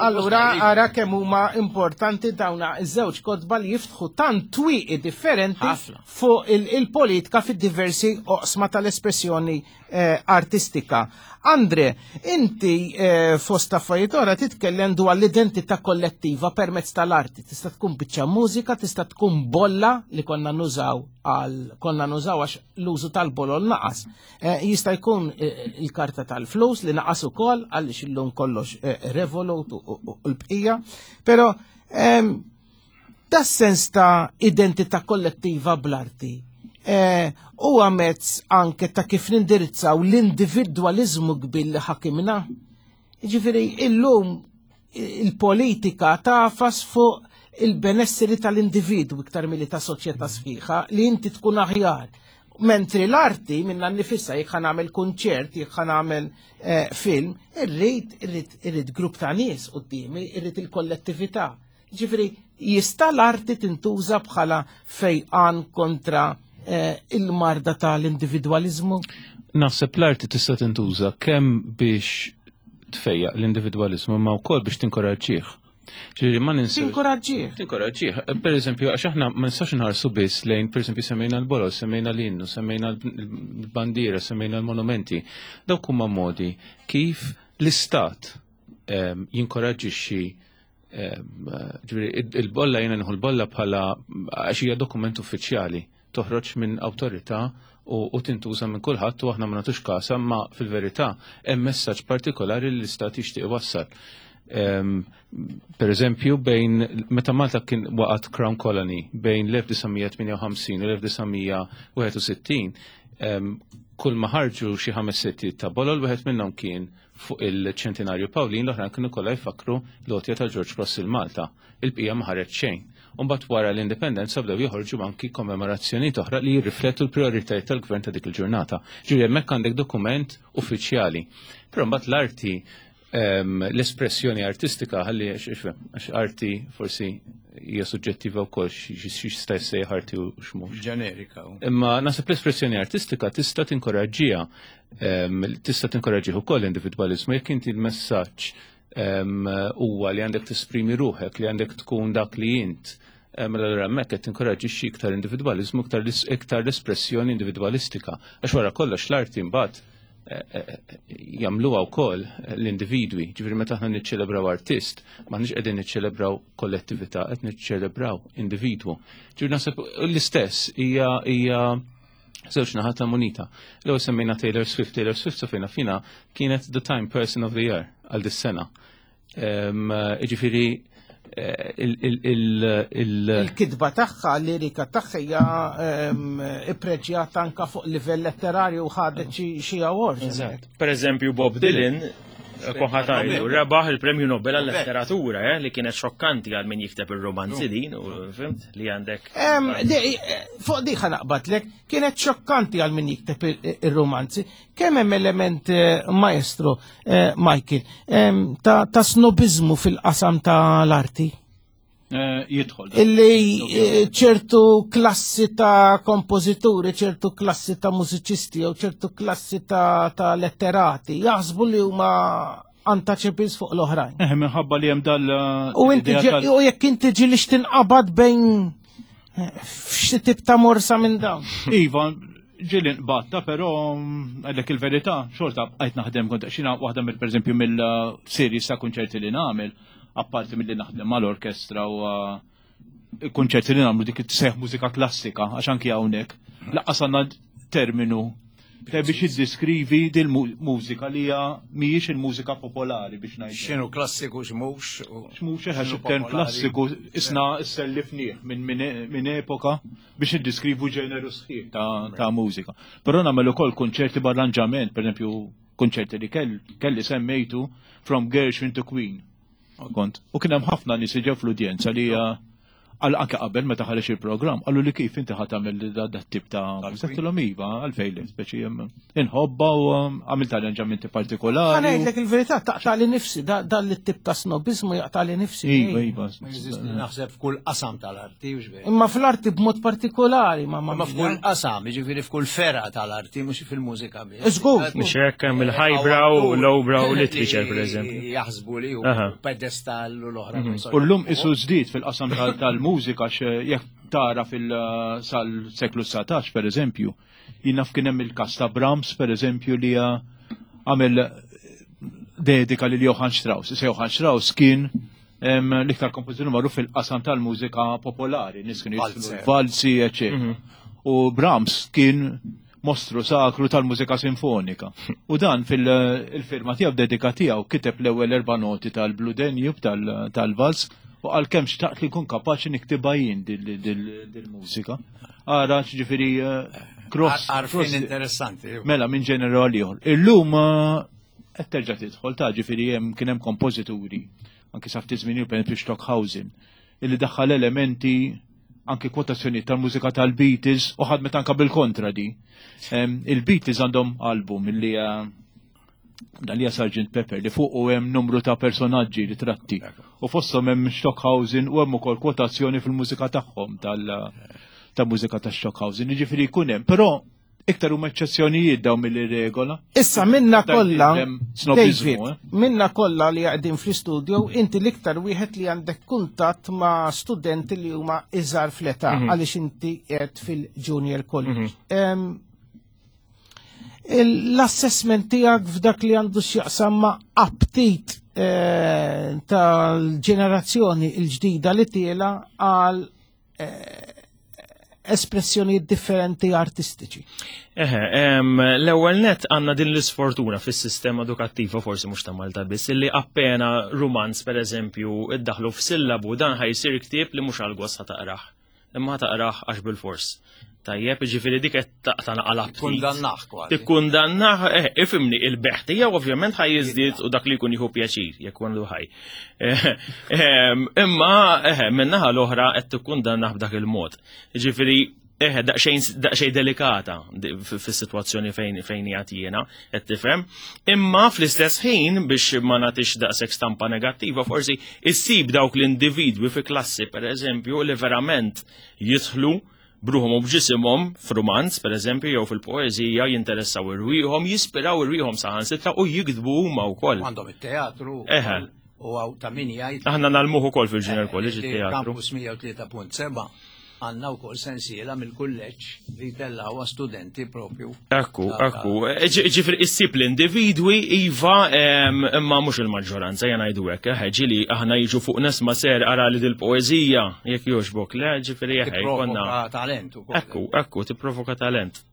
allura ara kemm huma importanti dawna iż-żewġ kotba li jiftħu tant twieqi differenti fuq il-politika fid-diversi oqsma tal-espressjoni eh, artistika. Andre, inti eh, fost affarijiet oħra titkellem dwar l-identità kollettiva permezz tal-arti. Tista' tkun biċċa mużika, tista' tkun bolla li konna nużaw għal konna nużaw għax l-użu tal-bolol naqas. Eh, jista' jkun eh, il-karta tal-flus li naqas ukoll għaliex illum kollox eh, Revolut u l-bqija. Però ehm, da sens ta' identità kollettiva bl-arti. eh, huwa mezz anke ta' kif nindirizzaw l-individwaliżmu kbir li ħakimna. Ġifieri illum il-politika tafas fuq il-benesseri tal-individwu iktar milli ta' soċjetà sħiħa li inti tkun aħjar. Mentri l-arti minna nifissa jekk nagħmel kunċert, jekk nagħmel eh, film, irrid irrid irrid grupp ta' nies quddiemi, irrid il-kollettività. Ġifieri jista' l-arti tintuża bħala fejqan kontra eh, il-marda tal-individwaliżmu? Naħseb l-arti tista' tintuża kemm biex tfejjaq l-individwaliżmu ma wkoll biex tinkoraġġih. Ġifieri ma ninsew. Tinkoraġġih. Tinkoraġġih. Per eżempju, għax aħna ma nistax nħarsu biss lejn, per eżempju, semmejna l-bolol, semmejna l-innu, semmejna l-bandiera, semmejna l-monumenti. Dawk huma modi kif l-istat ehm, jinkoraġġixxi ehm, ġifieri il-bolla jiena nieħu l-bolla bħala għax hija dokument uffiċjali toħroġ minn awtorità u, u tintuża minn kulħadd u aħna ma nagħtux kasa, ma fil-verità hemm messaġġ partikolari li l-istat jixtieq iwassal. Um, per eżempju, bejn meta Malta kien waqgħet Crown Colony bejn l-elf disa' mija tmienja u ħamsin u l-elf disa' mija wieħed u sittin, um, kull ma ħarġu xi ħames setti ta' bolol, wieħed minnhom kien fuq il-ċentinarju Pawlin, l-oħrajn kienu kollha jfakru l-għotja ta' George Cross il Malta. Il-bqija ma ħareġ xejn. Umbagħad wara l-indipendenza bdew joħorġu anki kommemorazzjonijiet oħra li jirriflettu l-prioritajiet tal-gvern ta' dik il-ġurnata. Ġifieri hemmhekk għandek dokument uffiċjali. Però mbagħad l-arti em, l-espressjoni artistika, ħalli għax arti forsi hija suġġettiva wkoll x'jista' jsejjaħ arti u x'mhux. Ġenerika. Imma naħseb l-espressjoni artistika tista' tinkoraġġiha, em, tista' tinkoraġġih ukoll l-individwaliżmu jekk inti l-messaġġ em, huwa li għandek tesprimi ruħek, li għandek tkun dak li int. Mela allura hemmhekk qed tinkoraġġixxi iktar individwaliżmu, iktar iktar l-espressjoni individwalistika. Għax wara kollox l-arti mbagħad eh, eh, jagħmluha wkoll l-individwi. Ġifieri meta aħna niċċelebraw artist, m'aħniex qegħdin niċċelebraw kollettività, qed niċċelebraw individwu. Ġifieri naħseb l-istess hija hija żewġ naħat ta' munita. L-ewwel semmejna Taylor Swift. Taylor Swift sofina fina kienet the Time Person of the Year għal dis-sena. Ġifieri eh, il- il- il- il- Il-kitba tagħha, l-lirika tagħha hija ehm, ippreġjata anka fuq livell letterarju u ħadet xi xi awards. Per eżempju, Bob Dylan, koħatajlu, rebaħ il-Premju Nobel għal-letteratura, eh, li kienet xokkanti għal min jikteb il-romanzi din, u fimt, li għandek. Em, di- eh, Fuq di ħanaqbatlek, kienet xokkanti għal min jikteb il- il-romanzi. Kemm hemm element eh, maestro, eh, Michael, em, ta' ta' snobizmu fil-qasam tal-arti? Eh, Jidħol. Illi eh, ċertu klassi ta' kompożituri, ċertu klassi ta' mużiċisti jew ċertu klassi ta', ta' letterati jaħsbu li huma untouchables fuq l-oħrajn. Eh, minħabba li hemm dal. U inti l-idea ġe- tal- u jekk inti ġilix tinqabad bejn eh, f'xi tip ta' morsa minn dawn. Iva, ġieli nqbatta, pero mm, għallek il-verità, xorta għajt naħdem kont xina waħda mill per eżempju mill-series ta' konċerti li nagħmel, apparti mill-li naħdem mal-orkestra u uh, konċerti li nagħmlu dik it-seħ mużika klassika, għax anki hawnhekk. Lanqas għandna terminu te biex jiddeskrivi dil mużika li hija mhijiex il-mużika popolari biex ngħid. X'inhu klassiku, x'mhux. u X'mhux eħe x'inhu xi term popolari. Klassiku isna sellifnieh minn min, min epoka biex iddeskrivu ġeneru sħiħ ta', ta' mużika. Però nagħmel ukoll konċerti b'arranġament, per eżempju konċerti li kell, kelli semmejtu From Gershwin to Queen. Kont. U kien hemm ħafna nies li ġew fl-udjenza li uh, għal anke qabel meta ħareġ il-programm, qalu li kif inti ħa tagħmel da da tip ta' mużika iva, għalfejn le, speċi hemm inħobba u um, għamilt arranġamenti partikolari. Ħa ngħidlek il-verità, taqta' li nifsi, da dan li tip ta' snobizmu jaqta' li nifsi. Iva, iva. Naħseb f'kull qasam tal-arti, u x'veru. Imma fl-arti b'mod partikolari, ma Ma f'kull qasam, jiġifieri f'kull fergħa tal-arti, mhux fil-mużika biss. Żgur. Mhux hekk hemm il-highbrow, lowbrow literature, per eżempju. Jaħsbu li hu Aha. pedestal u l-oħra. Mhm. U llum isu żdied fil-qasam tal- tal-mużika jekk tara fil-sal-seklu dsatax per eżempju, jien naf kien hemm il-kas ta' Brahms per eżempju li għamel dedika lil Johann Strauss. Issa Johann Strauss kien em, l-iktar kompożitur magħruf fil-qasam tal-mużika popolari, nies kienu jiżfnu Valzer. valsi, eċetera. U Brahms kien mostru sakru tal-mużika sinfonika. U dan fil-firma tiegħu dedika tiegħu kiteb l-ewwel erba' noti tal-Blue Danube tal-vals U għal kemm xtaqt li nkun kapaċi niktibha jien dil-mużika. Ara, ġifieri eh, cross. Għarfien interessanti. Mela minn ġenerali ieħor. Illum eh, qed terġa' tidħol ta' ġifieri hemm kien hemm kompożituri anki sa ftit żmien per esempio Stockhausen illi daħħal elementi anki kwotazzjoni tal-mużika tal-Beatles u ħadmet anka bil-kontra di. Il-Beatles għandhom album illi eh, dan li Sergeant Pepper li fuq u hemm numru ta' personaġġi ritratti. U fosthom hemm Stockhausen u hemm ukoll kwotazzjoni fil-mużika tagħhom tal ta' mużika ta' Stockhausen. Jiġifieri jkun hemm, però iktar huma eċċezzjonijiet dawn mill-regola. Issa minna Dan kollha, hemm snobizmu, David, eh? minna kollha li qegħdin fl-istudio, inti l-iktar wieħed li għandek kuntatt ma' studenti li huma iżgħar fl-età Mhm. għaliex inti qiegħed fil-junior college. Mhm. Em, L-assessment tiegħek f'dak li għandu x'jaqsam ma' aptit eh, tal-ġenerazzjoni l-ġdida li tiela għal eh, espressjonijiet differenti artistiċi. Eħe, em, l-ewwel net għandna din l-isfortuna fis-sistema edukattiva forsi mhux ta' Malta biss, illi appena rumanz pereżempju iddaħlu f'sillabu dan ħa jsir ktieb li mhux għal gost ħa taqrah. Imma ħa taqrah għax bil-fors. Tajjeb, ġifieri dik qed taqta' naqal aptit. Kundannah kważi. Tikkundannah, eh, ifhimni, il-bejgħ tiegħu ovvjament ħa jiżdied u dak li jkun jieħu pjaċir, jekk għandu ħaj. Eh, em, Imma, eh, min-naħa l-oħra qed tikkundannah b'dak il-mod. Ġifieri, eh, daqsxejn daqsxejn delikata di- f- fis-sitwazzjoni fejn fejn qiegħed jiena, qed tifhem. Imma fl-istess ħin biex ma nagħtix daqshekk stampa negattiva, forsi issib dawk l-individwi fi klassi pereżempju li verament jidħlu b'ruħhom u b'ġisimhom f'rumanz, per eżempju, jew fil-poeżija, jinteressaw irwieħhom, jispiraw irwieħhom saħansitra u jiktbu huma wkoll. Għandhom it-teatru. Eħe. U għaw ta' min jgħid. Aħna ngħallmuh ukoll fil-Junior College li it-teatru. Campus mija u tlieta punt sebgħa għandna wkoll sensiela mill-kulleġġ li tellawa studenti propju. Ekku, ekku. Ġifieri, issib l-individwi, iva, em, imma mhux il-maġġoranza, jena ngħidu hekk, eħe, ġieli aħna jiġu fuq nesma ser ara li dil-poeżija, jekk jogħġbok, le, ġifieri, eħe, jkollna. Tipprovoka talent ukoll. Ekku, ekku, tipprovoka talent.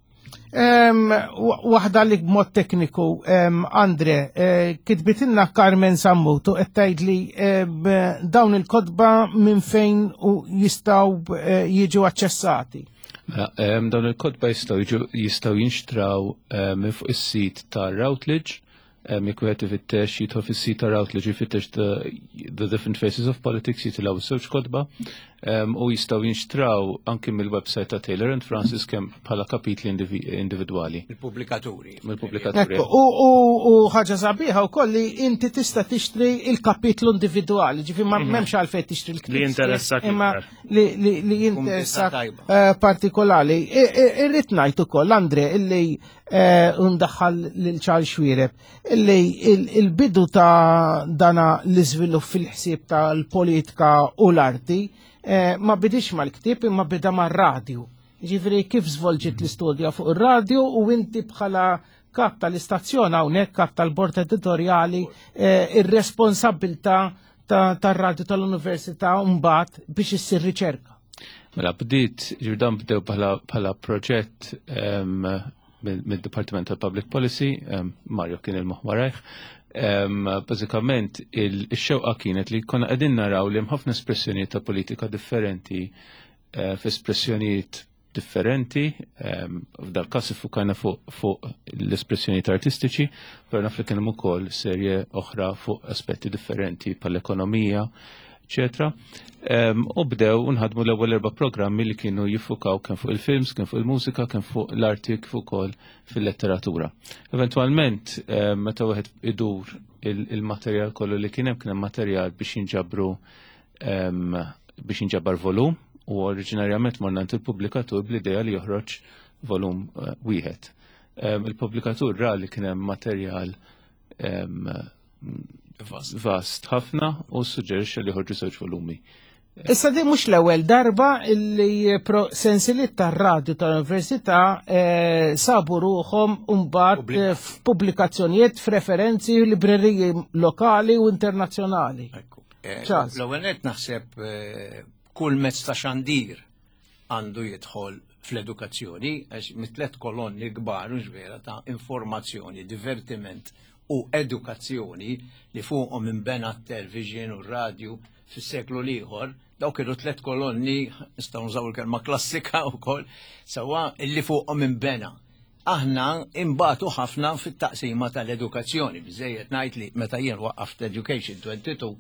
Em, wa- Waħda li b'mod tekniku, em, Andre, eh, kitbitilna Carmen Sammutu qed tgħid li eh, b- dawn il-kotba minn fejn u jistgħu eh, jiġu aċċessati. Mela, em, dawn il-kotba jistgħu jiġu jistgħu jinxtraw em, minn fuq is-sit ta' Routledge, em, jekk wieħed ifittex jidħol fis-sit ta' Routledge jfittex the, the Different Faces of Politics jitilgħu żewġ kotba em, u jistgħu jinxtraw anki mill-website ta' Taylor and Francis kemm bħala kapitli indivi- individwali. Il-pubblikaturi. Mill-pubblikaturi. Ekku, u, u, u ħaġa sabiħa wkoll li inti tista' tixtri il-kapitlu individwali, ġifi ma Mhm. m'hemmx għalfejn tixtri l-ktieb. Li jinteressak Imma iktar. li, li, li jinteressak tajba. eh, partikolari. I- i- Irrid ngħid ukoll, Andre, illi eh, ndaħħal lil Charles Xuereb, illi il- il-bidu ta' dana l-iżvilupp fil-ħsieb tal-politika u l-arti eh, ma bidix mal-ktieb imma bida mar-radju. Ġifieri kif żvolġiet l-istudja fuq ir-radju u inti bħala kap tal-istazzjon hawnhekk kap tal-bord editorjali eh, ir-responsabilità ta- tar-radju tal-università mbagħad biex issir riċerka. Mela bdiet ġirdan bdew bħala bħala proġett em, mill- mid-Departiment tal Public Policy, em, Mario kien il-moħħ warajh. Em, Bażikament il-xewqa kienet li konna qegħdin naraw li hemm ħafna espressjonijiet ta' politika differenti eh, f'espressjonijiet differenti, em, f'dal każ iffukajna fuq fuq l-espressjonijiet artistiċi, però naf li kien hemm ukoll serje oħra fuq aspetti differenti bħall-ekonomija, eccetera. Um, u bdew nħadmu l-ewwel erba' programmi li kienu jiffukaw kemm fuq il-films, kemm fuq il-mużika, kemm fuq l-arti, kif ukoll fil-letteratura. Eventwalment, um, meta wieħed idur il- il-materjal kollu li kien hemm kien hemm materjal biex jinġabru um, biex jinġabar volum u oriġinarjament morna għand il-pubblikatur bl-idea li joħroġ volum uh, wieħed. Um, il-pubblikatur ra li kien hemm materjal um, vast ħafna u suġġerixxa li joħorġu żewġ volumi. Issa di mhux l-ewwel darba illi pro sensiliet tar-radju tal-Università eh, sabu ruħhom mbagħad eh, f'pubblikazzjonijiet, f'referenzi, libreriji lokali u internazzjonali. Eh, Charles. L-ewwel nett naħseb eh, kull mezz ta' xandir għandu jidħol fl-edukazzjoni, għax mit-tlet kolonni kbar, mhux vera, ta' informazzjoni, divertiment u edukazzjoni li fuqhom inbena t-television u r-radju fis-seklu l-ieħor, dawk kienu tliet kolonni, nistgħu nużaw il-kelma klassika wkoll, sewwa illi fuqhom inbena. Aħna imbatu ħafna fit-taqsima tal-edukazzjoni, biżejjed ngħid li meta jien waqqaft Education twenty-two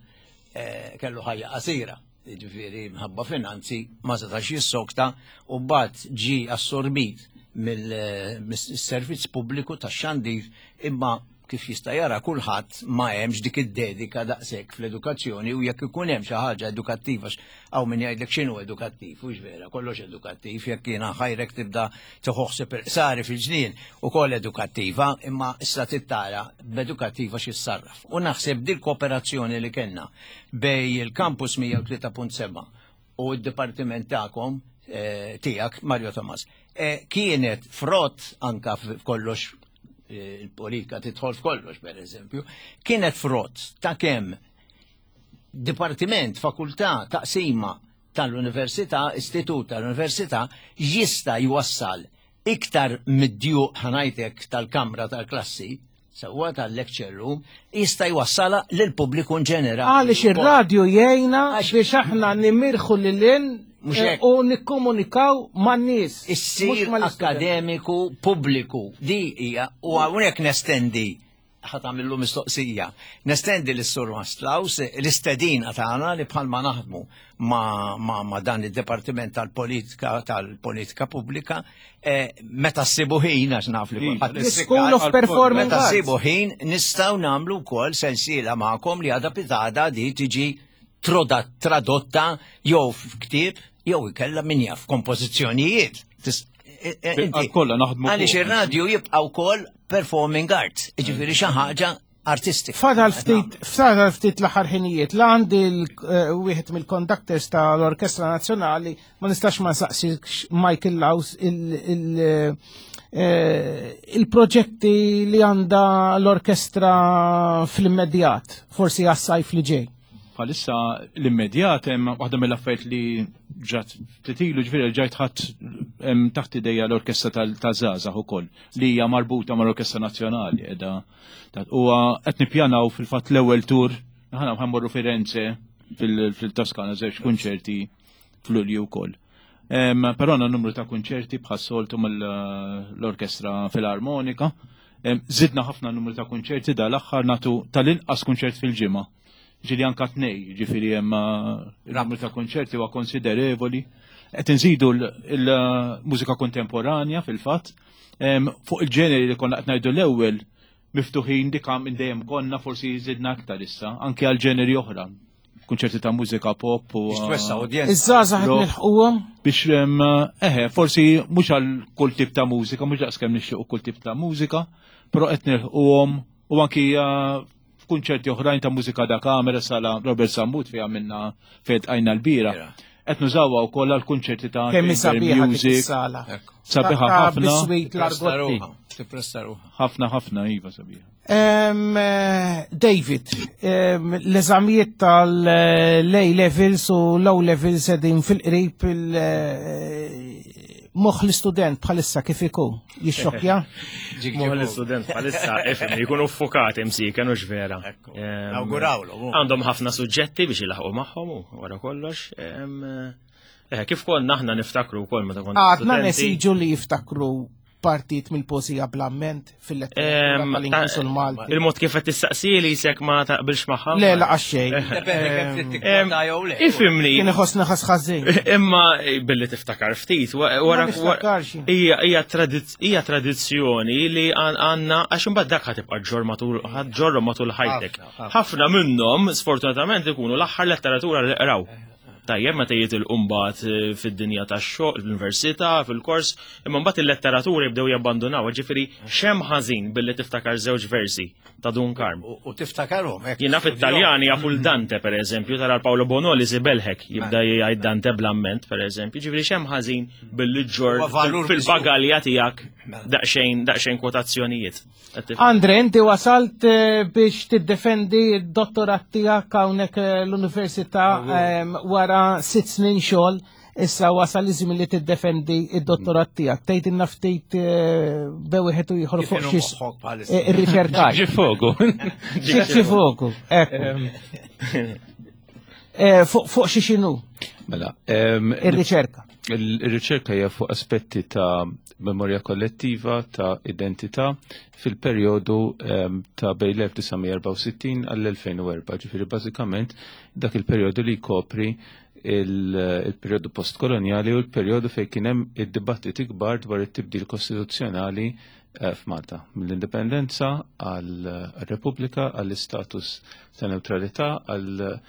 eh, kellu ħajja qasira, ġifieri mħabba finanzi ma setax jissokta u mbagħad ġi assorbit mill-servizz pubbliku tax-xandir, imma kif jista' jara kulħadd ma hemmx dik id-dedika daqshekk fl-edukazzjoni, u jekk ikun hemm xi ħaġa edukattiva, hawn min jgħidlek x'inhu edukattiv, hux vera, kollox edukattiv, jekk jiena ħajrek tibda tieħu sari fil-ġnien ukoll edukattiva, imma issa tittara b'edukattiva x'issarraf. U naħseb dil kooperazzjoni li kellna bej il-Campus mija u tlieta punt seba' u d-dipartiment tagħkom tiegħek Mario Thomas kienet frott anka f'kollox, il-politika tidħol f'kollox per eżempju, kienet frott ta' kemm dipartiment, fakultà, taqsima tal-università, istitut tal-università jista' jwassal iktar mid-djuq ħanajtek tal-kamra tal-klassi, sewwa tal-lecture room, jista' jwassala lill-pubbliku in ġenerali. Għaliex ir-radju jgħinna biex aħna nimirħu lil u nikkomunikaw man-nies. Issir akademiku pubbliku. Di hija, u hawnhekk nestendi, ħa tagħmillu mistoqsija, nestendi lis-Sur Maslaus l-istedina tagħna li bħalma naħdmu ma, ma, ma dan id-Dipartiment tal-Politika tal-Politika Pubblika, meta ssibu ħin, għax naf li kulħadd School of Performing Meta ssibu ħin nistgħu nagħmlu wkoll sensiela magħkom li għadha pitada di tiġi tradotta jew f'ktieb jew ikella min jaf kompożizzjonijiet. Kollha naħdmu. Għaliex ir-radju jibqa' wkoll performing arts, jiġifieri xi ħaġa artistika. Fadal ftit, fadal ftit l-aħħar ħinijiet, la għandi wieħed mill-conductors tal-Orkestra Nazzjonali, ma nistax ma nsaqsix Michael Laus il-proġetti li għandha l-orkestra fl-immedjat, forsi għas-sajf li ġej. Bħalissa l-immedjat hemm waħda mill-affarijiet li ġat titilu, ġifieri ġajt ħadd taħt idejja l-orkestra tal-żgħażagħ ukoll li hija marbuta mal-Orkestra Nazzjonali qiegħda. U qed nippjanaw fil-fatt l-ewwel tur, aħna ħammorru Firenze fil-Toskana żewġ kunċerti f'Lulju wkoll. Però għandna numru ta' kunċerti bħas-soltu mill-Orkestra Filarmonika. Żidna ħafna numru ta' kunċerti dal-aħħar, nagħtu tal-inqas kunċert fil-ġimgħa. Ġili anka tnej, ġifiri hemm il-numru ta' konċerti huwa konsiderevoli. Qed inżidu l-mużika kontemporanja fil-fatt. Fuq il-ġeneri li konna qed ngħidu l-ewwel miftuħin dik minn dejjem konna, forsi żidna aktar issa, anke għal ġeneri oħra. Kunċerti ta' mużika pop u iż-żgħażagħ qed nilħquhom biex eħe, forsi mhux għal kull tip ta' mużika, mhux daqskemm nixtiequ kull tip ta' mużika, però qed nilħquhom u anki kunċerti oħrajn ta' mużika da kamera, sala Robert Sammut fejn għamilna fejn tqajna l-bira. Qed nużawha wkoll għal kunċerti ta' music. Sabiħa ħafna. Ħafna ħafna iva sabiħa. David, l-eżamijiet tal-A levels u low levels qegħdin fil-qrib moħħ l-istudent bħalissa kif ikun? Jixxokkja? Moħħ l-istudent bħalissa ifhem jkunu ffukati msiken u x'vera. Nawgurawlu. Għandhom ħafna suġġetti biex ilaħqu magħhom wara kollox. Kif konna aħna niftakru wkoll meta konna għadna nesiġu li jiftakru partit mill-poezija bl-amment fil-letteratura tal-Ingliż u l-Malti. Il-mod kif qed tistaqsili jisek ma taqbilx magħha. Le laqas xejn. Ifhimni. Kien iħossni ħass ħażin. Imma billi tiftakar ftit wara hija hija tradizzjoni li għandna, għax imbagħad dak ħatibqa' ġor matul ħaġġorhom matul ħajtek. Ħafna minnhom sfortunatament ikunu l-aħħar letteratura li qraw. Tajjeb meta jitilqu mbagħad fid-dinja tax-xogħol, fl-università, fil-kors, imma mbagħad il-letteratura jibdew jabbandunaw, ġifieri x'hemm ħażin billi tiftakar żewġ versi ta' Dun Karm. U tiftakarhom hekk. Jiena fit-Taljani jafu l-Dante pereżempju, tara Paolo Bonoli sibelħek jibda jgħid Dante bl-amment pereżempju, ġifieri x'hemm ħażin billi ġġor fil-bagalja tiegħek daqsxejn daqsxejn kwotazzjonijiet. Andre, inti wasalt biex tiddefendi d-dottorat tiegħek hawnhekk l-università wara sitt snin xogħol. Issa wasal iż-żmien li tiddefendi id-dottorat tiegħek. Tgħidilna ftit eh, bejn wieħed u ieħor Kif fuq inhu xi moħħok bħalissa? eh, irriċerkaj. Ġi fogu. Xi foku, ekku. Eh, Fuq fuq xi x'inhu Mela, em, ir-riċerka. Il-riċerka hija fuq aspetti ta' memorja kollettiva, ta' identità fil-perjodu em, ta' bejn l-elf disa' mija erbgħa u sittin għall-elfejn u erbgħa, ġifieri bażikament dak il-perjodu li jkopri il- il-perjodu postkoloniali u l-perjodu fejn kien hemm id-dibattiti kbar dwar it-tibdil kostituzzjonali eh, f'Malta, mill-indipendenza għall-Repubblika, għall-istatus ta' neutralità, għall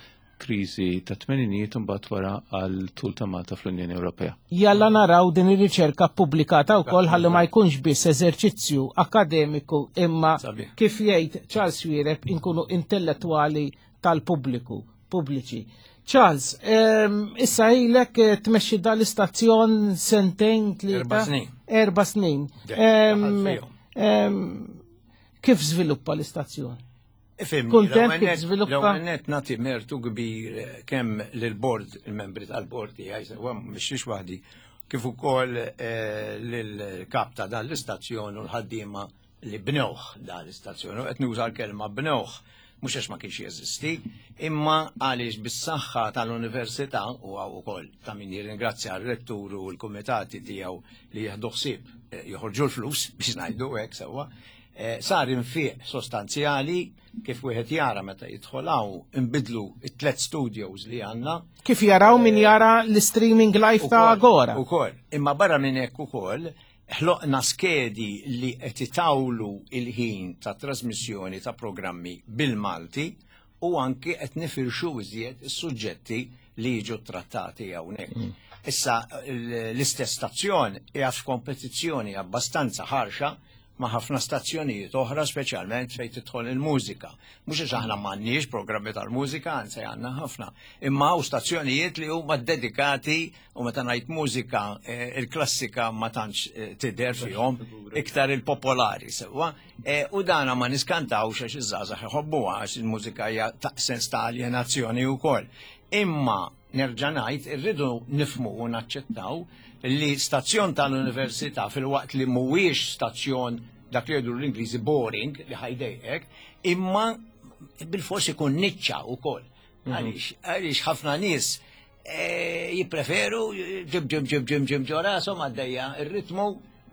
kriżi ta' tmeninijiet u mbagħad wara għal tul ta' Malta fl-Unjoni Ewropea. Jalla naraw din ir-riċerka pubblikata wkoll ħalli ma jkunx biss eżerċizzju akademiku, imma kif jgħid Charles Xuereb inkunu intellettwali tal-pubbliku, pubbliċi. Charles, ehm, issa ilek eh, tmexxi dal-istazzjon sentejn, tlieta? Erba' snin. Erba' snin. Dej, Ehm, daħal fihom. ehm, Kif żviluppa l-istazzjon? Ifhimni, Kuntent l-ewwel kif net- żviluppa? L-ewwel net nagħti mertu kbir eh, kemm lill-bord, il-membri tal-bord tiegħi, sewwa mhix waħdi, kif ukoll eh, lill-kap ta' dan l-istazzjon u l-ħaddiema li bnewh dan l-istazzjon. U qed nuża l-kelma bnewh mhux għax ma kienx jeżisti, imma għaliex bis-saħħa tal-università u hawn ukoll ta' min jirringrazzja r-rettur u l-kumitati tiegħu li jieħdu ħsieb eh, joħorġu l-flus biex ngħidu hekk sewwa. Eh, sar infiq sostanzjali kif wieħed jara meta jidħol hawn, inbidlu it-tlet studios li għandna. Kif jaraw min jara l-streaming live ta' Agora. Ukoll. Imma barra minn hekk ukoll ħloqna skedi li qed itawlu il-ħin ta' trasmissjoni ta' programmi bil-Malti u anki qed nifirxu iżjed is-suġġetti li jiġu trattati hawnhekk. Issa l- l-istess stazzjon hija f'kompetizzjoni abbastanza ħarxa ma' ħafna stazzjonijiet oħra, speċjalment fejn tidħol il-mużika. Mhux għax aħna m'għandniex programmi tal-mużika, anzi għandna ħafna. Imma hawn stazzjonijiet li huma dedikati u meta ngħid mużika eh, il-klassika ma tantx eh, tidher fihom, iktar il-popolari sewwa. Eh, U dana ma niskantawx għax iż-żgħażagħ iħobbuha, għax il-mużika hija ta' sens ta' aljenazzjoni wkoll. Imma nerġa' ngħid, irridu nifmu u naċċettaw li stazzjon tal-università, filwaqt li mhuwiex stazzjon dak li jgħidu l-Ingliżi boring li ħa jdejqek, imma bil-fors ikun niċċa wkoll. Għaliex għaliex ħafna nies eh, jippreferu ġim ġim ġim ġim ġim ġo rashom għaddejja ir-ritmu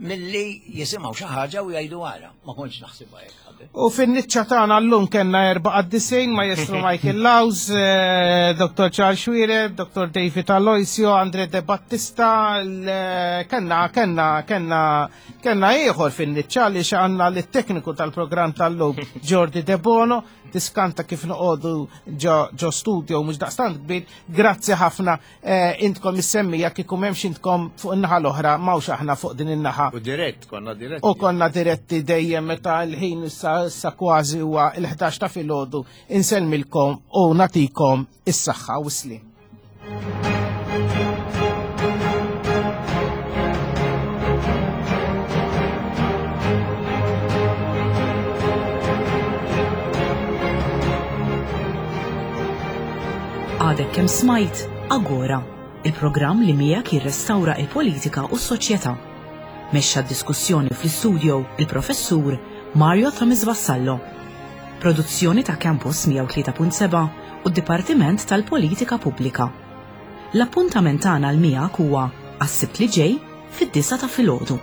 milli jisimgħu xi ħaġa u jgħidu ara. Ma kontx naħsibha hekk qabel. U fin-niċċa tagħna llum kellna erba' qaddisin: Maestro Michael Laus, eh, Doctor Charles Xuereb, Doctor David Aloisio, Andre De Battista, l- kellna kellna kellna kellna ieħor fin-niċċa li għandna lit-tekniku tal-programm tal-lum, Jordi De Bono, tiskanta kif noqogħdu ġo ġo studio mhux daqstant kbir. Grazzi ħafna eh, intkom is-semmija, kieku m'hemmx intkom fuq in-naħa l-oħra, m'hawnx aħna fuq din in-naħa. U dirett, konna dirett. U konna diretti dejjem meta l-ħin issa issa kważi huwa il-ħdax ta' filgħodu. Insellmilkom u nagħtikom is-saħħa u slim. Għadek kemm smajt Agora, il-programm li miegħek jirrestawra il-politika u s-soċjetà. Mexxa d-diskussjoni fl-istudio il-professur Mario Thomas Vassallo. Produzzjoni ta' Campus mija u tlieta punt seba' u d-Dipartiment tal-Politika Pubblika. L-appuntament tagħna l miegħek huwa għas-Sibt li ġej fid-disgħa ta' filgħodu.